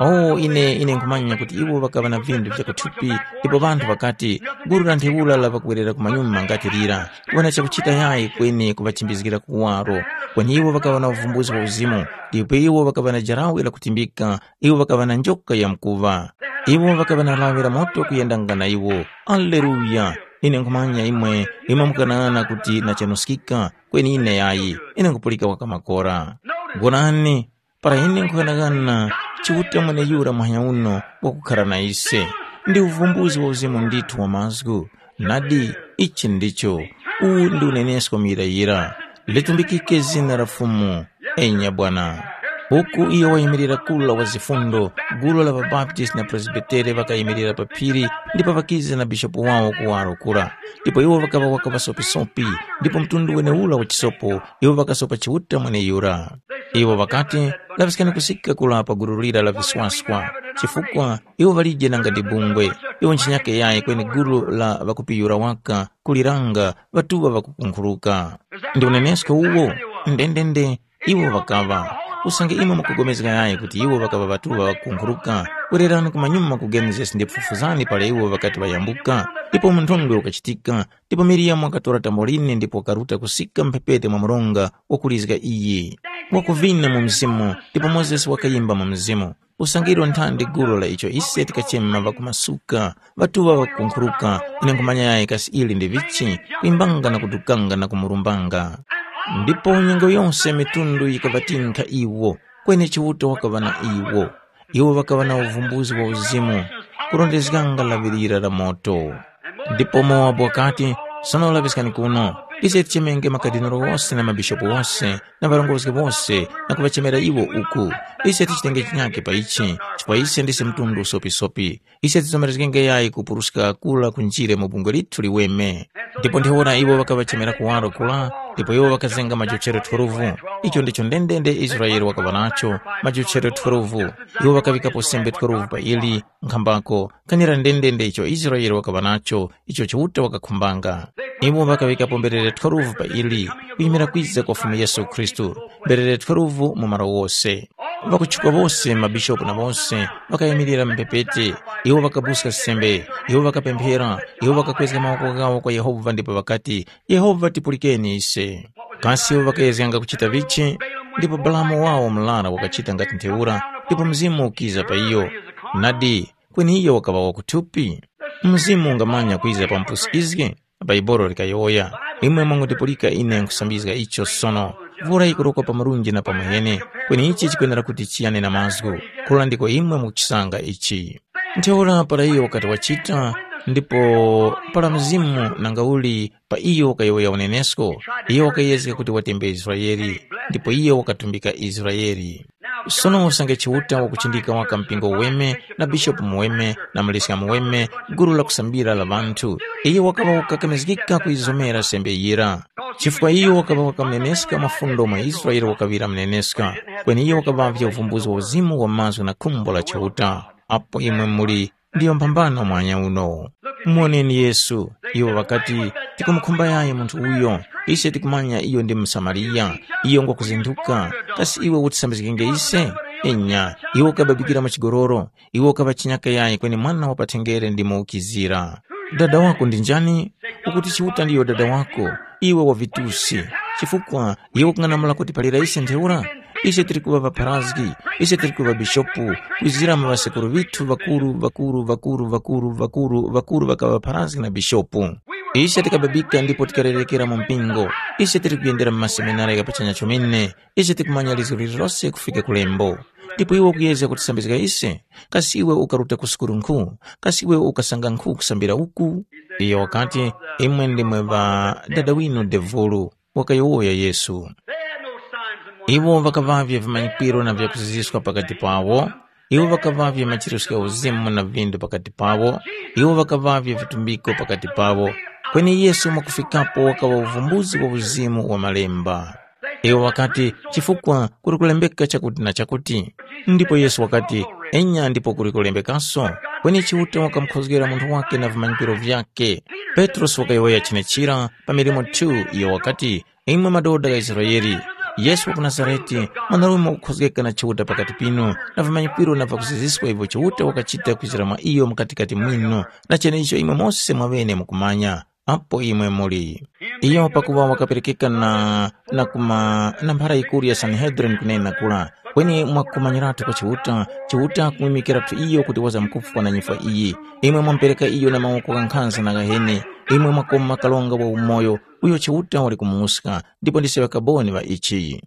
O ine, ine nkhumanya kuti iwo ŵakaŵa na vinthu vya kuthupi, ndipo ŵanthu ŵakati, gulu la ntheura la ŵakuwerera ku manyuma ngati lira, kuŵa na chakuchita yayi kweni kuŵachimbizgira kuwaro. Kweni iwo ŵakaŵa na uvumbuzi wa uzimu, ndipo iwo ŵakaŵa na jarawe lakutimbika, iwo ŵakaŵa na njoka ya mkuŵa. Iwo ŵakaŵa na lawi la moto kuyendanga na iwo. Aleluya! Ine nkhumanya imwe, imwe mukanang'ana kuti nachanuskika, kweni ine yayi, ine nkhupulika waka makora. Gorani, para ine nkhughanaghana Chiuta mweneyura muhanya uno wakukhara na ise, ndi uvumbuzi wa uzimu ndithu wa mazgu. Nadi, ichi ndicho, uwu ndi unenesko muyirayira. Litumbikike zina la Fumu, enya bwana. Uku iyo wayimirira kula wa zifundo, gulu la ŵabaptisti na presbitere ŵakayimirira pa phiri ndipo ŵakiza na bishopu wawo kuwaro kura. Ndipo iwo ŵakaŵa waka ŵasopisopi, ndipo mtundu weneura wa chisopo iwo ŵakasopa Chiuta mweneyura. Iwo ŵakati, laŵiskani kusika kula pa gulu lira la viswaswa, chifukwa iwo ŵalije nanga ndi bungwe, iwo nchinyake yayi kweni gulu la ŵakupiyura waka kuliranga ŵatuŵa ŵakukunkhuruka. Ndi unenesko uwo? Ndendende, iwo ŵakaŵa. Usange imwe mukupulikana yayi kuti iwo ŵakaŵa ŵatuŵa ŵakunkhuruka, wererani kumanyuma ku Genesis ndipo fufuzani para iwo ŵakati ŵayambuka, ndipo munthondwe ukachitika, ndipo Miriyamu wakatora tamboline ndipo wakaruta kusika mphepete mwa mronga wakulizga iyi. Wakuvina mu mzimu, ndipo Mozesi wakayimba mu mzimu. Usange ilo nthandi gulu la icho ise tikachema ŵakumasuka, ŵatuŵa ŵakunkhuruka, ine nkhumanya yayi kasi ili ndi vichi, kwimbanga na kudukanga na kumurumbanga. Ndipo nyengo yose mitundu yikaŵatinkha iwo, kweni Chiuta wakaŵa na iwo. Iwo ŵakaŵa na uvumbuzi wa uzimu, kurondezganga laŵirira la moto. Ndipo Mowabu wakati, sono laŵiskani kuno, ise tichemenge makadinolo wose na mabishopu wose na ŵarongozgi wose na kuŵachemera iwo uku. Ise tichitenge chinyake pa ichi, chifukwa ise ndise mtundu usopisopi. Ise tizomerezgenge yayi kupuruska kura kunjire mu bungwe lithu liweme. Ndipo ntheura iwo ŵakaŵachemera kuwaro kura, ndipo iwo ŵakazenga majochero twelve. Icho ndicho ndendende Israele wakaŵa nacho, majochero twelve. Iwo ŵakaŵikapo sembe twelve pa ili, nkhambako, kanira ndendende icho Israele wakaŵa nacho, icho Chiuta wakakhumbanga. Iwo ŵakaŵikapo mberere twelve pa ili, kuyimira kwiza kwa Fumu Yesu Khristu, mberere twelve mu malo wose. Ŵakutchuka wose, mabishopu na wose, ŵakayimirira mu mphepete. Iwo ŵakabuska sembe, iwo ŵakapemphera, iwo ŵakakwezga mawoko ghawo kwa Yehova ndipo ŵakati, “Yehova, tipulikeni ise.” Kasi iwo ŵakayezganga kuchita vichi? Ndipo Balamu wawo murara wakachita ngati ntheura, ndipo Mzimu ukiza pa iyo. Nadi, kweni iyo wakaŵa wakuthupi. Mzimu ungamanya kwiza pa mupusikizgi? Bhaibuli likayowoya, imwe mwangondipulika ine nkhusambizga icho sono. Vura yikurokwa pa murunji na pa muhene, kweni ichi chikwenera kuti chiyane na mazgu. Kura ndiko imwe mukuchisanga ichi. Ntheura para iyo wakati wachita, ndipo para Mzimu nangauli pa iyo wakayowoya unenesko, iyo wakayezga kuti watembe Israele, ndipo iyo wakatumbika Israele. Sono usange Chiuta wakuchindika waka mpingo uweme na bishopu muweme na muliska muweme, gulu la kusambira la ŵanthu, iyo wakaŵa wakakamizgika kuyizomera sembe yira. Chifukwa iyo wakaŵa wakamuneneska mafundo mwa Israele wakaŵira muneneska, kweni iyo wakaŵavye uvumbuzi wa uzimu wa mazgu na khumbo la Chiuta. Apo imwe muli ndiyo mphambano mwanya uno. Muwoneni Yesu, iwo ŵakati, tikumukhumba yayi munthu uyo, ise tikumanya iyo ndi Musamariya, iyo ngwakuzinduka, kasi iwe utisambizgenge ise? Enya, iwe ukababikira mu chigoloro, iwe ukaŵa chinyaka yayi kweni mwana wa pathenngere ndi muwukizira. Dada wako ndi njani? Ukuti Chiuta ndiyo dada wako, iwe wa vitusi, chifukwa iwe ukung'anamula kuti palira ise ntheura? Ise tili kuŵa ŵapharazgi, ise tili kuŵa bishopu, kwizira mu ŵasekuru ŵithu ŵakuru ŵakuru ŵakuru ŵakuru ŵakuru ŵakuru ŵakaŵa ŵapharazgi na bishopu. Ise tikababika ndipo tikarerekera mu mpingo, ise tili kuyendera mu maseminari gha pachanya chomene, ise tikumanya lizgu lililose kufika ku lembo. Ndipo iwe ukuyezga kutisambizga ise? Kasi iwe ukaruta ku sukulu nkhu? Kasi iwe ukasanga nkhu kusambira uku? Iyo wakati, imwe ndimwe ŵa dada winu devulu. Wakayowoya Yesu. They had no signs and wonders. Iwo ŵakaŵavye vimanyikiro na vyakuziziska pakati pawo. Iwo ŵakaŵavye machirusko gha uzimu na vindu pakati pawo. Iwo ŵakaŵavye vitumbiko pakati pawo. Kweni Yesu mwakufikapo wakaŵa uvumbuzi wa uzimu wa malemba. Iwo ŵakati, chifukwa kuli kulembeka chakuti na chakuti. Ndipo Yesu wakati, enya ndipo kuli kulembekaso. Kweni Chiuta wakamukhozgera munthu wake na vimanyikiro vyake. Petrosi wakayowoya chenechira pa milimo two iyo wakati, imwe madoda gha Israele, Yesu wa ku Nazarete, mwanarume wakukhozgeka na Chiuta pakati pinu, na vimanyikiro na vakuziziska ivyo Chiuta wakachita kwizira mwa iyo mukatikati mwinu, na cheneicho imwe mose mwaŵene mukumanya. Apo imwe muli. Iyo pakuŵa wakaperekeka na, na kuma na mphara yikuru ya Sanhedrin kunena kura, kweni mwakumanyiratu kwa Chiuta, Chiuta kumwimikiratu iyo kuti wazamkufwa na nyifwa iyi. Imwe mwamupereka iyo na mawoko gha nkhanza na ghaheni, imwe mwakoma kalonga wa umoyo, uyo Chiuta wali kumuska, ndipo ndise ŵakaboni ŵa ichi.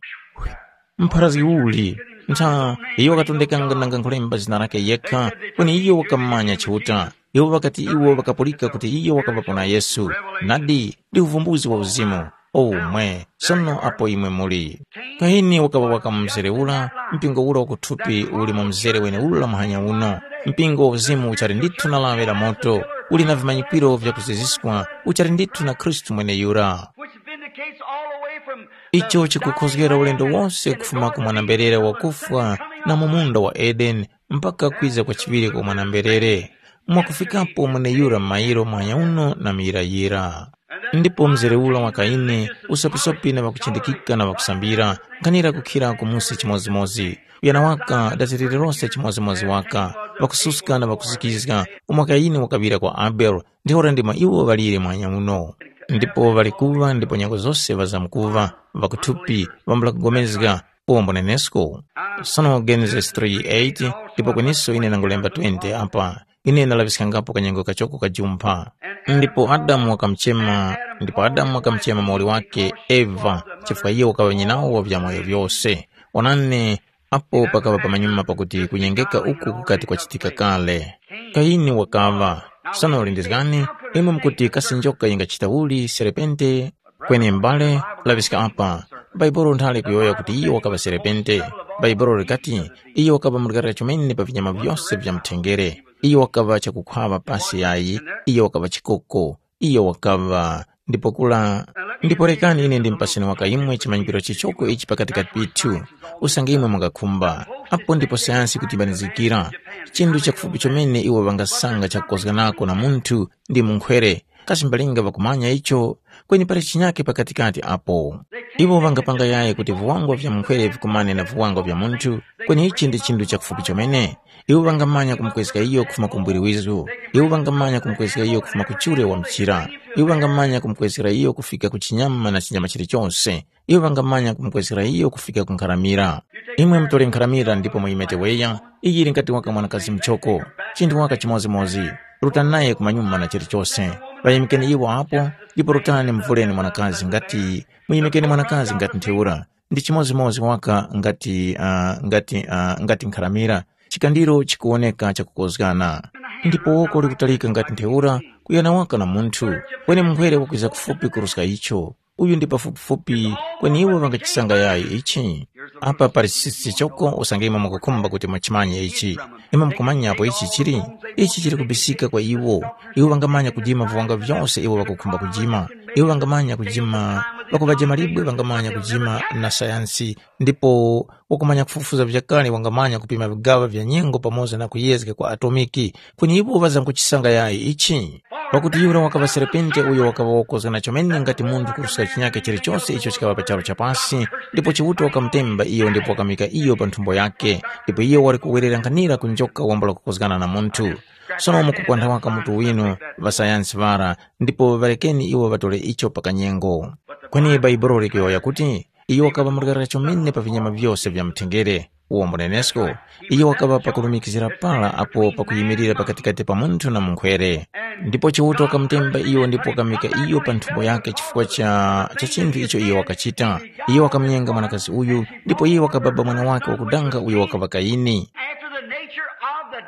Mpharazgi uli, ntha iyo wakatondekanga nanga nkhulemba zina lake yekha, kweni iyo wakamanya Chiuta. Iwo ŵakati iwo ŵakapulika kuti iyo wakaŵapo na Yesu. Nadi, ndi uvumbuzi wa uzimu. Omwe, sono apo imwe muli. Kahini wakaŵa wakamumzere ura, mpingo ura wakuthupi uli mu mzere wenewura muhanya uno. Mpingo wa uzimu uchali ndithu na laŵe la moto, uli na vimanyikiro vyakuziziskwa, uchali ndithu na Khristu mweneyura. Which vindicates all the way from the icho chikukhozgera ulendo wonse kufuma ku mwanamberere wakufwa na mu munda wa Edeni mpaka kwiza kwa chiŵiri kwa mwanamberere, mwakufikapo mweneyura mairo mwanya uno na muyirayira. Ndipo mzere ura wa Kaini, usopisopi na ŵakuchindikika na ŵakusambira, nkhanira kukhira ku musi chimodzimodzi. Uyana waka dazirire lose chimodzimodzi waka, ŵakususka na ŵakuzikizga, umo Kaini wakaŵira kwa Abele, ntheura ndimo iwo ŵalire mwanya uno. Ndipo ŵali kuŵa ndipo nyengo zose ŵazamkuŵa, ŵakuthupi, ŵambula kugomezga, uwo mbunenesko. Sono Genesis three eight, ndipo kweniso ine nangulemba twenty apa. Ine ndalaŵiskangapo kanyengo kachoko kajumpha. Ndipo Adamu wakamuchema, ndipo Adamu wakamuchema muwoli wake Eva, chifukwa iyo wakaŵa nyinawo wa vyamoyo vyose. Onani, apo pakaŵa pamanyuma pakuti kunyengeka uku kukati kwachitika kale. Kaini wakaŵa. Sono lindizgani, imwe mukuti kasi njoka yingachita uli serepente? Kweni m'bale, laŵiska apa. Bhaibuli nthali kuyowoya kuti iyo wakaŵa serepente. Bhaibuli likati, iyo wakaŵa murgarira chomene pa vinyama vyose vya mthengere. Iyo wakaŵa chakukhwaŵa pasi yayi, iyo wakaŵa chikoko, iyo wakaŵa. Ndipo kula, ndipo rekani ine ndimpaseni waka imwe chimanyikiro chichoko ichi pakatikati pithu, usange imwe mungakhumba. Apo ndipo sayansi kuti ibanizikira. Chinthu chakufupi chomene iwo ŵangasanga chakukozganako na munthu ndi munkhwere. Kasi mbalinga ŵakumanya icho? Kweni pali chinyake pakatikati apo. Iwo ŵangapanga yayi kuti viwangwa vya munkhwere vikumane na viwangwa vya munthu, kweni ichi ndi chinthu chakufupi chomene. Iwo ŵangamanya kumkwezga iyo kufuma ku mbwiri wizu. Iwo ŵangamanya kumkwezga iyo kufuma ku chure wa mchira. Iwo ŵangamanya kumkwezgera iyo kufika ku chinyama na chinyama chilichonse. Iwo ŵangamanya kumkwezgera iyo kufika ku nkharamira. Imwe mutore nkharamira ndipo muyimeteweya, iyi ili ngati waka mwanakazi mchoko. Chinthu waka chimodzimodzi. Rutani naye kumanyuma na chilichose. Ŵayimikeni iwo apo, ndipo rutani muvuleni mwanakazi ngati, muyimikeni mwanakazi ngati ntheura. Ndi chimodzimodzi waka ngati, uh, ngati, uh, ngati nkharamira. Chikandiro chikuwoneka chakukozgana. Ndipo woko likutalika ngati ntheura, kuyana waka na munthu. Kweni munkhwere wakwiza kufupi kuruska icho. Uyu ndi pafupifupi, kweni iwo ŵangachisanga yayi ichi? Apa pali chisi choko usange imwe mukukhumba kuti muchimanye ichi. Imwe mukumanyapo ichi chili? Ichi chili kubisika kwa iwo. Iwo ŵangamanya kujima viwanga vyose iwo ŵakukhumba kujima. Iwo ŵangamanya kujima, ŵakuŵajima libwe ŵangamanya kujima na sayansi, ndipo wakumanya kufufuza vyakale wangamanya kupima vigaŵa vya nyengo pamoza na kuyezga kwa atomiki. Kweni iwo ŵazankuchisanga yayi ichi? Pakuti yura wakaŵa serepente uyo wakaŵa wakozgana chomene ngati munthu kuruska chinyake chilichose icho chikaŵa pa charu cha pasi, ndipo Chiuta wakamutemba iyo ndipo wakamika iyo pa nthumbo yake, ndipo iyo wali kuwerera nkhanira ku njoka wambula kukozgana na munthu. Sono mukupwantha waka mutu winu, ŵasayansi ŵara, ndipo ŵarekeni iwo ŵatore icho pa kanyengo. Kweni Bhaibuli likuyowoya kuti, iyo wakaŵa murgarira chomene pa vinyama vyose vya mthengere. Uwo mbunenesko, iyo wakaŵa pakulumikizira para apo pakuyimirira pakatikati pa munthu na munkhwere. Ndipo Chiuta wakamutemba iyo ndipo wakamika iyo pa nthumbo yake chifukwa cha, cha chinthu icho iyo wakachita. Iyo wakamunyenga mwanakazi uyu, ndipo iyo wakababa mwana wake wakudanga uyo wakaŵa Kaini. After the nature of the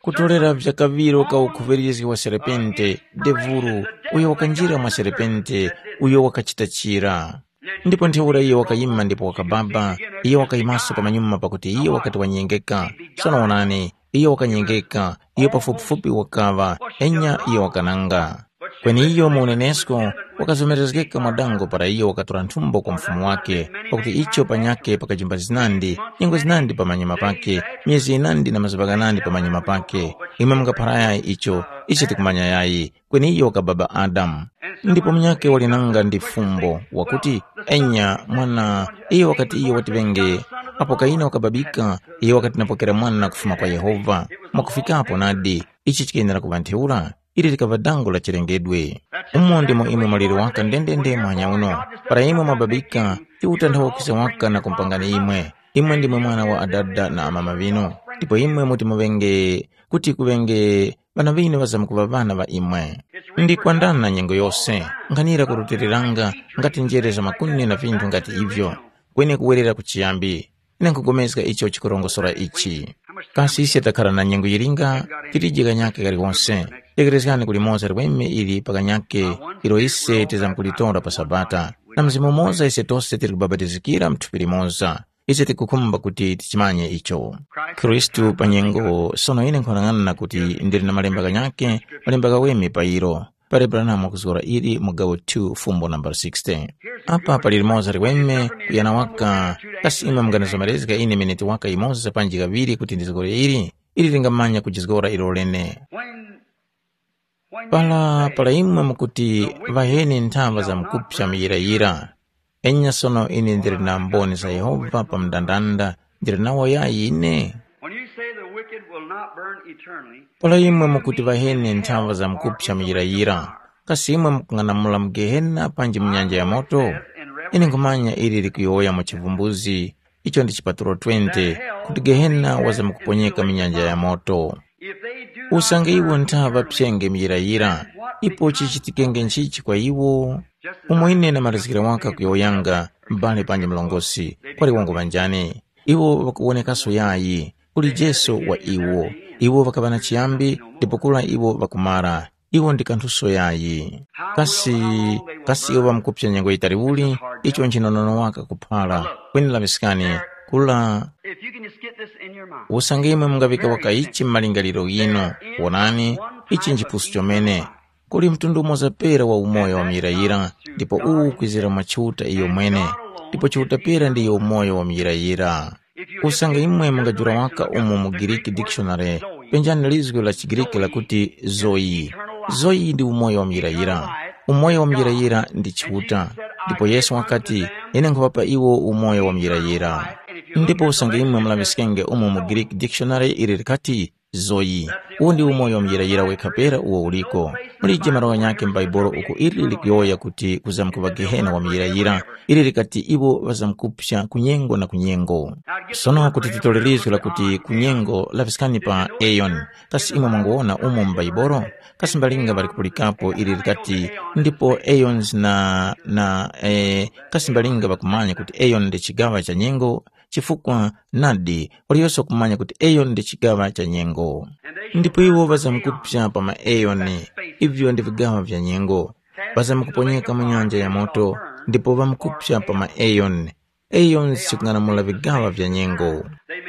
Kutolera vyakaŵiro ka ukhuŵirizgi wa serepente, devuru, uyo wakanjira mwa serepente, uyo wakachita chira. Ndipo ntheura iyo wakayima ndipo wakababa, iyo wakayimaso pamanyuma pakuti iyo wakati wanyengeka. Sono wonani, iyo wakanyengeka, iyo pafupifupi wakaŵa, enya iyo wakananga. Kweni iyo mu unenesko wakazomerezgeka mwadango para iyo wakatora nthumbo kwa mfumu wake, pakuti icho panyakhe pakajimba zinandi, nyengo zinandi pamanyuma pake, myezi yinandi na mazuŵa ghanandi pamanyuma pake. Imwe mungaphara yayi icho, ise tikumanya yayi, kweni iyo wakababa Adamu. Ndipo munyakhe wali nanga ndi fumbo, wakuti, enya, mwana, iyo wakati iyo wati ŵenge, apo Kaini wakababika, iyo wakati napokera mwana kufuma kwa Yehova. Mwakufikapo nadi, ichi chikayenera kuŵa ntheura. Ili likaŵa dango la chilengedwe. Umo ndimo imwe mwaliri waka ndendende muhanya uno. Para imwe mwababika, Chiuta nthawe wakwiza waka na kumpangani imwe. Imwe ndimwe mwana wa adada na amama ŵinu. Ndipo imwe muti muŵenge kuti kuŵenge ŵana ŵinu ŵazamkuŵa ŵana ŵa imwe. Ndi kwandana nyengo yose, nkhanira kurutiliranga ngati njere za makuni na vinthu ngati ivyo, kweni kuwerera ku chiyambi. Ine nkhupulikana icho chikurongosora ichi. Kasi ise takhala na nyengo yilinga? Tilije kanyake kaliwonse. Yekerezgani ku limoza liweme ili pa kanyake ilo ise tizamkulitora pa Sabata. Na mzimu umoza ise tose tili kubapatizikira mu thupi limoza. Ise tikukhumba kuti tichimanye icho. Khristu pa nyengo sono ine nkhwanang'ana kuti ndili na malemba kanyake, malemba ghaweme pa ilo. Pali Branham wakuzgora ili mu gawo two fumbo nambala sixty. Apa pali limoza liweme kuyana waka, kasi imwe munganizomerezga ine miniti waka yimoza panji kaŵiri kuti ndizgore ili? Ili lingamanya kujizgora ilo lene. When Para para imwe mukuti, ŵaheni nthaŵa za mukupsa muyirayira, enya sono ine ndili na mboni za Yehova pa mndandanda, ndili nawo yayi ine? When you say the wicked will not burn eternally, Para imwe mukuti, ŵaheni nthaŵa za mukupsa muyirayira, kasi imwe mukung'anamula mu Gehena panji mu nyanja ya moto? Ine nkhumanya ili likuyowoya mu chivumbuzi, icho ndi chipatulo twenty, kuti Gehena wazamkuponyeka mu nyanja ya moto. If they do not Usange iwo ntha ŵapsenge muyirayira, ipo chichitikenge nchichi kwa iwo? Umo ine namalizgira waka kuyowoyanga, m'bale panji mlongosi, kwali wangu ŵanjani. Iwo ŵakuwonekaso yayi, uli Jesu wa iwo. Iwo ŵakaŵa na chiyambi, ndipo kura iwo ŵakumara. Iwo ndi kanthuso yayi. Kasi, kasi iwo ŵamkupsa nyengo yitali uli? Icho nchinonono waka kuphara. Kweni laŵiskani, kula If you can just get this in your mind. Usange imwe mungaŵika waka ichi m'malingaliro ghinu, wonani, ichi nchipusu chomene. Kuli mtundu umoza pera wa umoyo wa muyirayira, ndipo uwu ukwizira mwa Chiuta iyo mwene, ndipo Chiuta pera ndiyo umoyo wa muyirayira. Usange imwe mungajula waka umo mu Greek dictionary, penjani lizgu la chiGriki lakuti Zoe. Zoe ndi umoyo wa muyirayira. Umoyo wa muyirayira ndi Chiuta. Ndipo Yesu wakati, ine nkhuŵapa iwo umoyo wa muyirayira. Ndipo usange imwe mulaŵiskenge umo mu Greek dictionary ili likati, Zoe. Uwu ndi umoyo wa muyirayira wekha pera uwo uliko. Mulije malo ghanyakhe m'Baibulo uko ili likuyowoya kuti kuzamkuŵa Gehena wa muyirayira, ili likati iwo ŵazamkupsa kunyengo na kunyengo. Sono kuti titole lizgu lakuti kunyengo laŵiskani pa Aeon. Kasi imwe mwanguwona umo mu Bhaibolo? Kasi mbalinga ŵali kupulikapo ili likati, ndipo Aeons na, na, eh, kasi mbalinga ŵakumanya kuti Aeon ndi chigaŵa cha nyengo? Chifukwa nadi, waliyose wakumanya kuti Aeon ndi chigaŵa cha nyengo. Ndipo iwo ŵazamkupsa pa ma Aeon, ivyo ndi vigaŵa vya nyengo. Ŵazamkuponyeka mu nyanja ya moto, ndipo ŵamkupsa pa ma Aeon. Eyo nchikung'anamula vigaŵa vya nyengo.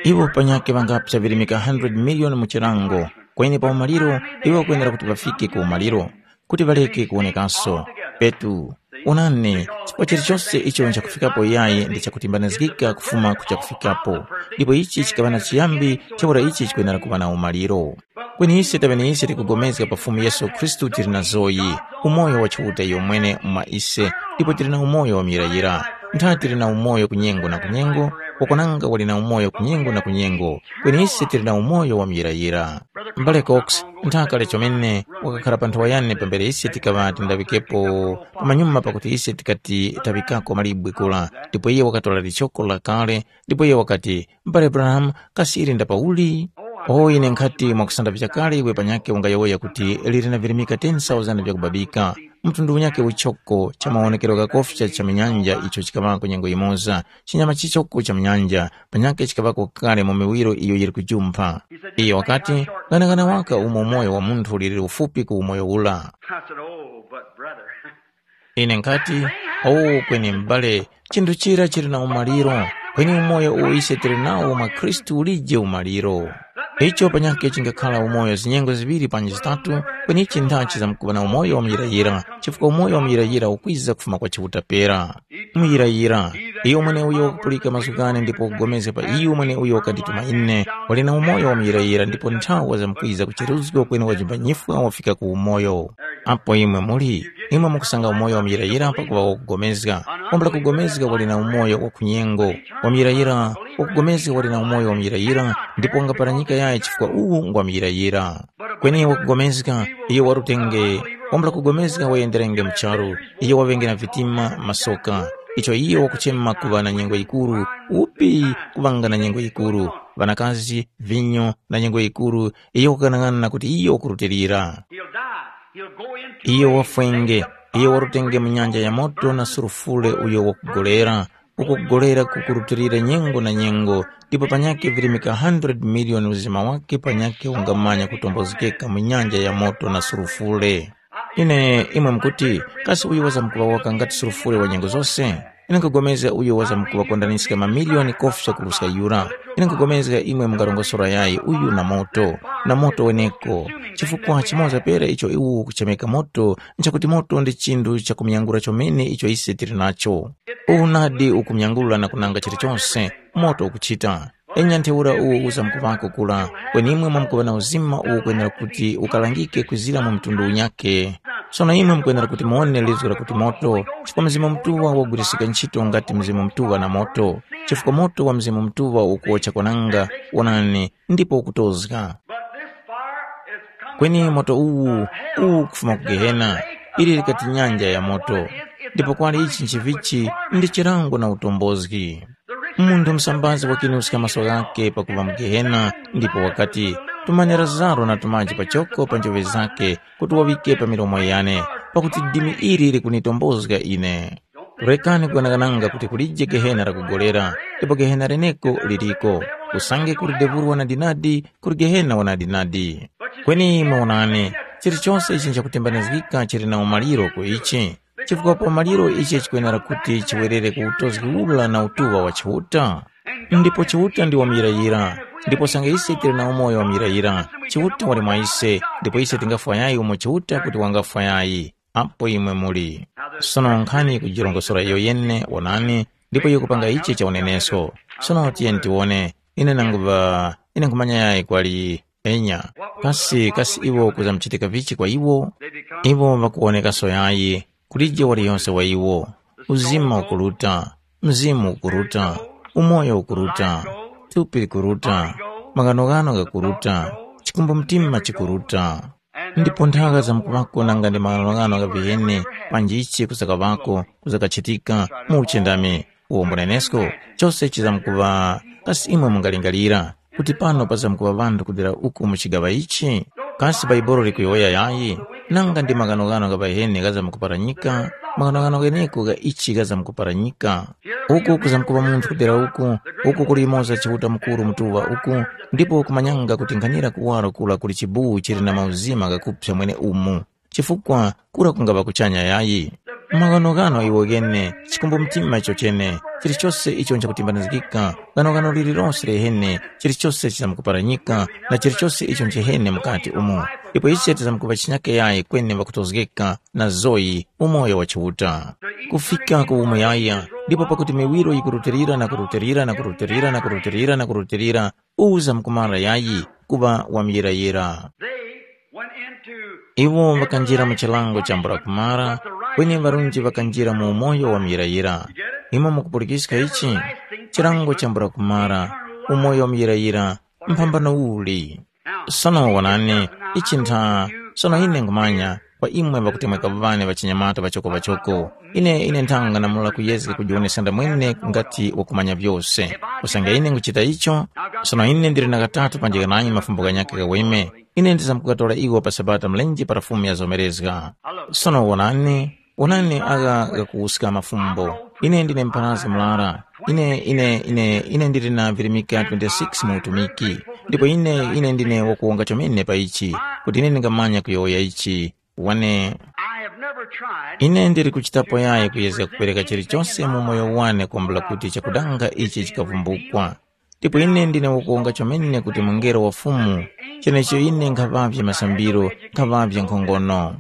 Iwo panyakhe ŵangapsa virimika hundred miliyoni mu chilango, kweni pa umaliro iwo ŵakwenera kuti ŵafike ku umaliro, kuti ŵareke kuwonekanso. Petu, onani, chifukwa chilichonse icho nchakufikapo yayi ndi chakutimbanizgika kufuma ku chakufikapo, ndipo ichi chikaŵa na chiyambi, ntheura ichi chikwenera kuŵa na umaliro. Kweni ise taŵe ni ise tikugomezga pa Fumu Yesu Khristu tili na zoyi, umoyo wa Chiuta iyo mwene mwa ise, ndipo tili na umoyo wa muyirayira. Ntha tili na umoyo ku nyengo na ku nyengo, wakwananga wali na umoyo ku nyengo na ku nyengo, kweni ise tili na umoyo wa muyirayira. M'bale Cox, ntha kale chomene, wakakhara pa nthowa yane pambere ise tikaŵa tindaŵikepo pamanyuma pakuti ise tikati taŵikako malibwe kura, ndipo iye wakatora lichoko lakale, ndipo iye wakati, M'bale Branham, kasi ili nda pauli? O ine nkhati mwakusandavizga kale iwe panyakhe ungayowoya kuti lili na virimika ten thousand vyakubabika. Mtundu unyakhe uchoko cha mawonekero ghakofya cha minyanja icho chikaŵako nyengo yimoza, chinyama chichoko cha minyanja, panyakhe chikaŵako kale mu miwiro iyo yili kujumpha. Iyo wakati, ghanagana waka umo umoyo wa munthu uliri ufupi ku umoyo ula. I said, oh, but brother. Ine nkhati, owu kweni m'bale, chinthu chira chili na umaliro, kweni umoyo uwo ise tili nawo mwa Khristu ulije umaliro. Icho panyakhe chingakhala umoyo zinyengo ziŵiri panji zitatu, kweni ichi nthachi zamkuŵa na umoyo wa muyirayira, chifukwa umoyo wa muyirayira ukwiza kufuma kwa Chiuta pera. Muyirayira, iyo mweneuyo wakupulika mazgu ghane ndipo wakugomezga pa iyo mweneuyo wakandituma ine, wali na umoyo wa muyirayira ndipo nthawi wazamkwiza kucheruzgwa kweni wajimba nyifwa wafika ku umoyo. Apo imwe muli, imwe mukusanga umoyo wa muyirayira pakuŵa wakugomezga. Wambula kugomezga wali na umoyo wa kunyengo. Wa muyirayira, wakugomezga wali na umoyo wa muyirayira, ndipo wangapara nyika yayi chifukwa uwu ngwa muyirayira. Kweni wakugomezga, iyo warutenge, wambula kugomezga wayenderenge mu charu, iyo waŵenge na vitima, masoka. Icho iyo wakuchema kuŵa na nyengo yikuru, upi kuŵanga na nyengo yikuru, ŵanakazi, vinyo, na nyengo yikuru, iyo wakughanag'ana kuti iyo wakurutilira. He'll die. He'll go into Iyo wafwenge, iyo warutenge mu nyanja ya moto na sulufure uyo wakugolera, uko kugolera kukurutilira nyengo na nyengo, ndipo panyakhe virimika hundred miliyoni uzima wake panyakhe ungamanya kutombozgeka mu nyanja ya moto na sulufure. Ine imwe mukuti, kasi uyu wazamkuŵa waka ngati sulufure wa nyengo zose? Ine nkugomezga uyo wazamkuŵakondaniska mamiliyoni kofya kuruska yura. Ine nkugomezga imwe mungarongosora yayi uyu na moto, na moto weneko. Chifukwa chimoza pera icho iwo ukuchemeka moto, nchakuti moto ndi chinthu chakumyangura chomene icho ise tili nacho. Uwu nadi ukumyangula na kunanga chilichonse, moto ukuchita. Enya ntheura uwo uzamkuvako kura, kweni imwe mwamkuŵa na uzima uwo ukwenera kuti ukalangike kwizira mu mtundu unyakhe. Sono imwe mukwenera kuti muwone lizgu lakuti moto, chifukwa Mzimu Mutuŵa wagwirisika ntchito ngati Mzimu Mutuŵa na moto, chifukwa moto wa Mzimu Mutuŵa ukuwocha kwananga, wonani, ndipo ukutozga. But this fire is coming Kweni from moto uwu, uwu kufuma ku Gehena, ili likati nyanja ya moto, ndipo kwali ichi nchivichi ndi chilango na utombozgi. Munthu msambazi wakinuska maso ghake pakuŵa mu Gehena, ndipo wakati, tumani Lazaro na tumaji pachoko pa njoŵe zakhe, kuti waŵike pa milomo yane, pakuti dimi ili likunitombozga ine. Rekani kuganagananga kuti kulije Gehena lakugolera, ndipo Gehena leneko liliko, usange kuli debulu wanadinadi, kuli Gehena wanadinadi. Kweni imwe wonani, chilichonse ichi nchakutembanizgika chili na umaliro ku ichi, chifukwa pa umaliro ichi chikwenera kuti chiwerere ku utozgi ula na utuŵa wa Chiuta. Ndipo Chiuta ndi wamuyirayira, ndipo sanga ise tili na umoyo wamuyirayira, Chiuta wali mwa ise, ndipo ise tingafwa yayi umo Chiuta kuti wangafwa yayi. Apo imwe muli. Sono nkhani kujirongosora iyo yene wonani, ndipo iyo kupanga ichi cha unenesko. Sono tiyeni tiwone, ine nanguŵa, ine nkhumanya yayi kwali enya. Kasi, kasi iwo kuzamuchitika vichi kwa iwo? Iwo ŵakuwonekaso yayi, kulije waliyonse wa iwo. Uzima ukuruta, mzimu ukuruta, umoyo ukuruta, thupi likuruta, maghanoghano ghakuruta, chikumbu mtima chikuruta. Ndipo nthaka zamkuŵako nanga ndi maghanoghano gha viheni panji ichi kuzakaŵako kuzakachitika mu uchindami uwo mbunenesko, chose chizamkuŵa kasi imwe mungalingalira kuti pano pazamkuŵa ŵanthu kudera uku mu chigaŵa ichi? Kasi Baibuli likuyowoya yayi? Nanga ndi maghanoghano gha viheni ghazamkuparanyika, maghanoghano gheneko gha ichi ghazamkuparanyika. Uku kuzamkuŵa munthu kudera uku, uku kuli yumoza Chiuta Mukuru Mutuŵa uku, ndipo kumanyanga kuti nkhanira kuwaro kura kuli chibuwu chili na mauzima ghakuphya mwene umu, chifukwa kura kungaŵa kuchanya yayi. Maghanoghano iwo ghene, chikumbu mtima icho chene, chilichose icho nchakutimbanizgika, ghanoghano lililose lihene, chilichose chizamkuparanyika, na chilichose icho nchihene mukati umo. Ndipo ise tizamkuŵa chinyake yayi kweni ŵakutozgeka na zoyi umoyo wa Chiuta. Kufika ku umuyaya, ndipo pakuti miwiro yikurutilira na kurutilira na kurutilira na kurutilira na kurutilira, uza mkumara yayi kuŵa wamuyirayira. They went into Iwo ŵakanjira mu chilango cha mbula kumara, kweni ŵarunji ŵakanjira mu umoyo wamuyirayira. Imwe mukupulikiska ichi? Chilango cha mbula kumara, umoyo wamuyirayira, mphambano uli? Sono wonani, ichi ntha, sono ine nkhumanya, kwa imwe ŵakutemweka ŵane ŵachinyamata ŵachoko-ŵachoko, ine ine nthanga namula kuyezga kujiwonesa ndamwene ngati wakumanya vyose. Usange ine nguchita icho, sono ine ndili na ghatatu panjika nanyi mafumbo ghanyakhe ghaweme, ine ndizamkugatora iwo pa Sabata mlenje para Fumu yazomerezga. Sono wonani, wonani agha ghakuwuska mafumbo. Ine ndine mpharazgi murara. Ine ine ine ine ndili na virimika twenty-six mu utumiki. Ndipo ine ine ndine wakuwonga chomene pa ichi, kuti ine ndingamanya kuyowoya ichi. Wane I have never tried ine ndili kuchitapo yayi kuyezga kupereka chilichonse mu moyo wane kumbula kuti chakudanga ichi chikavumbukwa. Ndipo ine ndine wakuwonga chomene kuti mungelo wa Fumu, chenecho ine nkhaŵavye masambiro, nkhaŵavye nkhongono.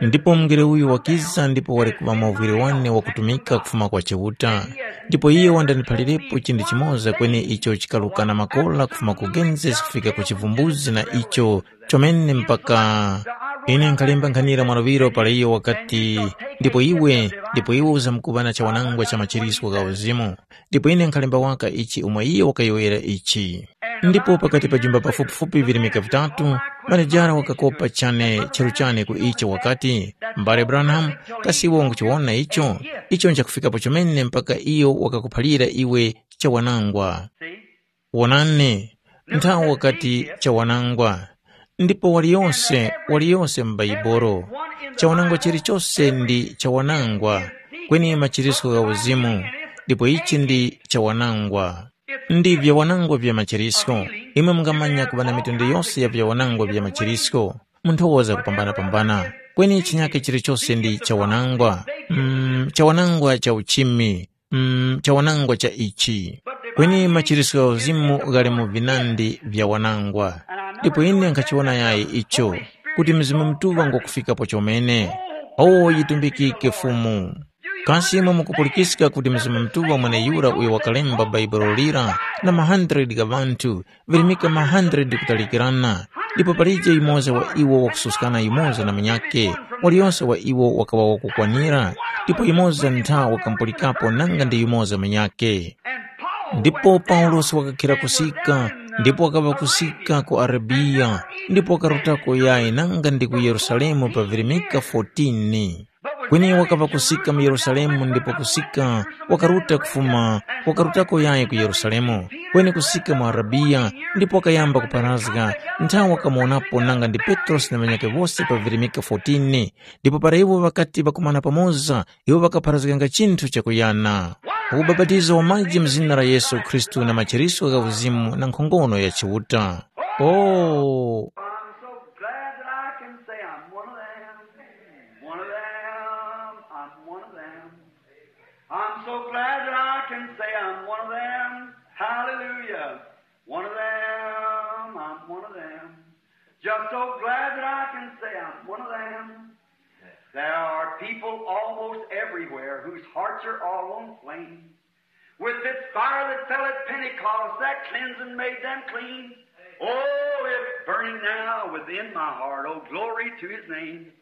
Ndipo mungelo uyu wakiza ndipo wali kuŵa mwauvwire wane wakutumika kufuma kwa Chiuta. Ndipo iyo wandaniphalirepo chinthu chimoza kweni icho chikarukana makola kufuma ku Genesis kufika ku Chivumbuzi na icho chomene mpaka ine nkhalemba nkhanira mwa luŵiro para iyo wakati, ndipo iwe, ndipo iwe uzamkuŵa na chawanangwa cha machiriswa gha uzimu. Ndipo ine nkhalemba waka ichi umo iyo wakayowoyera ichi. Ndipo pakati pa jumba pafupifupi virimika vitatu, manejara wakakopa chane charu chane ku icho wakati, mbale Branham, kasi iwe unguchiwona icho? Icho nchakufikapo chomene mpaka iyo wakakuphalira iwe chawanangwa. Wonani, nthawi wakati chawanangwa. Ndipo waliyonse, waliyonse m'Baibolo, chawanangwa chilichose ndi chawanangwa, kweni machirisko gha uzimu, ndipo ichi ndi chawanangwa. Ndi vyawanangwa vya machirisko. Imwe mungamanya kuŵa na mitundu yose ya vyawanangwa vya machirisko. Munthu woza kupambana-pambana. Kweni chinyake chilichose ndi chawanangwa. Mm, chawanangwa cha uchimi. Mm, chawanangwa cha ichi. Kweni machirisiko gha uzimu ghali mu vinandi vya wanangwa. Ndipo ine nkhachiwona yayi icho, kuti Mzimu Mutuŵa ngwakufikapo chomene. O, yitumbikike Fumu! Kasi imwe mukupulikiska kuti Mzimu Mutuŵa mweneyura uyo wakalemba Bhaibuli lira na ma hundred gha ŵanthu, virimika ma hundred kutalikirana, ndipo palije yumoza wa iwo wakususkana yumoza na munyakhe, waliyose wa iwo wakaŵa wakukwanira, ndipo yumoza ntha wakamupulikapo nanga ndi yumoza munyakhe. Ndipo Paulosi wakakhira kusika, ndipo wakaŵa kusika ku Arabiya, ndipo wakarutako yayi nanga ndi ku Yerusalemu pa virimika fourteen. Kweni wakaŵa kusika mu Yerusalemu ndipo kusika wakaruta kufuma, wakarutako yayi ku Yerusalemu, kweni kusika mu Arabiya, ndipo wakayamba kupharazga, nthawe wakamuwonapo nanga ndi Petrosi na ŵanyakhe wose pa virimika fourteen. Ndipo para iwo ŵakati ŵakumana pamoza, iwo ŵakapharazganga chinthu chakuyana. Ubapatizo wa maji mu zina la Yesu Khristu na machiriso gha uzimu na nkhongono ya Chiuta. Oh, I'm so glad that I can say I'm one of them. One of them. I'm one of them. I'm so glad that I can say I'm one of them. Hallelujah. One of them. I'm one of them. Just so glad that I can say I'm one of them. There are people almost everywhere whose hearts are all on flame. With this fire that fell at Pentecost that cleansed and made them clean. Oh, it's burning now within my heart. Oh, glory to his name.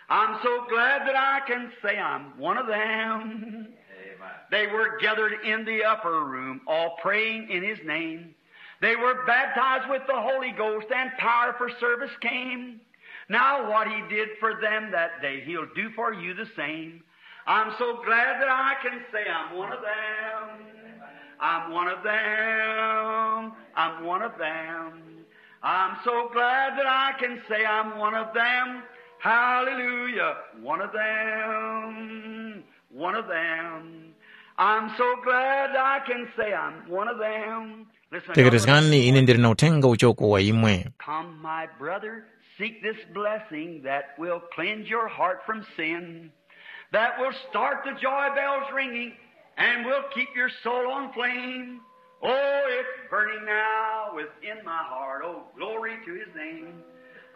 I'm so glad that I can say I'm one of them. Amen. They were gathered in the upper room, all praying in his name. They were baptized with the Holy Ghost, and power for service came. Now, what he did for them that day, he'll do for you the same. I'm so glad that I can say I'm one of them. I'm one of them. I'm one of them. I'm so glad that I can say I'm one of them. Hallelujah. One of them. One of them. I'm so glad I can say I'm one of them. Listen, tekerezgani, ine ndili na uthenga uchoko wa imwe. Come, my brother, seek this blessing that will cleanse your heart from sin, that will start the joy bells ringing, and will keep your soul on flame. Oh, it's burning now within my heart. Oh, glory to his name.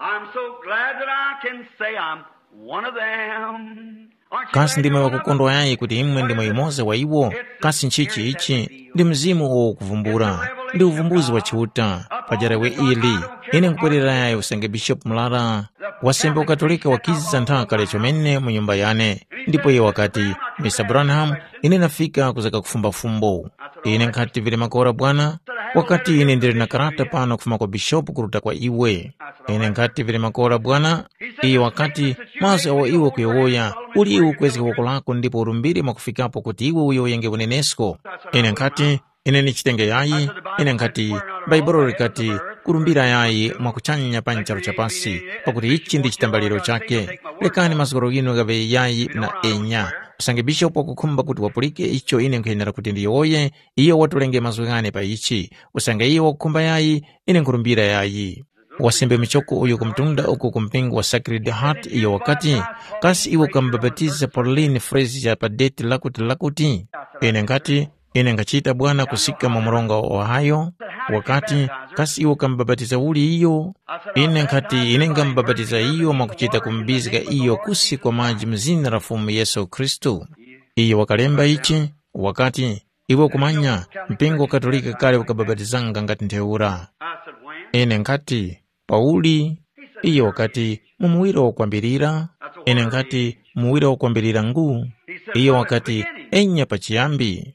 I'm so glad that I can say I'm one of them. Aren't you Kasi glad ndimwe you're one of them? Ŵakukondwa yayi kuti imwe ndimwe yumoza wa iwo? Kasi nchichi ichi? Ndi mzimu uwo ukuvumbula. Ndi uvumbuzi wa Chiuta. Pajarawe ili, ine nkupwerera yayi usange Bishopu Murara, wasembe wa Katolika wakiza nthaka kale chomene mu nyumba yane. Ndipo iye wakati, Mister Branham, ine nafika kuzaka kufumba fumbo. Ine nkhati vili makora bwana? Wakati, ine ndili na karata pano kufuma kwa bishopu kuruta kwa iwe. Ine nkhati vili makora bwana? Iye wakati, mazgu agho iwe ukuyowoya, uli iwe ukwezge woko lako ndipo urumbire mwakufikapo kuti iwe uyowoyenge unenesko. Ine nkhati, ine ndichitenge yayi. Ine nkhati, Bhaibuli likati, kurumbira yayi mwakuchanya pa charu cha pasi, pakuti ichi ndi chitambaliro chakhe. Lekani mazgoro ghinu ghaŵe yayi na enya. Usange bishopu wakukhumba kuti wapulike icho ine nkhuyenera kuti ndiyowoye, iyo watulenge mazgu ghane pa ichi. Usange iyo wakukhumba yayi, ine nkhurumbira yayi. Wasembe muchoko uyo ku mtunda uku ku mpingo wa Sacred Heart iyo wakati, kasi iwe ukamubapatiza Pauline Frazier pa deti lakuti lakuti? Ine nkhati, ine nkhachita bwana kusika mu mronga wa Ohio. Wakati, kasi iwe ukamubapatiza uli iyo? Ine nkhati, ine ngamubapatiza iyo mwakuchita kumubizga iyo kusi kwa maji mu zina la Fumu Yesu Khristu. Iyo wakalemba ichi, wakati, iwe ukumanya, mpingo wa Katolika kale ukabapatizanga ngati ntheura. Ine nkhati, Pauli? Iyo wakati, mu muwiro wakwambirira? Ine nkhati, muwiro wakwambirira ngu? Iyo wakati, enya pachiyambi.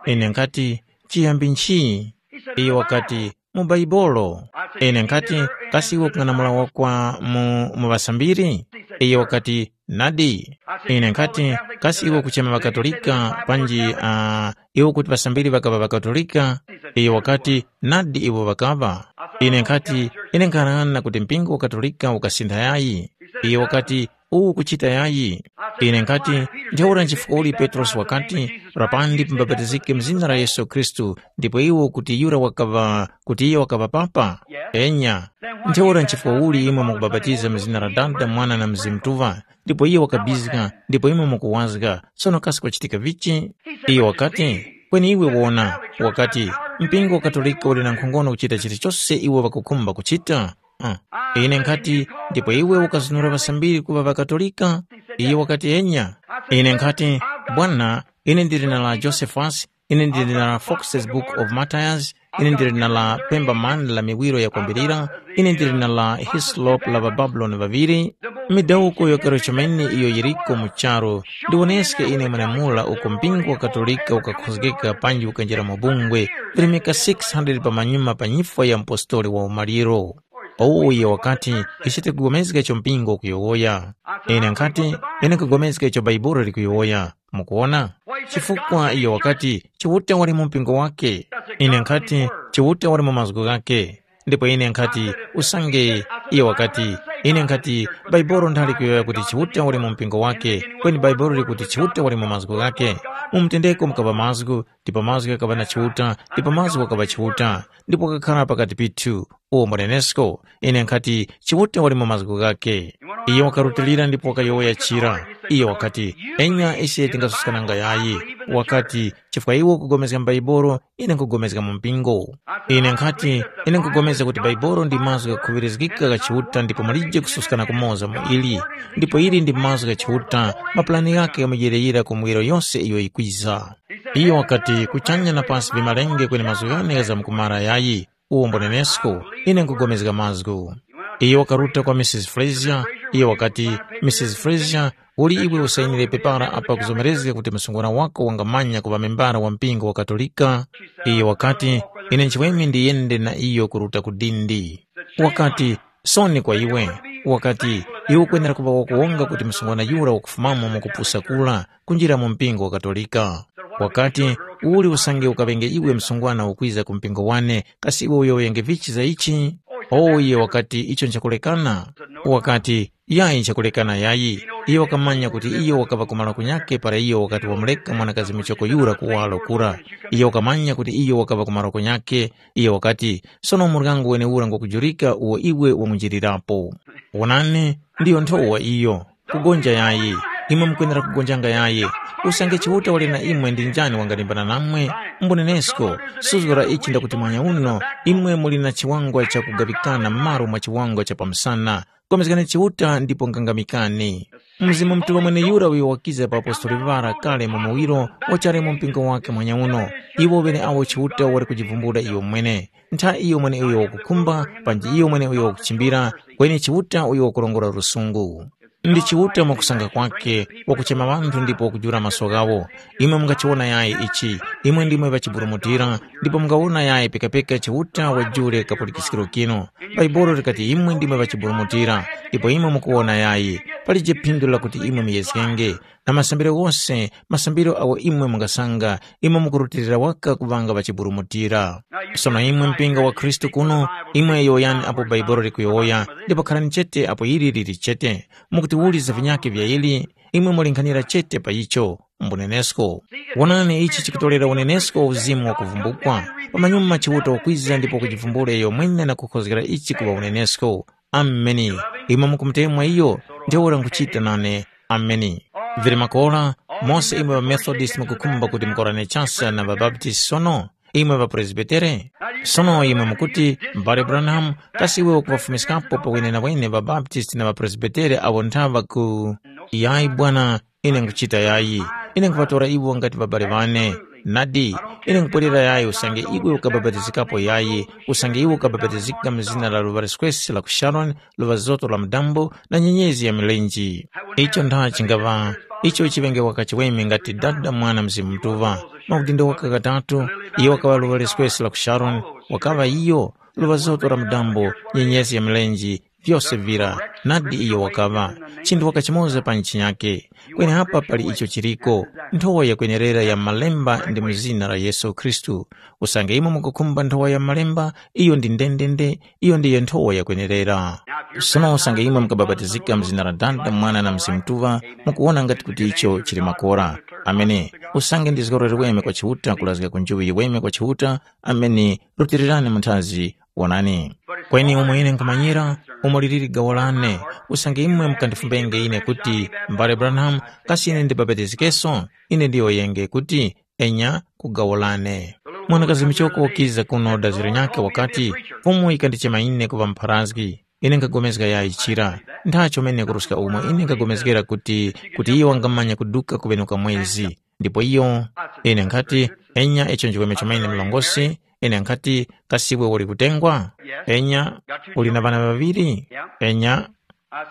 Ine nkhati, chiyambi nchi? Iyo wakati, mu Baibolo. Ine nkhati, kasi iwe ukung'anamula wakwa mu, mu ŵasambiri? Iyo wakati, nadi. Ine nkhati, kasi iwe ukuchema ŵaKatolika panji uh, iwe kuti ŵasambiri ŵakaŵa ŵaKatolika? Iyo wakati, nadi iwo ŵakaŵa. Ine nkhati, ine nkhanang'ana kuti mpingo wa Katolika ukasintha yayi. Iyo wakati, uwu ukuchita yayi. Ine nkhati, ntheura nchifukwa uli Petrosi wakati, rapani ndipo mubapatizike mu zina la Yesu Khristu, ndipo iwo kuti yura wakaŵa, kuti iyo wakaŵa papa? Enya. Ntheura nchifukwa uli imwe mukubapatiza mu zina la Dada, Mwana na Mzimu Mutuŵa, ndipo iyo wakabizga, ndipo imwe mukuwazga, sono kasi kwachitika vichi? Iyo wakati, kweni iwe wona, wakati, mpingo wa Katolika uli na nkhongono kuchita chilichose iwo ŵakukhumba kuchita? Uh. Ine nkhati, ndipo iwe ukazunura ŵasambiri kuŵa ŵaKatolika? Iyo wakati, enya. Ine nkhati, Bwana, ine ndili na la Josephus, ine ndili na la Fox's Book of Martyrs, ine ndili na la Pemberman la miwiro yakwambirira, ine ndili na la Hislop la ŵaBabuloni ŵaŵiri. Midawuko yokero chomene iyo yiriko mu charu, ndiwoneske ine mwenemura uko mpingo wa Katolika ukakhozgeka panji ukanjira mu bungwe, virimika six hundred pamanyuma pa nyifwa ya mpostoli wa umaliro. Uwo iyo wakati, ichi tikugomezga icho mpingo ukuyowoya. Ine nkhati, ine nkugomezga icho Baibuli likuyowoya. Mukuwona? Chifukwa iyo wakati, Chiuta wali mu mpingo wake. Ine nkhati, Chiuta wali mu mazgu ghake. Ndipo ine nkhati, usange, iyo wakati, ine nkhati, Baibuli nthali kuyowoya kuti Chiuta wali mu mpingo wake, kweni Baibuli likuti Chiuta wali mu mazgu ghake. Mu mtendeko mukapa mazgu, ndipo mazgu ghakaŵa na Chiuta, ndipo mazgu ghakaŵa Chiuta, ndipo ghakakhala pakati pithu. Uwo mwanenesko, ine nkhati, Chiuta wali mu mazgu ghakhe. Iyo wakarutilira ndipo wakayowoya chira. Iyo wakati, enya ise tingasuskananga yayi. Wakati, chifukwa iwe ukugomezga m'Baibolo, ine nkugomezga mu mpingo. Ine nkhati, ine nkugomezga kuti Baibolo ndi mazgu ghakhuŵirizgika gha Chiuta ndipo mulije kususkana kumoza mu ili. Ndipo ili ndi mazgu gha Chiuta, mapulani ghakhe ghamujeyereyera ku muwiro yose iyo yikwiza. Iyo wakati, kuchanya na pasi vimalenge kweni mazgu ghane ghazamkumara yayi. Uwo mbonenesko, ine nkugomezga mazgu. Iyo wakaruta kwa Mrs Fraser, iyo wakati, Mrs Fraser, uli iwe usayinire pepara apa kuzomerezga kuti msungwana wako wangamanya kuŵa membara wa mpingo wa Katolika? Iyo wakati, ine nchiweme ndiyende na iyo kuruta ku dindi. Wakati, soni kwa iwe. Wakati, iwe ukwenera kuŵa wakuwonga kuti msungwana yura wakufumamo mu kupusa kura, kunjira mu mpingo wa Katolika. Wakati, uli usange ukaŵenge iwe msungwana ukwiza ku mpingo wane, kasi iwe uyowoyenge vichi za ichi? O, iye wakati, icho nchakulekana. Wakati, yayi nchakulekana yayi. Iyo wakamanya kuti iyo wakaŵa kumala kunyakhe para iyo wakati wamureka mwanakazi muchoko yura kuwaro kura. Iyo wakamanya kuti iyo wakaŵa kumala kunyakhe. Iyo wakati, sono muryango wenewura ngwakujurika uwo iwe wamunjirirapo. Wonani, ndiyo nthowa iyo. Kugonja yayi. Imwe mukwenera kugonjanga yayi. Usange Chiuta wali na imwe ndi njani wangalimbana namwe? Mbunenesko, suzgo la ichi ndakuti mwanya uno, imwe muli na chiwangwa chakugaŵikana m'malo mwa chiwangwa cha pamsana. Pulikana Chiuta ndipo ngangamikani. Mzimu Mutuŵa mweneyura uyo wakiza pa apostoli ŵara kale mu muwiro wachali mu mpingo wakhe mwanya uno. Iwo ŵeneawo Chiuta wali kujivumbula iyo mwene. Ntha iyo mweneuyo wakukhumba, panji iyo mweneuyo wakuchimbira, kweni Chiuta uyo wakurongora lusungu. Ndi Chiuta mwakusanga kwakhe, wakuchema ŵanthu ndipo wakujula maso ghawo. Imwe mungachiwona yayi ichi, imwe ndimwe ŵachiburumutira, ndipo mungawona yayi pikapika Chiuta wajule kapulikiskiro kinu. Bhaibuli likati imwe ndimwe ŵachiburumutira, ndipo imwe mukuwona yayi. Palije phindu lakuti imwe muyezgenge. Na masambiro ghose, masambiro agho imwe mungasanga, imwe mukurutilira waka kuŵanga ŵachiburumutira. Sono imwe mpingo wa Khristu kuno, imwe yowoyani apo Bhaibuli likuyowoya, ndipo kharani chete apo ili lili chete. Mukuti uli za vinyakhe vya ili, imwe mulinkhanira chete pa icho. Mbunenesko. Wonani ichi chikutorera unenesko wa uzimu wakuvumbukwa. Pamanyuma Chiuta wakwiza ndipo wakujivumbula iyo mwene na kukhozgera ichi kuŵa unenesko. Ameni. Imwe mukumutemwa iyo, ntheura nkuchita nane. Ameni. Vili makora, mose imwe ŵaMethodist mukukhumba kuti mukorane chasa na ŵaBaptist sono? Imwe ŵaPresbitere? Sono imwe mukuti, m'bale Branham, kasi iwe ukuŵafumiskapo pawene na wene ŵaBaptist na ŵaPresbitere awo nthaŵa ku. Yayi bwana, ine nkuchita yayi. Ine nkhuŵatora iwo ngati ŵabale ŵane. Nadi, ine nkupwerera yayi usange iwe ukabapatizikapo yayi, usange iwe ukabapatizika mu zina la luŵa liswesi la ku Sharoni, luŵa zoto la mudambo, na nyenyezi ya milenji. Icho ntha chingaŵa, icho chiŵenge waka chiweme ngati Dada, Mwana, Mzimu Mutuŵa. Maudindo waka katatu, iyo wakaŵa luŵa liswesi la ku Sharoni, wakaŵa iyo, luŵa zoto la mudambo, nyenyezi ya milenji, vyose vira, nadi iyo wakaŵa, chinthu waka chimoza pa nchinyake. Kweni apa pali icho chiriko, nthowa yakwenerera ya Malemba ndi mu zina la Yesu Khristu. Usange imwe mukukhumba nthowa ya Malemba, iyo ndi ndendende, iyo ndiyo nthowa yakwenerera. Sono usange imwe mukabapatizika mu zina la Dada, Mwana na Mzimu Mutuŵa, mukuwona ngati kuti icho chili makora. Ameni. Usange ndi zgoro liweme kwa Chiuta kulazga ku njuŵi yiweme kwa Chiuta, ameni. Rutirirani munthazi, wonani. Kweni umo ine nkhumanyira, umo liliri gawo lane, usange imwe mukandifumbenge ine kuti, m'bale Branham, kasi ine ndibapatizikenso? Ine ndiyowoyenge kuti, enya, ku gawo lane. Mwanakazi muchoko wakiza kuno daziro nyakhe wakati, Fumu yikandichema ine kuŵa mupharazgi. Ine nkhapulikana yayi chira. Nthacho mene kuruska umo ine nkhapulikana kuti, kuti iyo wangamanya kuduka kuŵenuka mwezi. Ndipo iyo, ine nkhati, enya icho nchiweme chomene mlongosi, ine nkhati, kasi iwe uli kutengwa? Enya, uli na ŵana ŵaŵiri? Enya,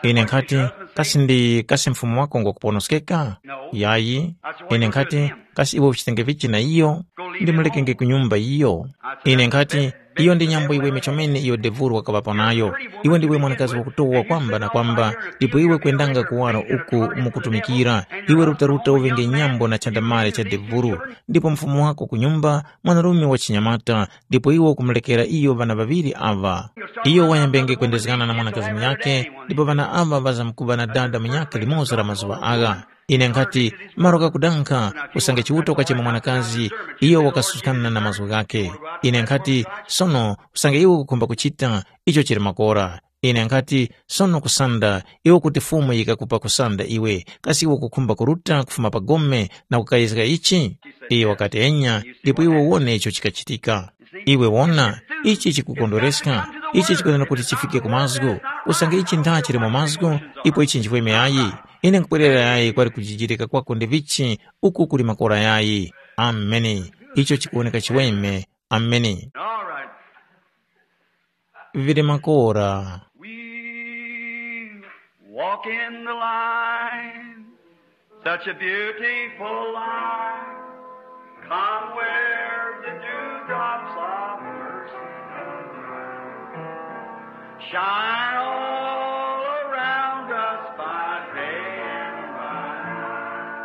ine nkhati, kasi ndi kasi mfumu wako ngwakuponoskeka? Yayi, ine nkhati, kasi iwe uchitenge vichi na iyo? Ndimulekenge ku nyumba iyo. Ine nkhati, iyo ndi nyambo iweme chomene iyo devuru wakaŵapo nayo. Iwe ndiwe mwanakazi wakutowa kwamba na kwamba, ndipo iwe kwendanga kuwaro uku mukutumikira. Iwe rutaruta uvenge nyambo na chandamale cha devuru, ndipo mfumu wako ku nyumba, mwanarume wa chinyamata, ndipo iwe ukumulekera iyo ŵana ŵaŵiri aŵa. Iyo wayambenge kwendezgana na mwanakazi munyakhe, ndipo ŵana aŵa ŵazamkuŵa na dada munyakhe limoza la mazuŵa agha. Ine nkhati, malo ghakudankha, usange Chiuta wakachema mwanakazi, iyo wakasuskana na mazgu ghakhe. Ine nkhati, sono, usange iwe ukukhumba kuchita, icho chili makora. Ine nkhati, sono kusanda, iwe kuti Fumu yikakupa kusanda iwe, kasi iwe ukukhumba kuruta kufuma pa gome na kukayezga ichi? Iyo wakati, enya, ndipo iwe uwone icho chikachitika. Iwe wona, ichi chikukondwereska, ichi chikwenera kuti chifike ku mazgu, usange ichi ntha chili mu mazgu, ipo ichi nchifweme yayi. Ine nkupwerera yayi kwali kujijirika kwako ndi vichi, uku kuli makora yayi. Ameni. Icho chikuwoneka chiweme. Ameni. All right. Vili makora. We walk in the light, such a beautiful light. Come where the dewdrops of mercy arise. Shine all around us by day and by night.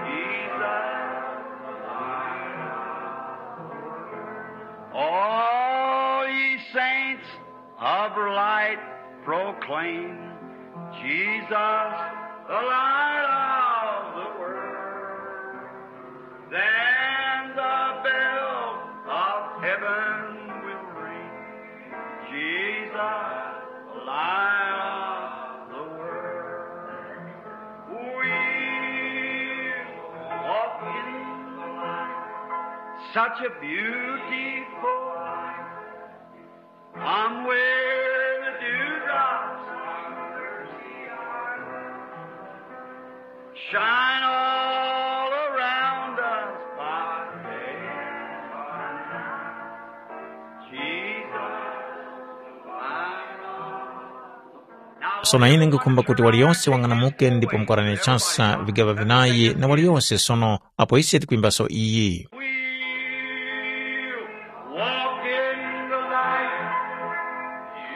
Jesus, the light of the world. All ye saints of light proclaim, Jesus, the light of the world. Then the bells of heaven will ring, Jesus, the light of the world. We walk in the light, such a beautiful light. Come where the dewdrops of mercy are. Shine all around us by day and by night. Jesus, the light of the world. Sono ine ngukhumba kuti waliyose wang'anamuke ndipo mukarane chasa vigaŵa vinayi na waliyose sono apo ise tikwimbaso iyi. We'll walk in the light,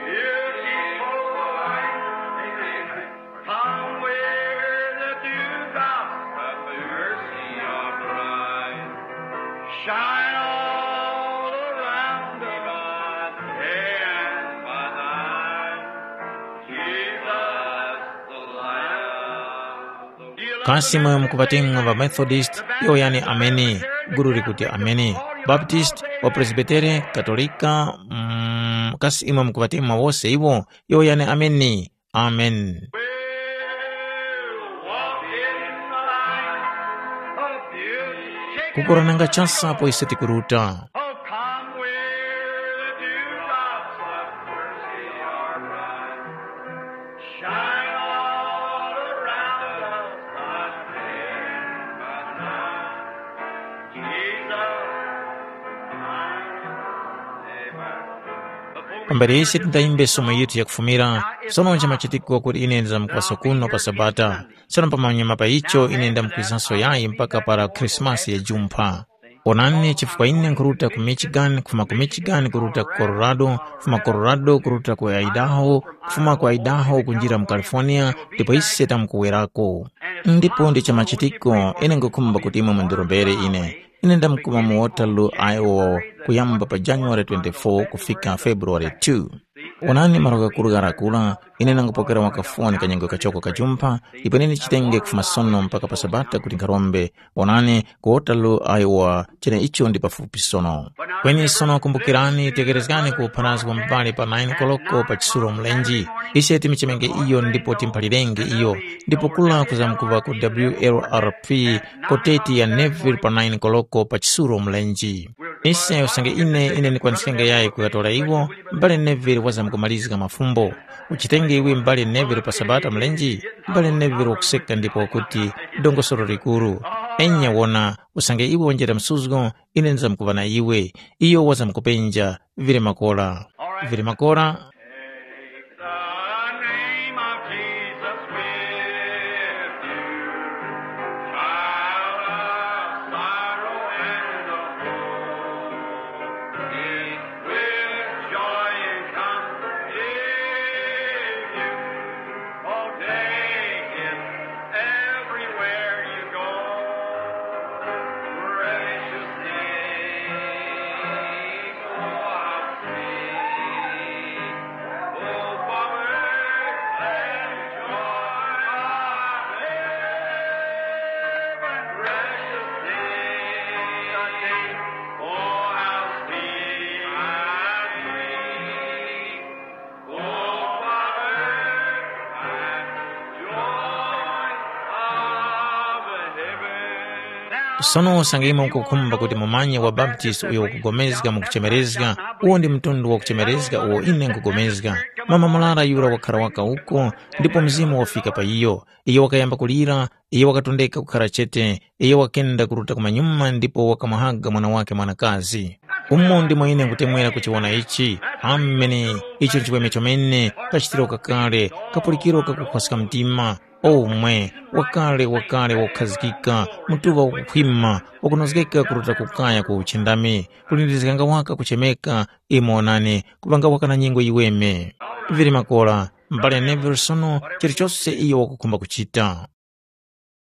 beautiful light. Amen. Come where the dewdrops of mercy are bright. Shine all around us, day and by night. Jesus, the light of the world. Kasi imwe mukupatemwa ŵa Methodist, yowoyani ameni. Gulu likuti ameni. Baptist, wa Presbytere, Katolika, mm, kasi imwe mukupatemwa wose iwo, yowoyani ameni. Amen. Kukurananga chasa apo ise tikuruta. Pambere ise tindayimbe somo yithu yakufumira, sono nchimachitiko kuti ine ndizamkuŵaso kuno pa Sabata. Sono pamanyuma pa icho ine ndamkwizanso yayi mpaka para Khrisimasi ya jumpha. Onani, chifukwa ine nkhuruta ku Michigan, kufuma ku Michigan kuruta ku Colorado, kufuma Colorado kuruta ku Idaho, kufuma ku Idaho kunjira mu California, ndipo ise tamkuwerako. Ndipo ndi chamachitiko, ine nkhukhumba kuti imwe mundirombere ine. Ine ndamkuma mu Waterloo, Iowa, kuyamba pa January twenty-four kufika February two. Onani malo ghakuru gharakura, ine nangupokera wakafoni kanyengwe kachoko kajumpha, ipo ine ndichitenge kufuma sono mpaka pa Sabata kuti nkharombe. Onani, ku Waterloo, Iowa, cheneicho ndi pafupi sono. Kweni sono kumbukirani, tekerezgani ku upharazgi wa mubali pa nine koloko pa chisulo mlenji. Ise timichemenge iyo ndipo timphalirenge iyo, ndipo kula kuzamkuŵa ku W L R P koteti ya Neville pa nine koloko pa chisulo mlenji. Ise usange ine ine ndikwaniskenge yayi kuŵatora iwo, m'bale Neville wazamkumalizga mafumbo. Uchitenge iwe m'bale Neville pa Sabata mlenji? M'bale Neville wakuseka ndipo wakuti, dongosolo likuru. Enya wona, usange iwe wanjera msuzgo, ine ndizamkuŵa na iwe. Iyo wazamkupenja, vili makora. Vili makora. Take the name of Jesus with you, child of sorrow and of woe. It will joy and comfort give you. Oh, take it everywhere you go. Precious name, oh, how sweet. Sono usange imwe mukukhumba kuti mumanye wa Baptist uyo wakupulikana mu kuchemerezga, uwo ndi mtundu wa kuchemerezga uwo ine nkhupulikana. Mama murara yura wakhara waka uko, ndipo Mzimu wafika pa iyo. Iyo wakayamba kulira, iyo wakatondeka kukhara chete, iyo wakenda kuruta kumanyuma ndipo wakamuhaga mwana wakhe mwanakazi. Umo ndimo ine nkutemwera kuchiwona ichi. Ameni. Icho nchiweme chomene, kachitiro kakale, kapulikiro kakukhwaska mtima. Omwe, wakale wakale wakukhazikika, mutuŵa wakukhwima, wakunozgeka kuruta kukaya ku uchindami, kulindirizganga waka kuchemeka, imo onani, kuŵanga waka na nyengo yiweme. Vili makora, m'bale Neville sono chilichose iyo wakukhumba kuchita.